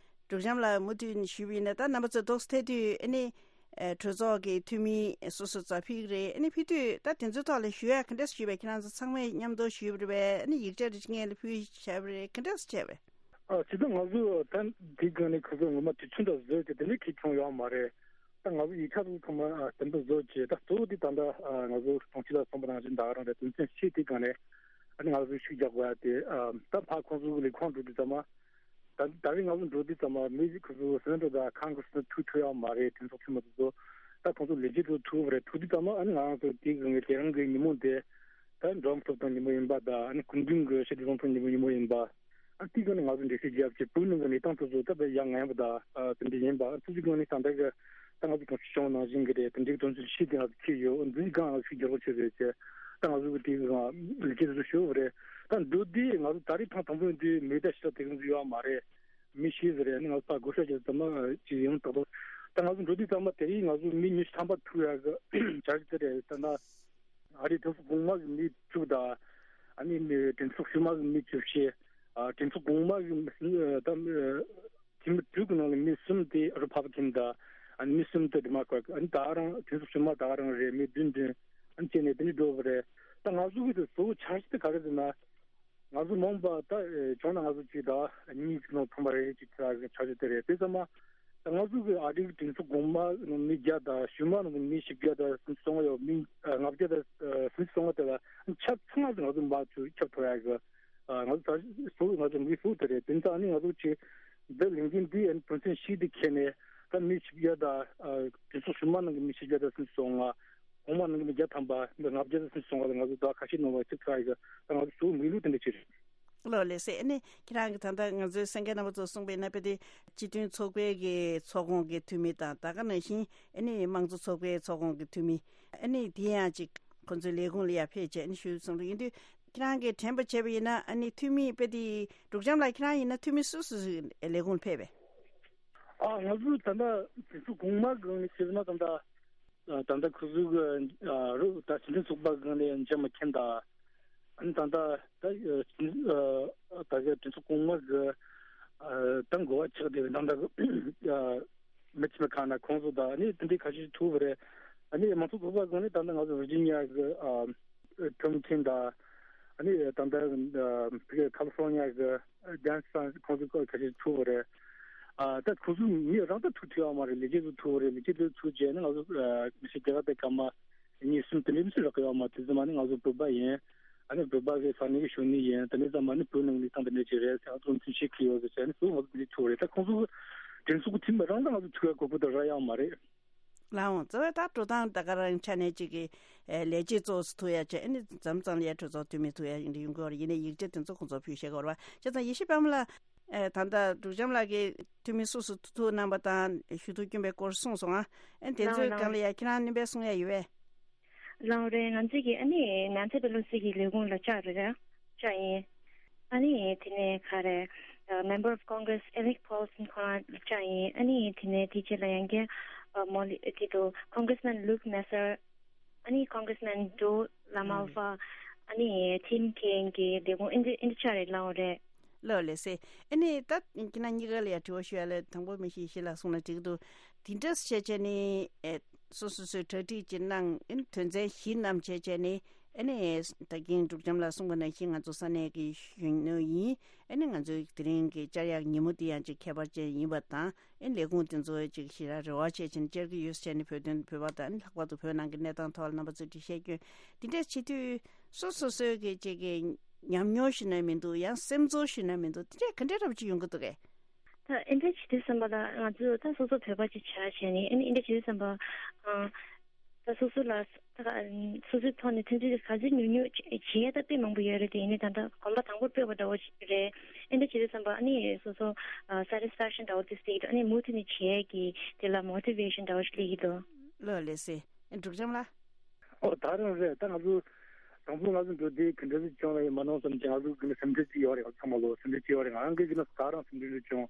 འབྲུག་བྱམས་ལགས་མུ་མཐུད་ནས་ཞུས་པ་ཡིན་ན་ད་རྣམ་པ་ཚོ་ཏོག་ཙམ་ཐད་དུས་ཨ་ནི་ཨེ་གྲོས་ཚོགས་ཀྱི་འཐུས་མི་སོ་སོ་རྩ་ཕིག་རེད། ཨ་ནི་ཕེབས་དུས་ད་དེ་ཚོའི་ཐོག་ལ་ཞུ་ཡག་ག་འདྲས་ཞུས་པས། ཁྱེད་རང་ཚོ་ཚང་མས་མཉམ་དུ་ཞུས་པ་རེད་པས། ཨ་ནི་ཡིག་ཆ་རེ་སྔོན་ལ་ཕུལ་བྱས་པ་རེད། ག་འདྲས་བྱས་པས། ཨ་སྤྱིར་བཏང་ང་ཚོ་ད་འདི་སྒང་ནས་ཁོ་ཚོ་ངོ་མ་དུས་ཚོད་འདྲ་བཟོས་ཏེ་དེ་འདྲ་གི་བྱུང་ཡོད་མ་རེད། ད་ང་ཚོ་ཡིག་ཆ་ཚོ་ཚང་མ་ཨ་བདེན་པ་བཟོ་བྱས། ད་གཙོ་བོ་དེ་ད་ལྟ་ཨ་ང་ཚོ་གྲོང་ཁྱེར་ལ་སོང་པ་ནང་བཞིན་ད་ག་རང་རེད། དོན་ཚན་བཞི་དེ་སྒང་ནས་ཨ་ནི་ང་ཚོ་ཤུགས་རྒྱག་དགོས་ཡ་དེ་ཨ་ད་ཕར་ཁོང་ཚོ་གི་ལས་ཁུངས་འགྲོ་དུས་ཙམ་མ། ད་ད་རེས་ང་ཚོ་འགྲོ་དུས་ཙམ་མ་མི་ཁོ་ཚོ་སེ་ནེ་ཊར་དང་ཁོང་གི་སུ་ཐུག་ཐུབ་ཡོད་མ་རེད། གྲོས་ཚོགས་འཐུས་མི་དེ་ཚོ་ད་ཁོང་ཚོ་ལས་བྱེད་དེ་ཚོ་ཐུག་པ་རེད། ཐུག་དུས་ཙམ་མ་ཨ་ནི་ང་རང་ཚོ་དེ་གི་དེ་རང་གི་ཉིན་མོ་དེ་ད་འགྲོ་འགྲོ་སྟངས་ཉིན་མོ་ཡིན་པ་དང་། ཨ་ནི་སྐུ་མདུན་གྱི་ཞི་བདེ་བཟང་ཕོད་ཉིན་མོ་ཡིན་པ། ཨ་དེའི་སྒང་ནས་ང་ཚོ་འགྲེལ་བཤད་རྒྱབ་ཀྱི་བོད་ནང་གི་གནས་སྟངས་དེ་ཚོ་ད་དཔེ་ཡ་ང་ཡང་པ་དང་ཨ་དེ་འདྲ་ཡིན་པ། ཨ་ཐུགས་རྗེ་སྒང་ནས་ད་ལྟ་གི་ད་ང་ཚོ་གྲོང་ཁྱེར་ཆུང་ནང་བཞིན་གི་རེད། དེ་འདྲའི་དོན་ཚན་བཞི་དེ་ང་ཚོ་ཁྱེར་ཡོད། འདིའི་སྒང་ང་ཚོ་ཤུགས་རྒྱག་རོགས་བྱེད་ཟེར་བྱས། ད་ང་ཚོ་གི་དེའི་སྒང་ལས་བྱེད་དེ་ཚོ་ཞུ་བ་རེད། ད་འགྲོ་དུས་ང་ཚོ་ད་རེས་ཐེངས་དང་པོ་ཡིན་དུས་མི་ད་ཞེ་དྲག་དེ་ག་ཚོད་ཡོད་མ་རེད། མི་ཤེས་ཟེར་རེད། ཨ་ནི་ང་ཚོ་ད་བགོ་བཤའ་བྱས་ཙམ་མ་ཅིག་ཡོང་ཏག་ཏག་ད་ང་ཚོ་འགྲོ་དུས་ཙམ་མ་དེ་རིང་ང་ཚོ་མི་ཉི་ཤུ་ཐམ་པ་ཐུག་ཡག་གི་འཆར་གཞི་དེ་རེད། ད་ན་ཨ་རིའི་གྲོས་ཚོགས་གོང་མ་གི་མི་བཅུ་དང་། ཨ་ནི་གྲོས་ཚོགས་ཕྱི་མ་གི་མི་བཅུ་བཞི། ཨ་གྲོས་ཚོགས་གོང་མ་གི་མི་ད་འཐུས་མི་དྲུག་གི་ནང་ལ་མི་གསུམ་དེ་རི་ཕབ་ལི་ཀན་དང་། ཨ་ནི་མི་གསུམ་དེ་ཌི་མོ་ཀྲ་ཊི། ཨ་ནི་ད་རང་གྲོས་ཚོགས་ཕྱི་མ་ད་རང་རེད། མི་བདུན་བདུན་ཨ་ནི་བྱས་ནས་དེ་འདྲ་འགྲོ་བ་རེད། ད་ང་ཚོ་གི་དེ་གཙོ་བོ་འཆར་གཞི་དེ་ག་རེ་ཟེར་ན། ང་ཚོ་མ་འོངས་པ་ད་ཨེ་བྱུང་ན་ང་ཚོ་གཅིག་དང་གཉིས་ཀྱི་ནང་ཚང་མ་རེ་རེ་གཅིག་ཆགས་ཀྱི་འཆར་གཞི་དེ་རེད། དེ་ཚང་མ་ད་ང་ཚོ་གི་ཨ་རིའི་གྲོས་ཚོགས་གོང་མ་ནང་མི་བརྒྱ་དང་། ཕྱི་མ་ནང་མི་བཞི་བརྒྱ་དང་སུམ་ཅུ་སོ་ལྔ་ཡོད། མི་ཨ་ལྔ་བརྒྱ་དང་ཨ་སུམ་ཅུ་སོ་ལྔ་དེ་ལ་ཆ་ཚང་མ་ང་ཚོ་མར་ཚུར་ཁྱབ་ཐུབ་ཡག་གི་ཨ་ང་ཚོ་ད་གཙོ་བོ་ང་ཚོ་མི་གཙོ་བོ་དེ་རེད། དེ་ཚོ་ཨ་ནི་ང་ཚོ་གཅིག་འདི་ལས་འགན་འདི་ཨ་ནི་དོན་ཚན་བཞི་འདི་འཁྱེར་ནས་ད་མི་བཞི་བརྒྱ་དང་ཨ་གྲོས་ཚོགས་ཕྱི་མ་ནང་གི་མི་བཞི་བརྒྱ་དང་སུམ་ཅུ་སོ་ལྔ། གོང་མ་ནང་གི་མི་བརྒྱ་ཐམ་པ། མི་ལྔ་བརྒྱ་དང་སུམ་ཅུ་སོ་ལྔ་ལ་ང་ཚོ་ད་ཁ་ཤས་ནང་ལ་ཅིག་ཚ་ཡི་གི་ད་ང་ཚོ་ཞུ་མི་ལུགས་དེ་འདྲ་ཅིག་རེད། ལགས་ལགས་སེ། ཨ་ནི་ཁྱེད་རང་གི་ད་ལྟ་ང་ཚོའི་གསན་མཁན་རྣམ་པ་ཚོ་གསུངས་པའི་ནང་དཔེ་དེ་སྤྱི་མཐུན་ཚོགས་པའི་གི་ཚོགས་ཁོངས་ཀྱི་འཐུས་མི་དང་། ད་ག་ནང་བཞིན་ཨ་ནི་དམངས་གཙོ་ཚོགས་པའི་ཚོགས་ཁོངས་ཀྱི་འཐུས་མི། ཨ་ནི་དེ་ཡང་ཅིག་ཁོང་ཚོའི་ལས་ཁུངས་ལ་ཡར་ཕེབས་བྱས་ཨ་ནི་ཞུ་གསུང་རོགས་ཡིན་དུས། ཁྱེད་རང་གིས་དྲན་པ་བྱས་པ་ཡིན་ན་ཨ་ནི་འཐུས་མི་དཔེ་དེ་འབྲུག་བྱམས་ལགས་ཁྱེད་རང་ཡིན་ན་འཐུས་མི་སུ་སུ་ལས་ཁུངས་ལ་ཕེབས་པས། ཨ་ང་ཚོ་ད་ལྟ་དེ་ཚོ་གོང་མ་གང་ནས་བྱས་ན་ད་ལྟ། ད་ལྟ་ཁོ་ཚོ་གི་རུ་ད་སྤྱི་མཐུན་ཚོགས་པ་སྒང་ནས་འཇམ་མ་མཁྱེན་དང་། ཨ་ནི་ད་ལྟ་ད་ད་གི་གྲོས་ཚོགས་གོང་མ་གི་ད་འགོ་བ་ཆགས་བསྡད་པའི་ད་ལྟ་གི་མི་ཆེན་པོ་གང་ན་ཁོང་ཚོ་དང་ཨ་ནི་དེ་འདྲའི་ཁ་ཤས་ཐུག་པ་རེད། ཨ་ནི་མང་ཚོགས་ཚོགས་པ་སྒང་ནས་ད་ལྟ་ང་ཚོ་ཝར་ཇི་ནི་ཡ་གི་ཁྲོམ་མཁན་དང་། ཨ་ནི་ད་ལྟ་ཁ་ལི་ཧྥོར་ནི་ཡ་གི་ཇོན་སན་ཁོང་ཚོ་ཁ་ཤས་ཐུག་པ་རེད། ཨ་ད་ཁོ་ཚོ་མི་རང་ད་ཐུག་ཐུབ་ཡོད་མ་རེད། ལས་བྱེད་ཚོ་ཐུག་པ་རེད། ལས་བྱེད་ཚོ་ཐུག་རྗེས་ནི་ང་ཚོ་མི་སེར་རྒྱ་གར་དེ་སྐར་མ་གཉིས་གསུམ་དེ་འདྲའི་མི་སུ་རག་གི་ཡོད་མ། དེ་ཚོ་མ་ནི་ང་ཚོ་བོད་པ་ཡིན། ཨ་ནི་བོད་པ་གི་ས་གནས་ཀྱི་གཞོན་ནུ་ཡིན། དེ་ནས་ཙམ་མ་ནི་བོད་ནང་ལི་སྟངས་དེ་འདྲ་ཅིག་རེད་ཟེར། ང་ཚོ་མཐུན་ཤེས་ཀྱི་ཡོད་ཟེར་བྱས་ནི་ཚོ་ང་ཚོ་དེ་འདྲའི་ཐུག་རེད། ད་ཁོང་ཚོ་དྲིན་གཟོ་གི་ཐིམ་རང་ད་ང་ཚོ་ཐུག་ཡ་གོ་སྐབས་དེ་རག་ཡོད་མ་རེད། ལགས་འོང་། རྩ་བའི་ད་འགྲོ་སྟངས་ད་ག་རང་ཆ་ནས་ཅིག་གི་ལས་བྱེད་ཚོ་ཐུག་ཡ་བྱས་ཨ་ནི་མཚམས་མཚམས་ལ་ཡ་གྲོས་ཚོགས་འཐུས་མི་ཐུག་ཡ་ཡིན་འདྲ་ཡོང་གི་ཡོད་རེད། ཡིན་ནའི་ཡིག་ཆ་དེ་ཚོ་ཁོང་ཚོ་ཕུལ་ཤེས་གི་ཡོད་རེད་བ། བྱས་ཙང་ཡེ་ཤེས་པད་མ་ལགས། ཨེ་ད་ལྟ་འབྲུག་བྱམས་ལགས་ཀྱིས་འཐུས་མི་སུ་སུ་ཐུག་གནང་པ་དང་ཞུ་གཏུག་བསྐྱོན་པའི་སྐོར་གསུངས་སོང་ང་། ཨེ་དེ་ལའོ་ཚོའི་ལའོ་སྒང་ལ་ཡ་ཁྱེད་རང་སྣོན་པ་གསུང་ཡ་ཡོད་པས། ལའོ་རེད། ང་ཚོས་ཀྱི་ཨ་ནི་ནན་སི་པེ་ལོ་སི་གི་ལས་ཁུངས་ལ་བཅར་རེད། བཅར་ཡིན། ཨ་ནི་དེ་ནས་ག་རེ། ཨ་Member of Congress Alec Paulson ཁོ་རང་ལ་བཅར་ཡིན། ཨ་ནི་དེ་ནས་དེ་རྗེས་ལ་ཡང་བསྐྱར་ཨ་མོ་ལི་དེ་དུ་Congressman Luke Messer། ཨ་ནི་Congressman Joe LaMalfa། ཨ་ནི་Tim Kaine གི་ལས་ཁུངས་ཨིན་ཇི་ཨིན་ཇི་བཅར་རེད། ལའོ་རེད། ལགས་ལགས་སེ། ཨ་ནི་ད་ཁྱེད་རང་གཉིས་ཀ་ལ་ཡང་དྲི་བ་ཞུ་ཡ་ལ། དང་པོ་མི་ཤེས་ཤེས་ལ་གསུངས་ན་འགྲིག་གི་འདུག་དེ་འདྲ་བྱས་བྱས་ནས་ཨེ་སོ་སོ་སོའི་གྲ་སྒྲིག་ཅིག་གནང་། ཨ་ནི་དོན་ཚན་བཞི་བསྣམས་བྱས་བྱས་ནས། ཨ་ནི་ད་གིན་འབྲུག་བྱམས་ལགས་གསུངས་པ་ནང་བཞིན་ང་ཚོ་ས་གནས་ཀྱི་གཞོན་ནུ་ཡིན། ཨ་ནི་ང་ཚོའི་དེ་རིང་གི་བཅར་ཡག་ཉིན་མོ་འདི་ཡང་ཅིག་ཁྱད་པར་ཅན་ཡིན་པ་དང་། ཨ་ནི་ལས་ཁུངས་དེ་ཚོ་ཅིག་ཞེ་དྲག་རེ་བ་བྱས་བྱས་ནས་བཅར་གྱི་ཡོད་བྱས་ནས། བོད་དོན་བོད་པ་དང་། ཨ་ནི་ལྷག་པར་དུ་བོད་ནང་གི་གནས་སྟངས་ཐོག་ལ་རྣམ་པ་ཚོས་འགྲེལ་བཤད་སྐྱོན། དེ་འདྲ་བྱེད་དུས་སོ་སོ་སོའི་གི་ཅིག་གི་ཉམས་མྱོང་ཞུ་ན་མི་འདུག་ཡང་སེམས་ཚོར་ཞུ་ན་མི་འདུག་དེ་འདྲ་ག་འདྲ་འདྲ་པོ་ཅིག་ཡོང་གི་འདུག་གས། ད་ཨེ་འདྲ་བྱེད་དུས་ཙམ་པ་ལ་ང་ཚོས་ད་སོ་སོ་བོད་པ་ཅིག་བྱས་བྱས་ནས། ཨ་ནི་ཨེ་འདྲ་བྱེད་དུས་ཙམ་པ། ཨ། ད་སོ་སོ་ལ་ད་སོ་སོའི་ཐོག་ནས་ཐོན་རྫས་ག་ཚོད་ཉོ་ཉོ་བྱེད་ཡ་ད་དཔེ་མང་པོ་ཡོད་རེད། དེ་ཡིན་ནའི་ད་ལྟ་གོམ་པ་དང་པོར་སྤོས་པ་འདྲ་བོ་ཞིག་རེད། ཨེ་འདྲ་བྱེད་དུས་ཙམ་པ་ཨ་ནི་སོ་སོ་ཨ་སེ་ཊིས་ཕེག་ཤན་འདྲ་བོ་དེ་སྲིད་ཀྱི་ཨ་ནི་མུ་མཐུད་ནས་བྱེད་ཡ་གི་དེ་ལ་མོ་ཊི་ཝེ་ཤན་འདྲ་བོ་ཞིག་སླེབས་ཀྱི་འདུག་ལགས་ལགས་སེ། ཨེ་འབྲུག་བྱམས་ལགས། ཨོ་ད་རང་རེད། ད་ང་ཚོ་དང་པོ་ང་ཚོ་འགྲོ་དུས་ག་འདྲ་ཞིག་བྱུང་བ་ཡིན་མ་གནང་བསམ་གྱི། ང་ཚོ་གི་ནི་སེམས་ཁྲལ་ཅིག་ཡོད་རེད། ང་ཚོ་ཚང་མ་ལོ་སེམས་ཁྲལ་ཅིག་ཡོད་རེད། ང་རང་གི་གི་ནི་ད་རང་སེམས་ཁྲལ་ཅིག་བྱུང་།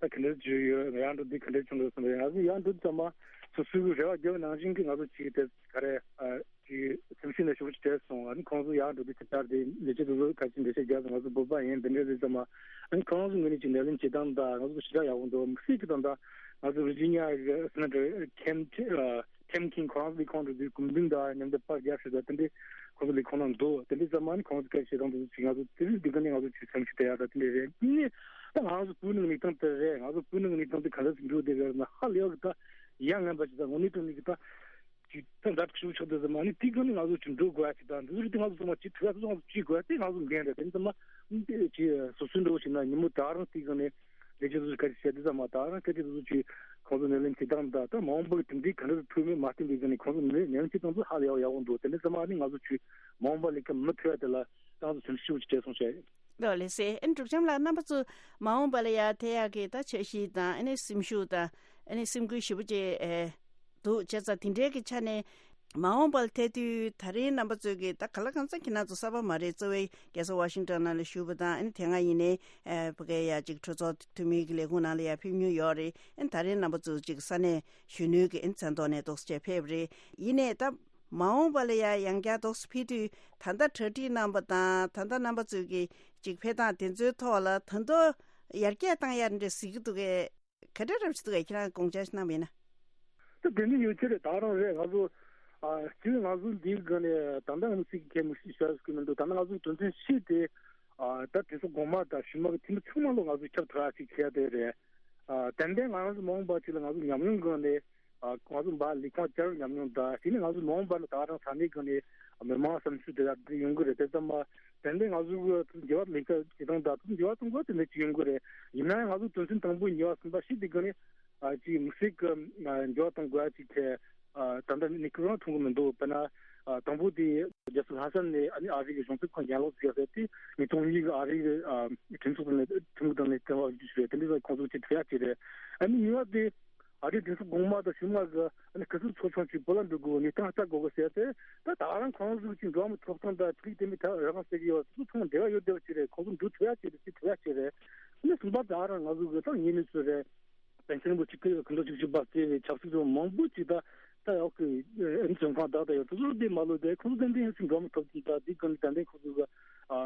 ད་ག་འདྲ་ཞིག་ཡོད། ང་ཡང་འགྲོ་དུས་ག་འདྲ་བྱུང་འགྲོ་བསམ་རེད། ང་ཚོ་ཡང་འགྲོ་དུས་ཙམ་པ་སོ་སོའི་གི་རེ་བ་བརྒྱབ་པ་ནང་བཞིན་གི་ང་ཚོ་ཅིག་དེ་ག་རེ་ཨ་ཅིག་སེམས་ཤུགས་ནས་ཞེ་པོ་ཅིག་སྤྲད་སོང་། ཨ་ནི་ཁོང་ཚོ་ཡང་འགྲོ་དུས་དེ་ལྟར་དེ་ལས་བྱེད་དེ་ཚོ་ག་ཅིག་འགྲེལ་བཤད་བརྒྱབ་སོང་། ང་ཚོ་བོད་པ་ཡིན། དེ་འདྲ་རེད་ཙམ་པ་ཨ་ནི་ཁོང་ཚོ་ངོས་ནས་ཅིག་ནད་ལན་བྱེད་སྟངས་དང་ང་ཚོ་ཞེ་དྲག་ཡག་པོ་འདུག་མི་སྲིད་གི། ད་ལྟ་ང་ཚོ་ཝི་ཇི་ནི་ཡ་གི་སེ་ནེ་ཊར་ཁེམ་ཨ་ཁེམ་ཁིན་ཁོ་རང་ཚོ་ལས་ཁུངས་འགྲོ་དུས་གུང་སེང་དང་མཉམ་དུ་པར་རྒྱག་ཞུ་དང་། དེ་འདྲའི་ཁོང་ཚོ་ལས་ཁུངས་ནང་འདུག་དེ་འདྲའི་ཙམ་མ་ནི་ཁོང་ཚོ་སྐད་ཆ་བཤད་སྟངས་དེ་ཚོ་ཅིག་ང་ཚོ་དེ་རིང་འདི་ག་ནས་ང་ཚོ་ཅིག་སེམས་ཤུགས་སྤྲད་ཡག་དང་དེ་འདྲ་རེད། དེ་ནས་ད་ང་ཚོ་བོད་ནང་གི་གནས་སྟངས་དེ་རེད། ང་ཚོ་བོད་ནང་གི་གནས་སྟངས་དེ་ག་འདྲ་ཞིག་འགྲོ་བསྡད་ཡོད་ན་ཧ་ལས་པ་གི་ད་ཡ་ངན་པ་ཞིག་དང་དངོས་གནས་དྲང་གནས་ཀྱི་ད་ཅིག་ད་འདྲ་ཤུགས་ཆགས་བསྡད་ཙམ་མ་ནི་དེ་ག་ནས་ང་ཚོ་ཅིག་འགྲོ་དགོས་ཡ་ཅིག་དང་། འདི་ཚོ་དེ་ང་ཚོ་ཚང་མ་ཅིག་ཐུག་ཡ་ཚོ་ང་ཚོ་ཅིག་དགོས་ཡ་དེ་ང་ཚོ་འགན་རེད། དེ་ཚང་མ་དེ་ཅིག་སོ་སོའི་འགྲོ་བཞིན་ན་ཉིན་མོ་ད་རང་དེ་ག་ནས་ལས་བྱེད་ཚོ་ག་རེ་བྱས་དུས་ཙམ་པ། ད་རང་སྐད་ཆ་དེ་ཚོ་ཅིག་ཁོང་ཚོ་ནས་ལན་བྱེད་སྟངས་དང་། ད་མ་འོངས་པར་དེ་འདྲའི་ག་འདྲ་ཐུག་མིན་མ་བསྟན་པའི་སྒང་ནས་ཁོང་ཚོ་ནས་ལན་བྱེད་སྟངས་ཚོ་ཧ་ལས་ཡག་ཡག་པོ་འདུག་དེ་འདྲ་ཚང་མ་ནི་ང་ཚོ་ཅིག་མ་འོངས་པ་ལས་ཀ་མི་ཐུབ་ཡ་དེ་ལ་ཏང་ཚོ་སེམས་ཤུགས་ཅིག་སྤྲད་སོང་བྱས། ལགས་ལགས་སེ། ཨ་ནི་འབྲུག་བྱམས་ལགས། རྣམ་པ་ཚོ་མ་འོངས་པ་ལ་ཡ་ཐེབས་ཡག་གི་ད་འཆར་གཞི་དང་། ཨ་ནི་སེམས་ཤུགས་དང་། ཨ་ནི་སེམས་འགུལ་ཞེ་པོ་ཅིག་ཨེ་འདུག་བྱས་ཙང་། དེ་འདྲའི་གི་ཆ་ནས་མ་འོངས་པ་ལ་ཐེབས་དུས་ད་རེས་རྣམ་པ་ཚོས་ཀྱི་ད་ག་ལ་གང་འཚམ་ཁྱེད་རང་ཚོ་གསར་པ་མ་རེད། གཙོ་བོའི་རྒྱལ་ས་ཝ་ཤིང་ཊོན་ནང་ལ་བཞུགས་པ་དང་། ཨ་ནི་དེ་སྔ་ཡིན་ནའི་ཨེ་ཕ་གའི་ཡ་ཅིག་གྲོས་ཚོགས་འཐུས་མི་གི་ལས་ཁུངས་ནང་ལ་ཡ་ཕེབས་མྱོང་ཡོད་རེད། ཨ་ནི་ད་རེས་རྣམ་པ་ཚོ་ཅིག་ས་གནས་གཞོན་ནུའི་གི་ཨ་ནི་མཚན་ཐོག་ནས་འདུག་སེ་བྱས་ཕེབས་རེད། ཡིན་ནའི་ད་མ་འོངས་པ་ལ་ཡ་ཡང་བསྐྱར་འདུག་སེ་ཕེབས་དུས་ད་ལྟ་གྲ་སྒྲིག་གནང་བ་དང་། ད་ལྟ་རྣམ་པ་ཚོས་ཀྱི་ཅིག་ཕེབས་སྟངས་དེ་ཚོའི་ཐོག་ལ་ད་དུང་ཡར་རྒྱས་བཏང་ཡ་འདྲ་གཟིགས་ཀྱི་འདུག་གས། ག་འདྲ་འདྲ་ཞིག་འདུག་གས། ཁྱེད་རང་དགོངས་འཆར་ཞིག་གནང་བ་ཡིན་ན། ད་དེ་འདྲ་ཡོད་ཀྱི་རེད། ད་རང་རེད། ང་ཚོ་ཨ་སྤྱིར་ང་ཚོ་འདིའི་སྒང་ནས་ད་ལྟ་ང་ཚོ་ཚིག་གི་མི་ཤེས་ཤ་ཟ་གི་མི་འདུག་ད་ནི་ང་ཚོ་དོན་ཚན་བཞི་དེ་ཨ་ད་གྲོས་ཚོགས་གོང་མ་དང་གཞུག་མ་གི་འཐུས་མི་ཚང་མ་ལོ་ང་ཚོ་ཁྱབ་བསྒྲགས་ཅིག་བྱས་དེ་རེད། ཨ་ཏན་ཏན་ང་རང་ཚོ་མ་འོངས་པ་ཅིག་ལ་ང་ཚོ་ཉམས་མྱོང་སྒང་ནས་ཨ་ང་ཚོ་འབའ་ལས་ཁུངས་བསྐྱར་ཉམས་མྱོང་དང་། དེ་ནས་ང་ཚོ་མ་འོངས་པ་ལ་ད་རང་ས་གནས་སྒང་ནས་མི་མང་བསམ་ཚུལ་དེ་དག་དེ་ཡོང་གི་རེད། དེ་ཙམ་མ་ཏན་ཏན་ང་ཚོ་གི་འགྱུར་བ་ལས་ཀ་བྱེད་སྟངས་དང་དེ་འགྱུར་བ་གཏོང་དགོས་དེ་འདྲ་ཅིག་ཡོང་གི་རེད། ཡིན་ན་ཡང་ང་ཚོ་དོན་ཚན་དང་པོ་གཉིས་པ་གསུམ་པ་བཞི་དེ་སྒང་ནས་ཨ་ཅིག་མི་སྲིད་གི་ཨ་འགྱུར་བ་གཏོང་དགོས་ཡ་ཅིག་ཐད་ཨ་ད་ལྟ་ནི་ཁོ་རང་མཐོང་གི་མི་འདུག་དཔེར་ན་ཨ་དང་པོ་དེ་རྒྱལ་ས་ལྷ་ས་ནས་ཨ་ནི་ཨ་རི་གི་གཞུང་ཚབ་ཁང་གྱེན་ལོག་བྱས་ཟེར་ཏེ། ཉིས་སྟོང་གཉིས་གི་ཨ་རི་གི་ཨ་གྲོས་ཚོགས་ནས་ཁྲིམས་ཁང་ནས་བསྟན་པ་བརྒྱུད་ཞུ་བའི་དེ་འདྲ་ཁོང་ཚོ་ཅིག་ཐུག་ཡ་ཅིག་རེད། ཨ་ནི་གཉིས་པ་དེ་ཨ་རིའི་གྲོས་ཚོགས་གོང་མ་དང་གཞུག་མ་གི་ཨ་ནི་གུང་སེང་ཚོགས་ཆུང་ཅིག་བོད་ལ་འགྲོ་དགོས། ཉིན་གཏན་ལྟ་དགོས་གི་ཟེར་ཏེ། ད་ད་རང་ཁོང་ཚོ་ཅིག་འགྲོ་མི་ཐོབ་ཐང་དང་ཆོས་ལུགས་དེ་མི་ཐད་རང་ཟེར་གི་ཡོད། སོ་སོ་ཚང་མ་འབྲེལ་བ་ཡོད་བསྡད་པ་ཅིག་རེད། ཁོང་ཚོ་འགྲོ་ཐུབ་ཡ་ཅིག་རེད། ཅིག་ཐུབ་ཡ་ཅིག་རེད། ཨ་ནི་གསུམ་པ་ད་རང་ང་ཚོ་གི་ད་ངེས་ནས་ཚོད་རེད། པཎ་ཆེན་རིན་པོ་ཆེ་སྐུ་ཡོད་ཁ་འདོན་བཅུ་གཅིག་པ་བརྩེ་བའི་ཆབ་སྲིད་ཚོ་མང་པོ་ཅིག་ད་ད་ཡག་གི་ཨ་ནི་བཙོན་ཁང་བདག་ད་ཡོད། དེ་ཚོ་བསྡད་མ་ལོས་དེ་ཁོང་ཚོ་ཏན་ཏན་ཡོད་ཅིག་འགྲོ་མི་ཐོབ་ཅིག་ད་འདི་གང་ཏན་ཏན་ཁོང་ཚོ་གི་ཨ་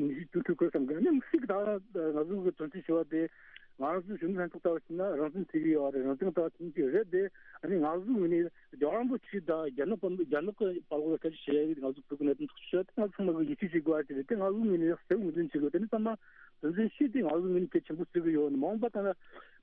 ནི་ཞིག་ཏུ་ཐུག་དགོས་བསམ་གི། ཨ་ནི་མི་སྲིད་གི། ད་ང་ཚོ་གི་དོན་ཚན་བཞི་པ་དེ་ང་རང་ཚོའི་གཞོན་ནུ་ལྷན་ཚོགས་ལྟ་བ་ཞིག་ན་རང་བཙན་ཟེར་གི་ཡོད་རེད། རང་བཙན་ལྟ་བ་ཁྱིམ་གྱི་རེད་དེ། ཨ་ནི་ང་ཚོ་ངོས་ནས་རྒྱལ་བ་རིན་པོ་ཆེ་དང་རྒྱ་ནག་པ་རྒྱ་ནག་གི་བར་ལ་སྐད་ཆ་བཤད་ཡ་ང་ཚོ་བོད་ཀྱི་གནད་དོན་ཐག་གཅོད་བྱས་ཏེ་ང་ཚོ་ཚང་མ་གི་ཡིད་ཆེས་བྱེད་དགོས་ཡ་ཅིག་རེད་དེ། ང་ཚོ་ངོས་ནས་གསལ་པོ་ངོས་འཛིན་བྱེད་དགོས། དེ་ནི་ཚང་མ་དོན་ཚན་བཞི་དེ་ང་ཚོ་ངོས་ནས་གལ་ཆེན་པོ་བརྩི་གི་ཡོད། མ་འོངས་པ་ད་ང་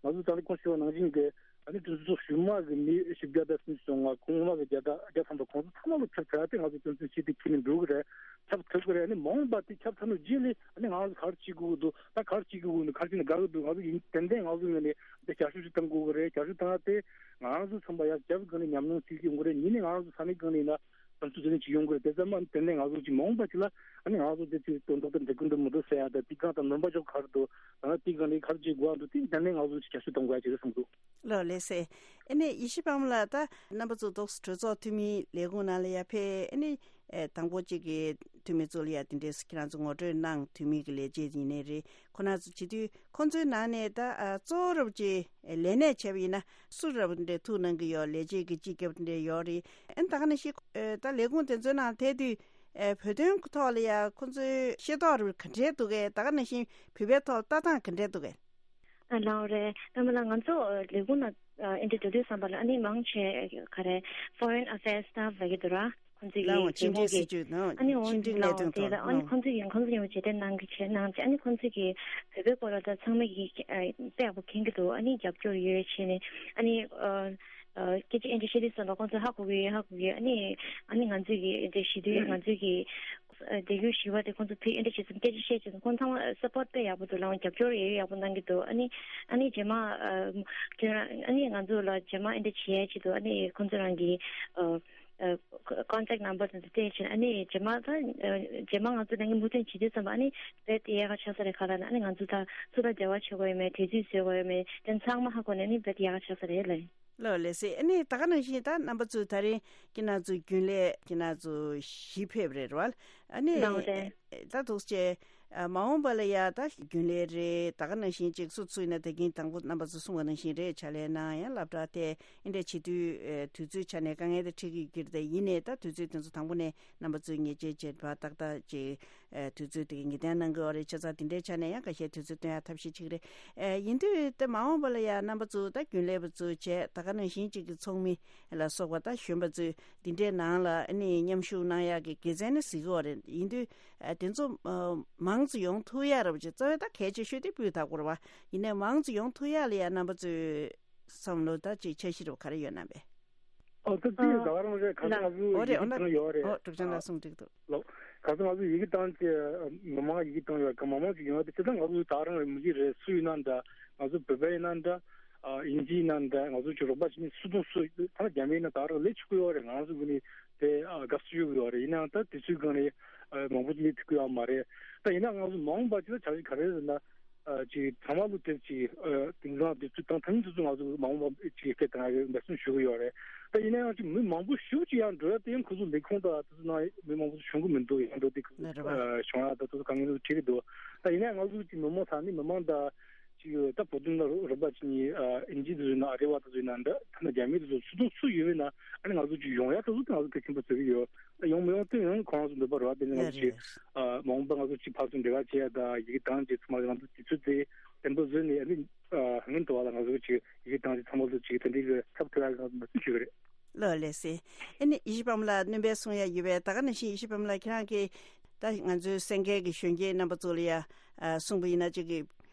ཚོ་ད་ལྟ་གོང་ཞུས་པ་ནང་བཞིན་གྱི་ཨ་ནི་གྲོས་ཚོགས་གཞུག་མ་གི་མི་བཞི་བརྒྱ་དང་སུམ་ཅུ་སོ་ལྔ། གོང་མ་གི་བརྒྱ་དང་བརྒྱ་ཐམ་པ་ཁོང་ཚོ་ཚང་མ་ལ་ཁྱབ་ཚར་ཏེ་ང་ཚོ་དོན་ཚན་བཞི་དེ་ཁྱེར་ནས་འགྲོ་གི་རེད། ཁྱབ་ཐུབ་ཀྱི་རེད། ཨ་ནི་མ་འོངས་པ་དེ་ཁྱབ་ཚར་ནས་རྗེས་ལ་ཨ་ནི་ང་ཚོ་ག་རེ་བྱེད་དགོས་ཀྱི་འདུག་ད་ག་རེ་བྱེད་དགོས་ཀྱི་འདུག་ག་རེ་བྱས་ན་དགའ་གི་འདུག་ང་ཚོ་ཡིན་ཏན་ཏན་ང་ཚོ་ངོས་ནས་འདི་བསྐྱར་ཞིབ་ཅིག་གཏང་དགོས་ཀྱི་རེད། བསྐྱར་ཞིབ་གཏང་ཡ་དེ་ང་རང་ཚོ་ཚང་མ་ཡར་རྒྱབ་སྒང་ནས་ཉམས་མྱོང་བྱེད་ཀྱི་ཡོང་གི་རེད། གཉིས་ནས་ང་རང་ཚོ་ས་གནས་སྒང་ནས་ཡིན་ན་བསམ་ཚུལ་དེ་ནས་ཅིག་ཡོང་གི་རེད། དེ་ཚང་མ་ཏན་ཏན་ང་ཚོ་ཅིག་མ་འོངས་པ་ཅིག་ལ་ཨ་ནི་ང་ཚོ་དེ་ཅིག་དོན་དག་དེ་འགྲིག་གི་འདུག་མི་འདུག་ཟེར་ཡ་དང་དེ་གང་དང་སྨན་པ་ཅོག་ག་རེ་འདུག་ད་ནི་དེ་གང་ནས་ག་རེ་བྱེད་དགོས་འདུག་དེ་ཏན་ཏན་ང་ཚོ་ཅིག་བསྐྱར་ཞིབ་གཏོང་དགོས་ཡ་ཅིག་རེད་བསམ་འདུག་ལགས་ལགས་སེ། ཨ་ནི་ཡེ་ཤེས་དཔལ་མོ་ལགས། ད་རྣམ་པ་ཚོ་ཏོག་ཙམ་གྲོས་ཚོགས་འཐུས་མིའི་ལས་ཁུངས་ནང་ལ་ཡར་ཕེབས། ཨ་ནི་ཨེ་དང་པོ་གཅིག་གི་འཐུས་མི་ཚོ་ལ་ཡ་དེ་འདྲས་ཁྱེད་རང་ཚོ་ངོ་སྤྲོད་གནང་། འཐུས་མི་གི་ལས་བྱེད་ཡིན་ནའི་རེད། ཁོ་ན་ཚོ་བྱེད་དུས་ཁོ་ཚོའི་ནང་ནས་ད་ཨ་གཙོ་བོ་རབ་ཀྱི་ལས་གནས་བྱས་པ་ཡིན་ན་སུ་རབ་འདྲ་ཐུགས་གནང་གི་ཡོད། ལས་བྱེད་ཀྱི་སྤྱི་ཁྱབ་འདྲ་ཡོད་རེད། ཨ་ནི་ད་ག་ནང་བཞིན་ཨེ་ད་ལས་ཁུངས་དེ་ཚོའི་ནང་ཐད་དུས་ ཨེ་བོད་དོན་ཐོག་ལ་ཡ་ཁོང་ཚོའི་ཤེས་རྟོགས་རུ་ག་འདྲས་འདུག་གས། ད་ག་ནང་བཞིན་བོད་པའི་ཐོག་ལ་ལྟ་སྟངས་ག་འདྲས་འདུག་གས། ཨ་ལའོ་རེད། ད་མ་ལ་ང་ཚོ་ལས་ཁུངས་ནང་ཨ་ཨེ་འདྲ་འགྲོ་དུས་ཙམ་པ་ལ་ཨ་ནི་མང་ཆེ་ག་རེ་foreign affairs staff ལབ་ཀྱི་འདུག་ར། ཁོང་ཚོ་ལའོ་གི་ཕྱི་འབྲེལ་སྲིད་ཇུས་ནང་ཨ་ནི་འོ་ཕྱི་འབྲེལ་གནད་ལའོ་དོན་དེ་ཐོག་ལ་ཨ་ནི་ནང་ཁོང་ཚོ་གི་ཁོང་ཚོ་ཡང་རྗེས་དྲན་གནང་གི་བྱས་གནང་བྱས་ཨ་ནི་ཁོང་ཚོ་གི་བོད་པའི་སྐོར་ལ་ད་ཚང་མ་གི་ཨ་དཔེ་ཡག་པོ་མཁྱེན་གྱི་འདུག་ཨ་ནི་རྒྱབ་སྐྱོར་ཡོད་བྱས་ནས་ཨ་ནི་ཨ་ཨ་སྐད་ཆ་ཨེ་འདྲ་བཤད་དུས་ཙམ་པ་ཁོང་ཚོ་ཧ་གོ་གི་ཡོད། ཧ་གོ་གི་ཡོད། ཨ་ནི་ཨ་ནི་ང་ཚོ་གི་ཨེ་འདྲ་ཞུ་དུས་ང་ཚོ་གི་ཨ་དེ་རྒྱུ་ཞི་བ་དེ་ཁོང་ཚོ་ཕི་ཨེ་འདྲ་བྱེད་ཙམ་སྐད་ཆ་བཤད་ཙམ་ཁོང་ཚང་མ་support་དཔེ་ཡག་པོ་འདུག་ལའང་རྒྱབ་སྐྱོར་ཡོད་ཡག་པོ་གནང་གི་འདུག་ཨ་ནི་ཨ་ནི་རྗེས་མ་ཨ་ཁྱོད་རང་ཨ་ནི་ང་ཚོ་ལ་རྗེས་མ་ཨེ་འདྲ་བྱེད་ཡ་ཆེད་དུ་ཨ་ནི་ཁོང་ཚོ་རང་གི་ཨ་ཨ་contact number་དེ་ཚོ་སྤྲད་ཕྱིན་ཨ་ནི་རྗེས་མ་ད་ཨ་རྗེས་མ་ང་ཚོ་ནང་གི་མུ་མཐུད་བྱེད་དུས་ཙམ་པ་ཨ་ནི་རྦད་དེ་ཡག་ག་ཆགས་ས་རེད། ག་ལ་ན་ཨ་ནི་ང་ཚོ་ད་སུ་དང་འབྲེལ་བ་བྱེད་དགོས་ཡོད་མེད། གྲོས་ཚིག་བཟོ་དགོས་ཡོད་མེད། དེ་ཚང་མ་ཧ་གོ་ནས་ཨ་ནི་རྦད་དེ་ཡག་ག་ཆགས་ས་རེད་ལ། ལགས་ལགས་སེ། ཨ་ནི་ད་ག་ནང་བཞིན་ད་རྣམ་པ་ཚོས་ད་རིང་ཁྱེད་རང་ཚོ་རྒྱུན་ལས་ཁྱེད་རང་ཚོ་བཞི་ཕེབས་རེད་བ། ཨ་ནི་ལགས་རེད། ད་འདུག་སེ་མ་འོངས་པ་ལ་ཡ་ད་རྒྱུན་ལས་རེད། ད་ག་ནང་བཞིན་ཅིག་སུ་ཚུགས་ན་ད་གིན་དང་པོ་རྣམ་པ་ཚོ་གསུང་བ་ནང་བཞིན་རེད། ཕྱག་ལས་གནང་ཡང་སློབ་གྲྭ་དེ་ཨེ་འདྲ་བྱེད་དུས་དུས་ཚོད་ཆ་ནས་དཀའ་ངལ་དེ་འཕྲད་ཀྱི་ཡོད་ཀྱི་རེད། ཡིན་ནའི་ད་དུས་ཚོད་དེ་ཚོ་དང་པོ་ནས་རྣམ་པ་ཚོས་ཉེས་ཆད་བཅད་པ་ཏག་ཏག་ཅིག་ཨ་དུས་ཚོད་དེ་ག་ངེས་གཏན་གནང་གི་ཡོད་རེད། བྱས་ཙང་དེ་འདྲའི་ཆ་ནས་ཡང་ཁ་ཤས་དུས་ཚོད་བཏོན་ཡག་ཐབས་ཤེས་བྱེད་ཀྱི་རེད། ཨ་ཡིན་དུས་ད་མ་འོངས་པ་ལ་ཡང་རྣམ་པ་ཚོ་ད་རྒྱུན་ལས་པ་ཚོ་བྱས་ད་ག་ནང་བཞིན་གཅིག་གི་ཚོགས་མི་ལ་སོགས་པ་ད་གཞོན་པ་ཚོས་འདི་འདྲའི་ནང་ལ་ཨ་ནི་མཉམ་ཞུགས་གནང་ཡག་གི་དགེ་མཚན་ནི་གཟིགས་ཀྱི་ཡོད་རེད། ཡིན་དུས་ཨ་དེ་ཚོ་ཨ་མང་ཙམ་ཡོང་ཐུབ་ཡག་རེད་པ་ཅིག་རྩ་བའི་ད་གལ་ཆེ་ཤོས་དེ་སྤུས་དག་པོ་རེད་པ། ཡིན་ནའི་མང་ཙམ་ཡོང་ཐུབ་ཡག་ལ་ཡང་རྣམ་པ་ཚོས་བསམ་བློ་ད་ཅིག་འཆར་གཞི་རུ་ག་རེ་ཡོད་ན་པས། ཨོ་ད་དེ་ད་ག་རང་རེད། ག་ཚོད་ང་ཚོ་ཡི་གེ་བཏང་ཡོད་རེད། ཨོ་འབྲུག་ལྕམ་ལགས་གསུངས་འགྲིག་འདུག་ལོ། ག་ཚོད་ང་ཚོ་ཡི་གེ་བཏང་ཅེས་མི་མང་ཡི་གེ་བཏང་ཡོད་ག་མང་མང་ཅིག་ཡོང་བ་དེ་ད་ང་ཚོ་ད་ག་རང་རེད། མི་གི་རེད། སུ་ཡིན་ན་འདྲ། ང་ཚོ་བོད་པ་ཡིན་ན་འདྲ། ཨིན་ཇི་ཡིན་ན་འདྲ། ང་ཚོ་ཅིག་རོགས་པ་བྱེད་མཁན་སུ་དང་སུ་ད་རྒྱ་མི་ཡིན་ན་ད་ག་རང་ལས་ཆོག་གི་ཡོད་རེད། ང་ཚོ་གི་ནི་དེ་དགའ་བསུ་ཞུ་གི་ཡོད་རེད། ཡིན་ནའང་ད་དུས་ཚོད་སྒང་ནས་མང་པོ་ཅིག་ལས་ཐུབ་ཀྱི་ཡོད་མ་རེད། ད་ཡིན་ན་ང་ཚོ་མ་འོངས་པ་ཅིག་ལ་བྱ་གཞི་ག་རེ་རེད་ན། ཨ་ཅིག་ཚང་མ་ལོ་དེབ་ཅིག་ཨ་དེང་སང་དུས་ཚོད་དང་ཐ་སྙད་དུས་ཚོད་ང་ཚོ་མ་འོངས་པ་ཅིག་སྐད་དང་ཡང་འབད་བརྩོན་ཞུ་གི་ཡོད་རེད། ད་ཡིན་ན་ཡང་ཅིག་མི་མང་པོ་ཞེ་པོ་ཅིག་ཡང་འགྲོ་ཡ་དེ་ཡང་ཁོ་ཚོ་ལས་ཁུངས་དང་དེ་ཚོ་ནང་མི་མང་པོ་ཞིག་བྱུང་གི་མི་འདུག་ཡང་འགྲོ་དེ་ལ་རེད་བ། ཨ་བྱུང་ཡ་ད་དེ་ཚོ་དཀའ་ངལ་ཚོ་འཕྲད་ཀྱི་འདུག་ད་ཡིན་ན་ཡང་ང་ཚོ་ཅིག་མི་མང་ས་ནི་མི་མང་དང་ཅིག་ད་བོད་དོན་ལ་རོགས་པ་བྱེད་མཁན་ཨ་ཨིན་ཇི་དེ་ཚོ་ཡིན་ན་ཨ་རི་བ་དེ་ཚོ་ཡིན་ན་འདྲ། ཐ་ན་རྒྱ་མི་དེ་ཚོ་སུ་དང་སུ་ཡོད་པ་ཡིན་ན་ཨ་ནི་ང་ཚོ་ཅིག་ཡོང་ཡ་དེ་ཚོ་དེ་ང་ཚོ་གལ་ཆེན་པོ་བརྩི་གི་ཡོད། ད་ཡོང་མི་ཡོང་དེ་ཡང་ཁོ་རང་ཚོ་འདོད་པ་རེད་བ། དེ་ནི་ང་ཚོ་ཅིག་ཨ་མ་འོངས་པ་ང་ཚོ་ཅིག་ཕར་ཚུར་འབྲེལ་བ་བྱེད་ཡ་དང་ཡི་གེ་བཏང་རྗེས་ཚང་མ་ང་ཚོ་དུས་ཚོད་དེ་བརྟན་པོ་བཟོས་ནས་ཨ་ནི་ཨ་སྔོན་དུ་བ་ལ་ང་ཚོ་ཅིག་ཡི་གེ་བཏང་རྗེས་ཚང་མ་ལ་ཅིག་དེ་འདྲའི་གི་ཐབས་བྲལ་ཡ་གི་ང་ཚོ་འབད་བརྩོན་ཞུ་གི་རེད། ལགས་ལགས་སེ། ཨ་ནི་ཡེ་ཤེས་པད་མ་ལགས་སྣོན་པ་གསུང་ཡ་ཡོད་པས། ད་ག་ནང་བཞིན་ཡེ་ཤེས་པད་མ་ལགས་ཁྱེད་རང་གིས་ད་ང་ཚོའི་གསན་མཁན་གྱི་གཞོན་སྐྱེས་རྣམ་པ་ཚོ་ལ་ཡ་ཨ་གསུངས་པ་ཡིན་ན་ཅིག་གི་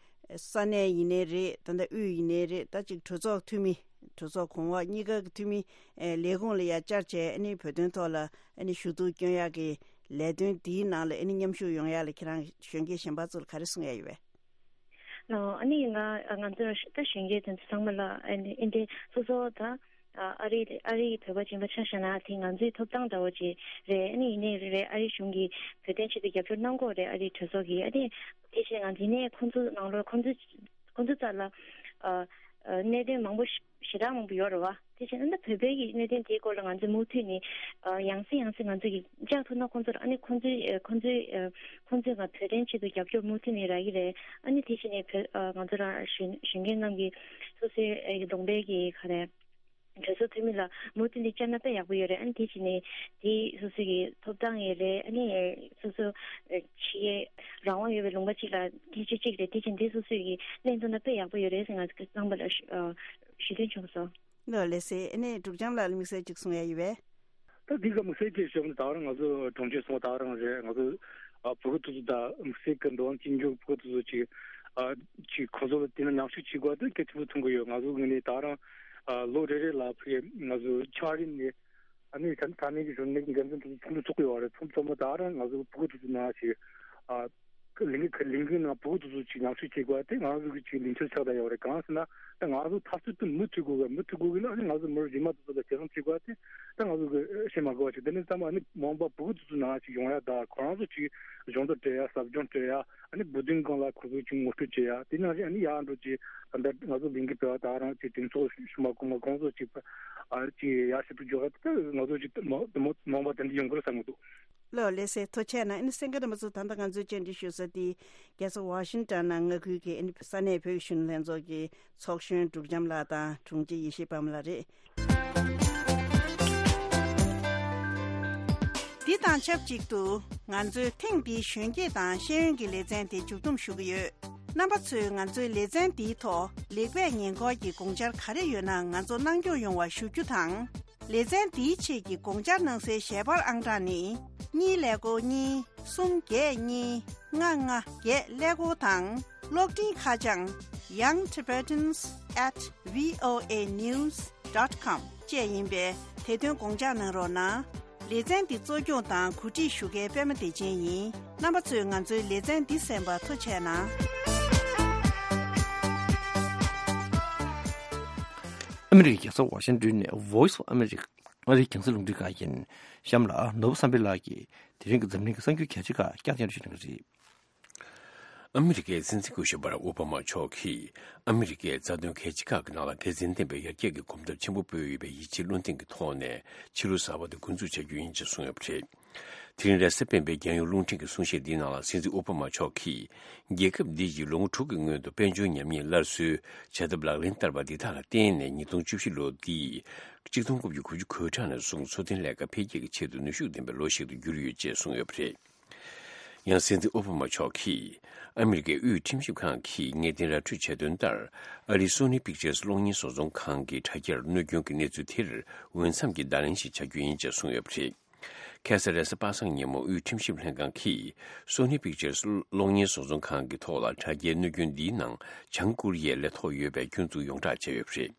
ས་གནས་ཡིན་ནའི་རེད། ད་ལྟ་དབུས་ཡིན་ནའི་རེད། ད་ཅིག་གྲོས་ཚོགས་འཐུས་མི་གྲོས་ཚོགས་གོང་འོག་གཉིས་ཀ་གི་འཐུས་མི་ཨེ་ལས་ཁུངས་ལ་ཡ་བཅར་བྱས་ཨ་ནི་བོད་དོན་ཐོག་ལ་ཨ་ནི་ཞུ་གཏུག་སྐྱོན་ཡག་གི་ལས་དོན་འདིའི་ནང་ལ་ཨ་ནི་མཉམ་ཞུགས་ཡོང་ཡག་ལ་ཁྱེད་རང་གཞོན་སྐྱེས་གཞན་པ་ཚོ་ལ་ག་རེ་གསུང་ཡ་ཡོད་པས། ཨ་ནི་ང་ང་ཚོ་ད་གཞོན་སྐྱེས་དེ་ཚོ་ཚང་མ་ལ་ཨ་ནི་ཨེ་འདྲའི་སོ་སོ་ད་ཨ་རི་ཨ་རི་བོད་པ་སྦྱིན་པ་ཆ་བཞག་ན་དེ་ང་ཚོའི་ཐོབ་ཐང་འདྲ་བོ་ཅིག་རེད། ཨ་ནི་ཡིན་ནའི་རེད་ཨ་རི་གཞུང་གིས་བོད་དོན་ཆེད་དུ་རྒྱབ་སྐྱོར་གནང་གི་ཡོད་རེད། ཨ་རི་གྲོས་ཚོགས་ཀྱིས་ཨ་ནི་དེ་བཞིན་ང་ཚོ་ཡིན་ནའི་ཁོང་ཚོ་ནང་ལོགས་ཁོང་ཚོ་ཁོང་ཚོ་རྩ་ལ་ཨ་ཨ་གནད་དོན་མང་པོ་ཞེ་དྲག་མང་པོ་ཡོད་རེད་བ། དེ་བཞིན་ཨ་ནི་བོད་པའི་གི་གནད་དོན་དེའི་སྐོར་ལ་ང་ཚོས་མུ་མཐུད་ནས་ཨ་ཡང་སེ་ཡང་སེ་ང་ཚོས་ཀྱི་བཅར་ཐུབ་ན་ཁོང་ཚོར་ཨ་ནི་ཁོང་ཚོའི་ཨ་ཁོང་ཚོའི་ཨ་ཁོང་ཚོས་ང་བོད་དོན་ཆེད་དུ་རྒྱབ་སྐྱོར་མུ་མཐུད་ནས་རག་གི་རེད། ཨ་ནི་དེ་བཞིན་ནས་བོད་ཨ་ང་ཚོ་རང་གཞོན་གཞོན་སྐྱེས་རྣམས་ཀྱིས་སོ་སོའི་ཨ་གདོང་པའི་གི་ག་རེ་གྲོས་ཚོགས་འཐུས་མི་ལ་མུ་མཐུད་ནས་བཅར་ན་དཔེ་ཡག་པོ་ཡོད་རེད། ཨ་ནི་དེ་བཞིན་ནས་དེ་སོ་སོའི་གི་ཐོབ་ཐང་ཡོད་རེད། ཨ་ནི་སོ་སོ་ཨ་ཕྱི་རང་དབང་ཡོད་པའི་ལུང་པ་གཅིག་ལ་སྐད་ཆ་གཅིག་རེད། དེ་བཞིན་དེ་སོ་སོའི་གི་གླེང་ཐུབ་ན་དཔེ་ཡག་པོ་ཡོད་རེད་ཟེར་ང་ཚོ་རྣམ་པ་ལ་ཞུ་ཨ་ཞུ་འདོད་བྱུང་སོང་། ལགས་ལགས་སེ། ཨ་ནི་འབྲུག་རྒྱམ་ལགས་ལ་དམིགས་བསལ་ཅིག་གསུང་ཡ་ཡོད་པས། ད་འདི་ག་དམིགས་བསལ་ཅིག་ཞུ་ན་ད་རང་ང་ཚོ་གྲོང་ཁྱེར་སོང་ད་རང་རེད། ང་ཚོ་ཨ་བུ་གུ་དེ་ཚོ་ད་དམིགས་བསལ་གྱི་འགྲོ་བ་གཅིག་འཇོག་བུ་གུ་དེ་ཚོ་ཅིག་ཨ་ཅིག་ཁོ་ཚོ་ལ་དེ་ན་མཉམ་ཞུགས་བྱེད་དགོས་དེ་གལ་ཆེན་པོ་མཐོང་གི་ཡོད། ང་ཚོ་ངོས་ནས་ད་རང་ཨ་ལོ་རེ་རེ་ལ་ཕ་གི་ང་ཚོ་ཆ་རིམ་ནས་ཨ་ནི་ད་ད་ནས་ཀྱི་གཞོན་ནུ་འགན་འཛིན་དེ་ཚོ་ཚོགས་འདུ་ཚོགས་ཀྱི་ཡོད་རེད། ཚོགས་ཚོགས་མ་ད་རང་ང་ཚོ་བུ་གུ་དེ་ཚོ་ནང་ཞིག་ཨ། ལས་འགུལ་ལས་འགུལ་ནང་བུ་གུ་དེ་ཚོ་ཅིག་མཉམ་ཞུགས་བྱེད་དགོས་དེ་ང་ཚོ་གི་ཅིག་ལས་འཆར་ཆགས་བསྡད་ཡོད་རེད། གང་ཟེར་ན་ད་ང་ཚོ་འཐབ་རྩོད་དེ་མུ་མཐུད་དགོས་གི་མུ་མཐུད་དགོས་གི་ལ་ཨ་ནི་ང་ཚོ་མི་རབས་རྗེས་མ་དེ་ཚོ་ལ་གྲོས་བསྡུར་བྱེད་དགོས་དེ་ད་ང་ཚོ་གི་བཤད་མ་དགོས་པ་ཞིག་དེ་ནས་ཚང་མ་ཨ་ནི་མ་འོངས་པ་བུ་གུ་དེ་ཚོ་ནང་ཅིག་ཡོང་ཡ་ད་ཁོ་རང་ཚོ་ཅིག་གཞོགས་འདེགས་སྤྲད་ཡ་ཟབ་སྦྱོང་སྤྲད་ཡ་ཨ་ནི་བོད་དོན་སྒང་ལ་ཁོ་ཚོ་ཅིག་ངོ་སྤྲོད་བྱེད་ཡ་དེ་ནང་བཞིན་ཨ་ནི་ཡར་འགྲོ་ཅིག་ད་ལྟ་ང་ཚོ་ལས་འགུལ་སྤེལ་བ་ད་རང་ཅིག་གདེང་ཚོགས་ཞུ་མ་དགོས་མ་ཁོང་ཚོ་ཅིག་ཨ་ཅིག་ཡར་ཞུ་གཏུག་འཇོག་ཡ་ད་ང་ཚོ་ཅིག་མ་མ་མ་འོངས་པ་དེ་འདྲ་ཡོང་གི་རེད་བསམ་གི་འདུག་ལགས་ལགས་སེ། ཐུགས་རྗེ་ཆེ་གནང་། ཨ་ནི་གསན་མཁན་རྣམ་པ་ཚོ་ད་ལྟ་ང་ཚོས་བཅར་འདྲི་ཞུ་ས་དེ་རྒྱལ་ས་ཝ་ཤིང་ཊོན་ནང་མངའ་ཁུལ་གྱི་ཨ་ནི་ས་གནས་བོད་ཀྱི་གཞོན་ནུ་ལྷན་ཚོགས་ཀྱི་ཚོགས་གཞོན་འབྲུག་རྒྱམ་ལགས་དང་དྲུང་ཆེ་ཡེ་ཤེས་པད་མ་ལགས་རེད། འདི་དང་ཆབས་ཅིག་ཏུ་ང་ཚོའི་ཐེངས་འདིའི་གཞོན་སྐྱེས་དང་ཤེས་ཡོན་གྱི་ལེ་ཚན་དེ་མཇུག་བསྡོམས་ཞུ་གི་ཡོད། རྣམ་པ་ཚོས་ང་ཚོའི་ལེ་ཚན་འདིའི་ཐོག་ལེགས་སྤེལ་ཉེས་འཁོར་གྱི་དགོངས་འཆར་ག་རེ་ཡོད་ན་ང་ཚོ་གནང་སྐྱོང་ཡོང་བ་ཞུ་རྒྱུ་དང་། ལེ་ཚན་འདིའི་ཆེད་ཀྱི་དགོངས་འཆར་གནང་སའི་ཞལ་པར་ཨང་གྲངས་ནི། གཉིས་ཀླད་ཀོར་གཉིས། གསུམ་བརྒྱད་གཉིས། ལྔ་ལྔ་བརྒྱད་ཀླད་ཀོར་དང་། གློག་འཕྲིན་ཁ་བྱང་young tibetans at voa news dot com བཅས་ཡིན་པས། དེ་དོན་དགོངས་འཇགས་གནང་རོགས་གནང་། ལེ་ཚན་འདི་གཙོ་སྐྱོང་དང་གོ་སྒྲིག་ཞུ་མཁན་པད་མ་བདེ་ཆེན་ཡིན། རྣམ་པ་ཚོས་ང་ཚོའི་ལེ་ཚན་འདི་གསན་པར་ཐུགས་རྗེ་གནང་། ཨ་མི་རི་ཀའི་རྒྱལ་ས་ཝ་ཤིང་ཏོན་ནས་Voice of America ཨ་རིའི་རྒྱང་སྲིང་རླུང་འཕྲིན་ཁང་ཡིན། གཤམ་ལ་ནོར་བུ་བསམ་འཕེལ་ལགས་ཀྱིས་དེ་རིང་གི་འཛམ་གླིང་གི་གསར་འགྱུར་གལ་ཆེ་ཁག་བསྐྱར་སྙན་སྒྲོན་ཞུ་གནང་གི་རེད། ཨ་མི་རི་ཀའི་སྲིད་འཛིན་སྐུ་ཞབས་བྷ་རག་ཨོ་བྷ་མ་མཆོག་གིས་ཨ་མི་རི་ཀས་རྩ་དོན་གལ་ཆེ་ཁག་གི་ནང་ལ་དགེ་མཚན་ལྡན་པའི་ཡར་རྒྱས་ཀྱི་གོམ་སྟབས་ཆེན་པོ་སྤོས་ཡོད་པའི་ཡིད་ཆེས་བློ་གདེང་གི་ཐོག་ནས་ཕྱི་ལོ་གསར་པ་དེ་འགོ་འཛུགས་བྱ་རྒྱུ་ཡིན་ཅེས་གསུངས་ཡོད་པ་རེད། དེ་རིང་རེས་གཟའ་སྤེན་པའི་རྒྱལ་ཡོངས་རླུང་འཕྲིན་གྱི་གསུང་བཤད་འདིའི་ནང་ལ་སྲིད་འཛིན་ཨོ་བྷ་མ་མཆོག་གིས། རྒྱལ་ཁབ་འདི་ཡིས་ལོ་ངོ་དྲུག་གི་སྔོན་དུ་དཔལ་འབྱོར་ཉམས་ཉེས་སླར་གསོའི་བྱ་ཐབས་ལག་ལེན་བསྟར་བ་འདི་དག་ལ་བརྟེན་ནས་ཉིས་སྟོང་བཅུ་བཞི་ལོ་འདི་གཅིག་སྟོང་དགུ་བརྒྱ་དགུ་བཅུ་གོ་གྲངས་ནས་བཟུང་འཚོ་རྟེན་ལས་ཀ་འཕེལ་རྒྱས་ཀྱི་ཆེད་དུ་ནུས་ཤུགས་ལྡན་པའི་ལོ་ཞིག་ཏུ་གྱུར་ཡོད་ཅེས་གསུངས་ཡོད་པ་རེད། ཡང་སྲིད་འཛིན་ཨོ་བྷ་མ་མཆོག་གིས་ཨ་མི་རི་ཀའི་དབུས་ཁྲིམས་ཞིབ་ཁང་གིས་ངེས་གཏན་ར་འཕྲོད་བྱས་དོན་ལྟར། ཨ་རིའི་སོ་ནི་པིག་ཅར་གློག་བརྙན་བཟོ་ཚོང་ཁང་གི་དྲ་རྒྱར་གནོད་སྐྱོན་གྱི་གནས་ཚུལ་དེར་འོས་འཚམ་གྱི་བརྡ་ལན་ཞིག་བྱ་རྒྱུ་ཡིན་ཅེས་གསུངས་ཡོད་པ་རེད། ཁ་སང་རེས་གཟའ་པ་སངས་ཉིན་མོ་དབུས་ཁྲིམས་ཞིབ་ལྷན་ཁང་གིས་སོ་ནི་པིག་ཅར་གློག་བརྙན་བཟོ་ཚོང་ཁང་གི་ཐོག་ལ་དྲ་རྒྱའི་གནོད་སྐྱོན་འདིའི་ནང་བྱང་ཀོ་རི་ཡའི་ལས་ཐོག་ཡོད་པའི་སྐྱོན་འཛུགས་ཡོངས་བསྒྲགས་བྱས་ཡོད་པ་རེད།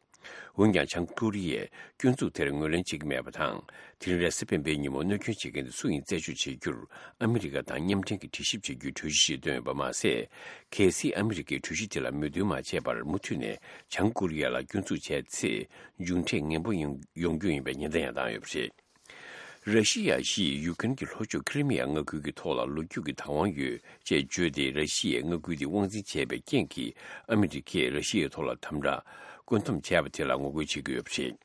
འོན་ཀྱང་། བྱང་ཀོ་རི་ཡས་སྐྱོན་འཛུགས་དེར་ངོས་ལེན་བྱེད་ཀྱི་མེད་པ་དང་། དེ་རིང་རེས་གཟའ་སྤེན་པའི་ཉིན་མོ་གནོད་སྐྱོན་བྱེད་མཁན་དེ་སུ་ཡིན་རྩད་གཅོད་བྱེད་རྒྱུར་ཨ་མི་རི་ཀ་དང་མཉམ་འབྲེལ་གྱིས་དྲི་ཞིབ་བྱེད་རྒྱུའི་གྲོས་གཞི་ཞིག་བཏོན་ཡོད་པ་མ་ཟད། གལ་སྲིད་ཨ་མི་རི་ཀས་གྲོས་གཞི་དེ་ལ་མོས་མཐུན་མ་བྱས་པར་མུ་མཐུད་ནས་བྱང་ཀོ་རི་ཡ་ལ་སྐྱོན་འཛུགས་བྱས་ཚེ། མཇུག་འབྲས་ངན་པ་ཡོང་ཡོང་རྒྱུ་ཡིན་པའི་ཉེན་བརྡ་ཡང་བཏང་ཡོད་པ་རེད། ར་ཤི་ཡ་ཞིག་ཡུཀ་རེན་གྱི་ལྷོ་ཕྱོགས་ཁི་རི་མི་ཡ་མངའ་ཁུལ་གྱི་ཐོག་ལ་ལོ་རྒྱུས་ཀྱི་བདག་དབང་ཡོད་ཅེས་བརྗོད་དེ། ར་ཤི་ཡའི་མངའ་ཁུལ་དེ་དབང་འཛིན་བྱས་པའི་རྐྱེན་གྱིས་ཨ་མི་རི་ཀས་ར་ཤི་ཡའི་ཐོག་ལ་དམ་དྲག་བཀོད་འདོམས་བྱས་པ་དེ་ལ་ངོ་རྒོལ་བྱེད་ཀྱི་ཡོད་པ་རེད།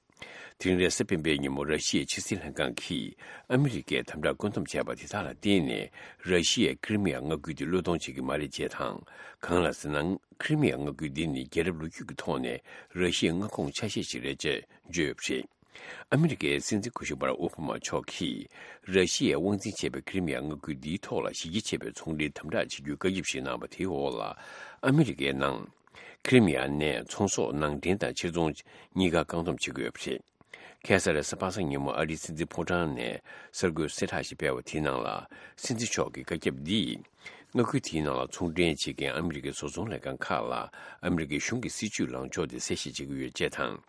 དེ་རིང་རེས་གཟའ་སྤེན་པའི་ཉིན་མོ་ར་ཤི་ཡའི་ཕྱི་སྲིད་ལྷན་ཁང་གིས་ཨ་མི་རི་ཀས་དམ་དྲག་བཀོད་འདོམས་བྱས་པ་དེ་དག་ལ་བརྟེན་ནས། ར་ཤི་ཡས་ཁི་རི་མི་ཡ་མངའ་ཁུལ་དེ་བློས་གཏོང་བྱེད་ཀྱི་མ་རེད་ཅེས་དང་། གང་ལགས་ཟེར་ན། ཁི་རི་མི་ཡ་མངའ་ཁུལ་འདི་ནི་རྒྱལ་རབས་ལོ་རྒྱུས་ཀྱི་ཐོག་ནས་ར་ཤི་ཡའི་མངའ་ཁོངས་ཆ་ཤས་ཤིག་རེད་ཅེས་བརྗོད་ཡོད་པ་རེད། ཨ་མི་རི་ཀའི་སྲིད་འཛིན་སྐུ་ཞབས་བྷ་རག་ཨོ་བྷ་མ་མཆོག་གིས་ར་ཤི་ཡས་དབང་འཛིན་བྱས་པའི་ཁི་རི་མི་ཡ་མངའ་ཁུལ་འདིའི་ཐོག་ལ་གཞི་རྒྱ་ཆེ་བའི་ཚོང་འབྲེལ་དམ་དྲག་བྱེད་རྒྱུའི་བཀའ་ཁྱབ་ཞིག་གནང་བ་དེའི་འོག་ལ། ཨ་མི་རི་ཀའི་ནང་ཁི་རི་མི་ཡ་ནས་ཚོང་ཟོག་ནང་འདྲེན་དང་ཕྱིར་ཚོང་གཉིས་ཀ་བཀག་སྡོམ་བྱེད་ཀྱི་ཡོད་པ་རེད། ཁ་སང་རེས་གཟའ་པ་སངས་ཉིན་མོ་ཨ་རིའི་སྲིད་འཛིན་ཕོ་བྲང་ནས་གསར་འགོད་གསལ་བསྒྲགས་ཤིག་སྤེལ་བ་དེའི་ནང་ལ། སྲིད་འཛིན་མཆོག་གི་བཀའ་ཁྱབ་འདིས། མངའ་ཁུལ་དེའི་ནང་ལ་ཚོང་འབྲེལ་བྱེད་མཁན་ཨ་མི་རི་ཀའི་བཟོ་ཚོང་ལས་ཁང་ཁག་ལ་ཨ་མི་རི་ཀའི་གཞུང་གི་སྲིད་ཇུས་ལངས་ཕྱོགས་དེ་གསལ་བཤད་བྱེད་ཀྱི་ཡོད་ཅེས་དང་།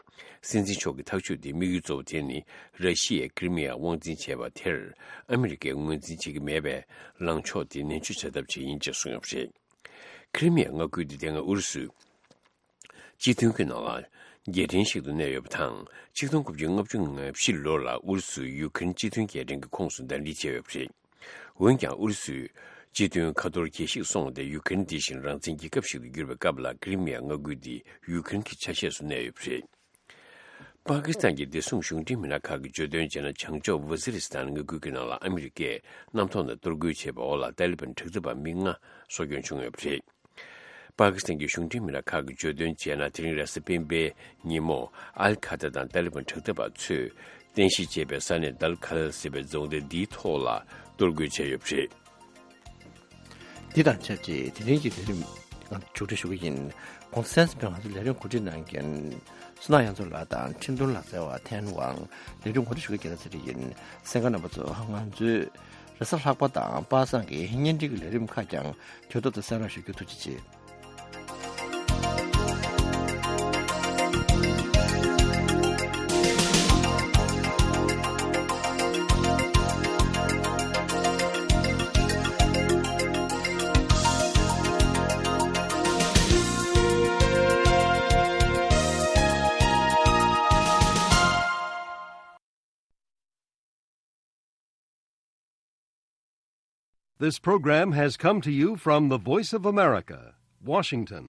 སྲིད་འཛིན་མཆོག་གི་ཐག་གཅོད་དེའི་དམིགས་ཡུལ་གཙོ་བོ་དེ་ནི་ར་ཤི་ཡས་ཁི་རི་མི་ཡ་དབང་འཛིན་བྱས་པ་དེར་ཨ་མི་རི་ཀས་ངོས་འཛིན་བྱེད་ཀྱི་མེད་པའི་ལངས་ཕྱོགས་དེ་ནན་བརྗོད་བྱ་ཐབས་ཆེད་ཡིན་ཅེས་གསུངས་ཡོད་པ་རེད། ཁི་རི་མི་ཡ་མངའ་ཁུལ་འདི་དེ་སྔ་ཨུ་རུ་སུའི་སྤྱི་མཐུན་གྱི་ནང་ལ་རྒྱལ་ཕྲན་ཞིག་ཏུ་གནས་ཡོད་པ་དང་། ཆིག་སྟོང་དགུ་བརྒྱ་ལྔ་བཅུ་ང་བཞི་ལོ་ལ་ཨུ་རུ་སུས་ཡུ་ཁེ་རེན་སྤྱི་མཐུན་རྒྱལ་ཕྲན་གྱི་ཁོངས་སུ་ཟླ་སྒྲིལ་བྱས་ཡོད་པ་རེད། འོན་ཀྱང་ཨུ་རུ་སུས་སྤྱི་མཐུན་ཁ་ཐོར་གྱེས་ཤིག་སོང་སྟེ། ཡུ་ཁེ་རེན་འདི་བཞིན་རང་བཙན་རྒྱལ་ཁབ་ཞིག་ཏུ་གྱུར་པའི་སྐབས་ལ་ཀི་རི་མི་ཡ་མངའ་ཁུལ་འདི་ཡུ་ཁེ་རེན་གྱི་ཆ་ཤས་སུ་གནས་ཡོད་པ་རེད། པ་ཀི་སི་ཐན་གྱི་བདེ་སྲུང་གཞུང་འབྲེལ་མི་སྣ་ཁག་གིས་བརྗོད་དོན་བྱས་ན། བྱང་ཕྱོགས་ཝ་ཛི་རི་སི་ཐན་མངའ་ཁུལ་གྱི་ནང་ལ་ཨ་མི་རི་ཀས་གནམ་ཐོག་ནས་གཏོར་རྒོལ་བྱས་པའི་འོག་ལ་ཏཱ་ལི་བན་དྲག་འཐབ་པ་མི་ལྔ་སྲོག་སྐྱོན་བྱུང་ཡོད་པ་རེད། པ་ཀི་སི་ཐན་གྱི་གཞུང་འབྲེལ་མི་སྣ་ཁག་གིས་བརྗོད་དོན་བྱས་ན། དེ་རིང་རེས་གཟའ་སྤེན་པའི་ཉིན་མོ་ཨལ་ཁ་ཏ་དང་ཏཱ་ལི་བན་དྲག་འཐབ་པ་ཚོས་རྟེན་གཞི་བྱས་པའི་ས་གནས་དཱལ་ཁལ་ཟེར་བའི་རྫོང་སྡེ་འདིའི་ཐོག་ལ་གཏོར་རྒོལ་བྱས་ཡོད་པ་རེད། འདི་དང་ཆབས་ཅིག་དེ་རིང་གི་ལས་རིམ་མཇུག་སྒྲིལ་ཞུ་གི་ཡིན། གོང་ས་མཆོག་གིས་ང་ཚོའི་ལས་རིམ་གོ་སྒྲིག་གནང་མཁན་བསོད་ནམས་གཡང་འཛོམས་ལགས་དང་ཁྲིན་ཏུང་ལགས་བཅས་པ་ཐེངས་དབང་ལས་རིམ་གོ་སྒྲིག་ཞུ་མཁན་རྒྱལ་ལགས་ཚེ་རིང་ཡིན། གསན་མཁན་རྣམ་པ་ཚོ། ང་ཚོའི་རེས་གཟའ་ལྷག་པ་དང་པ་སངས་ཀྱི་བརྙན་འཕྲིན་གྱི་ལས་རིམ་ཁག་ཀྱང་དུས་ཐོག་ཏུ་གསན་རོགས་ཞུ་རྒྱུ། ཐུགས་རྗེ་ཆེ། This program has come to you from the Voice of America, Washington.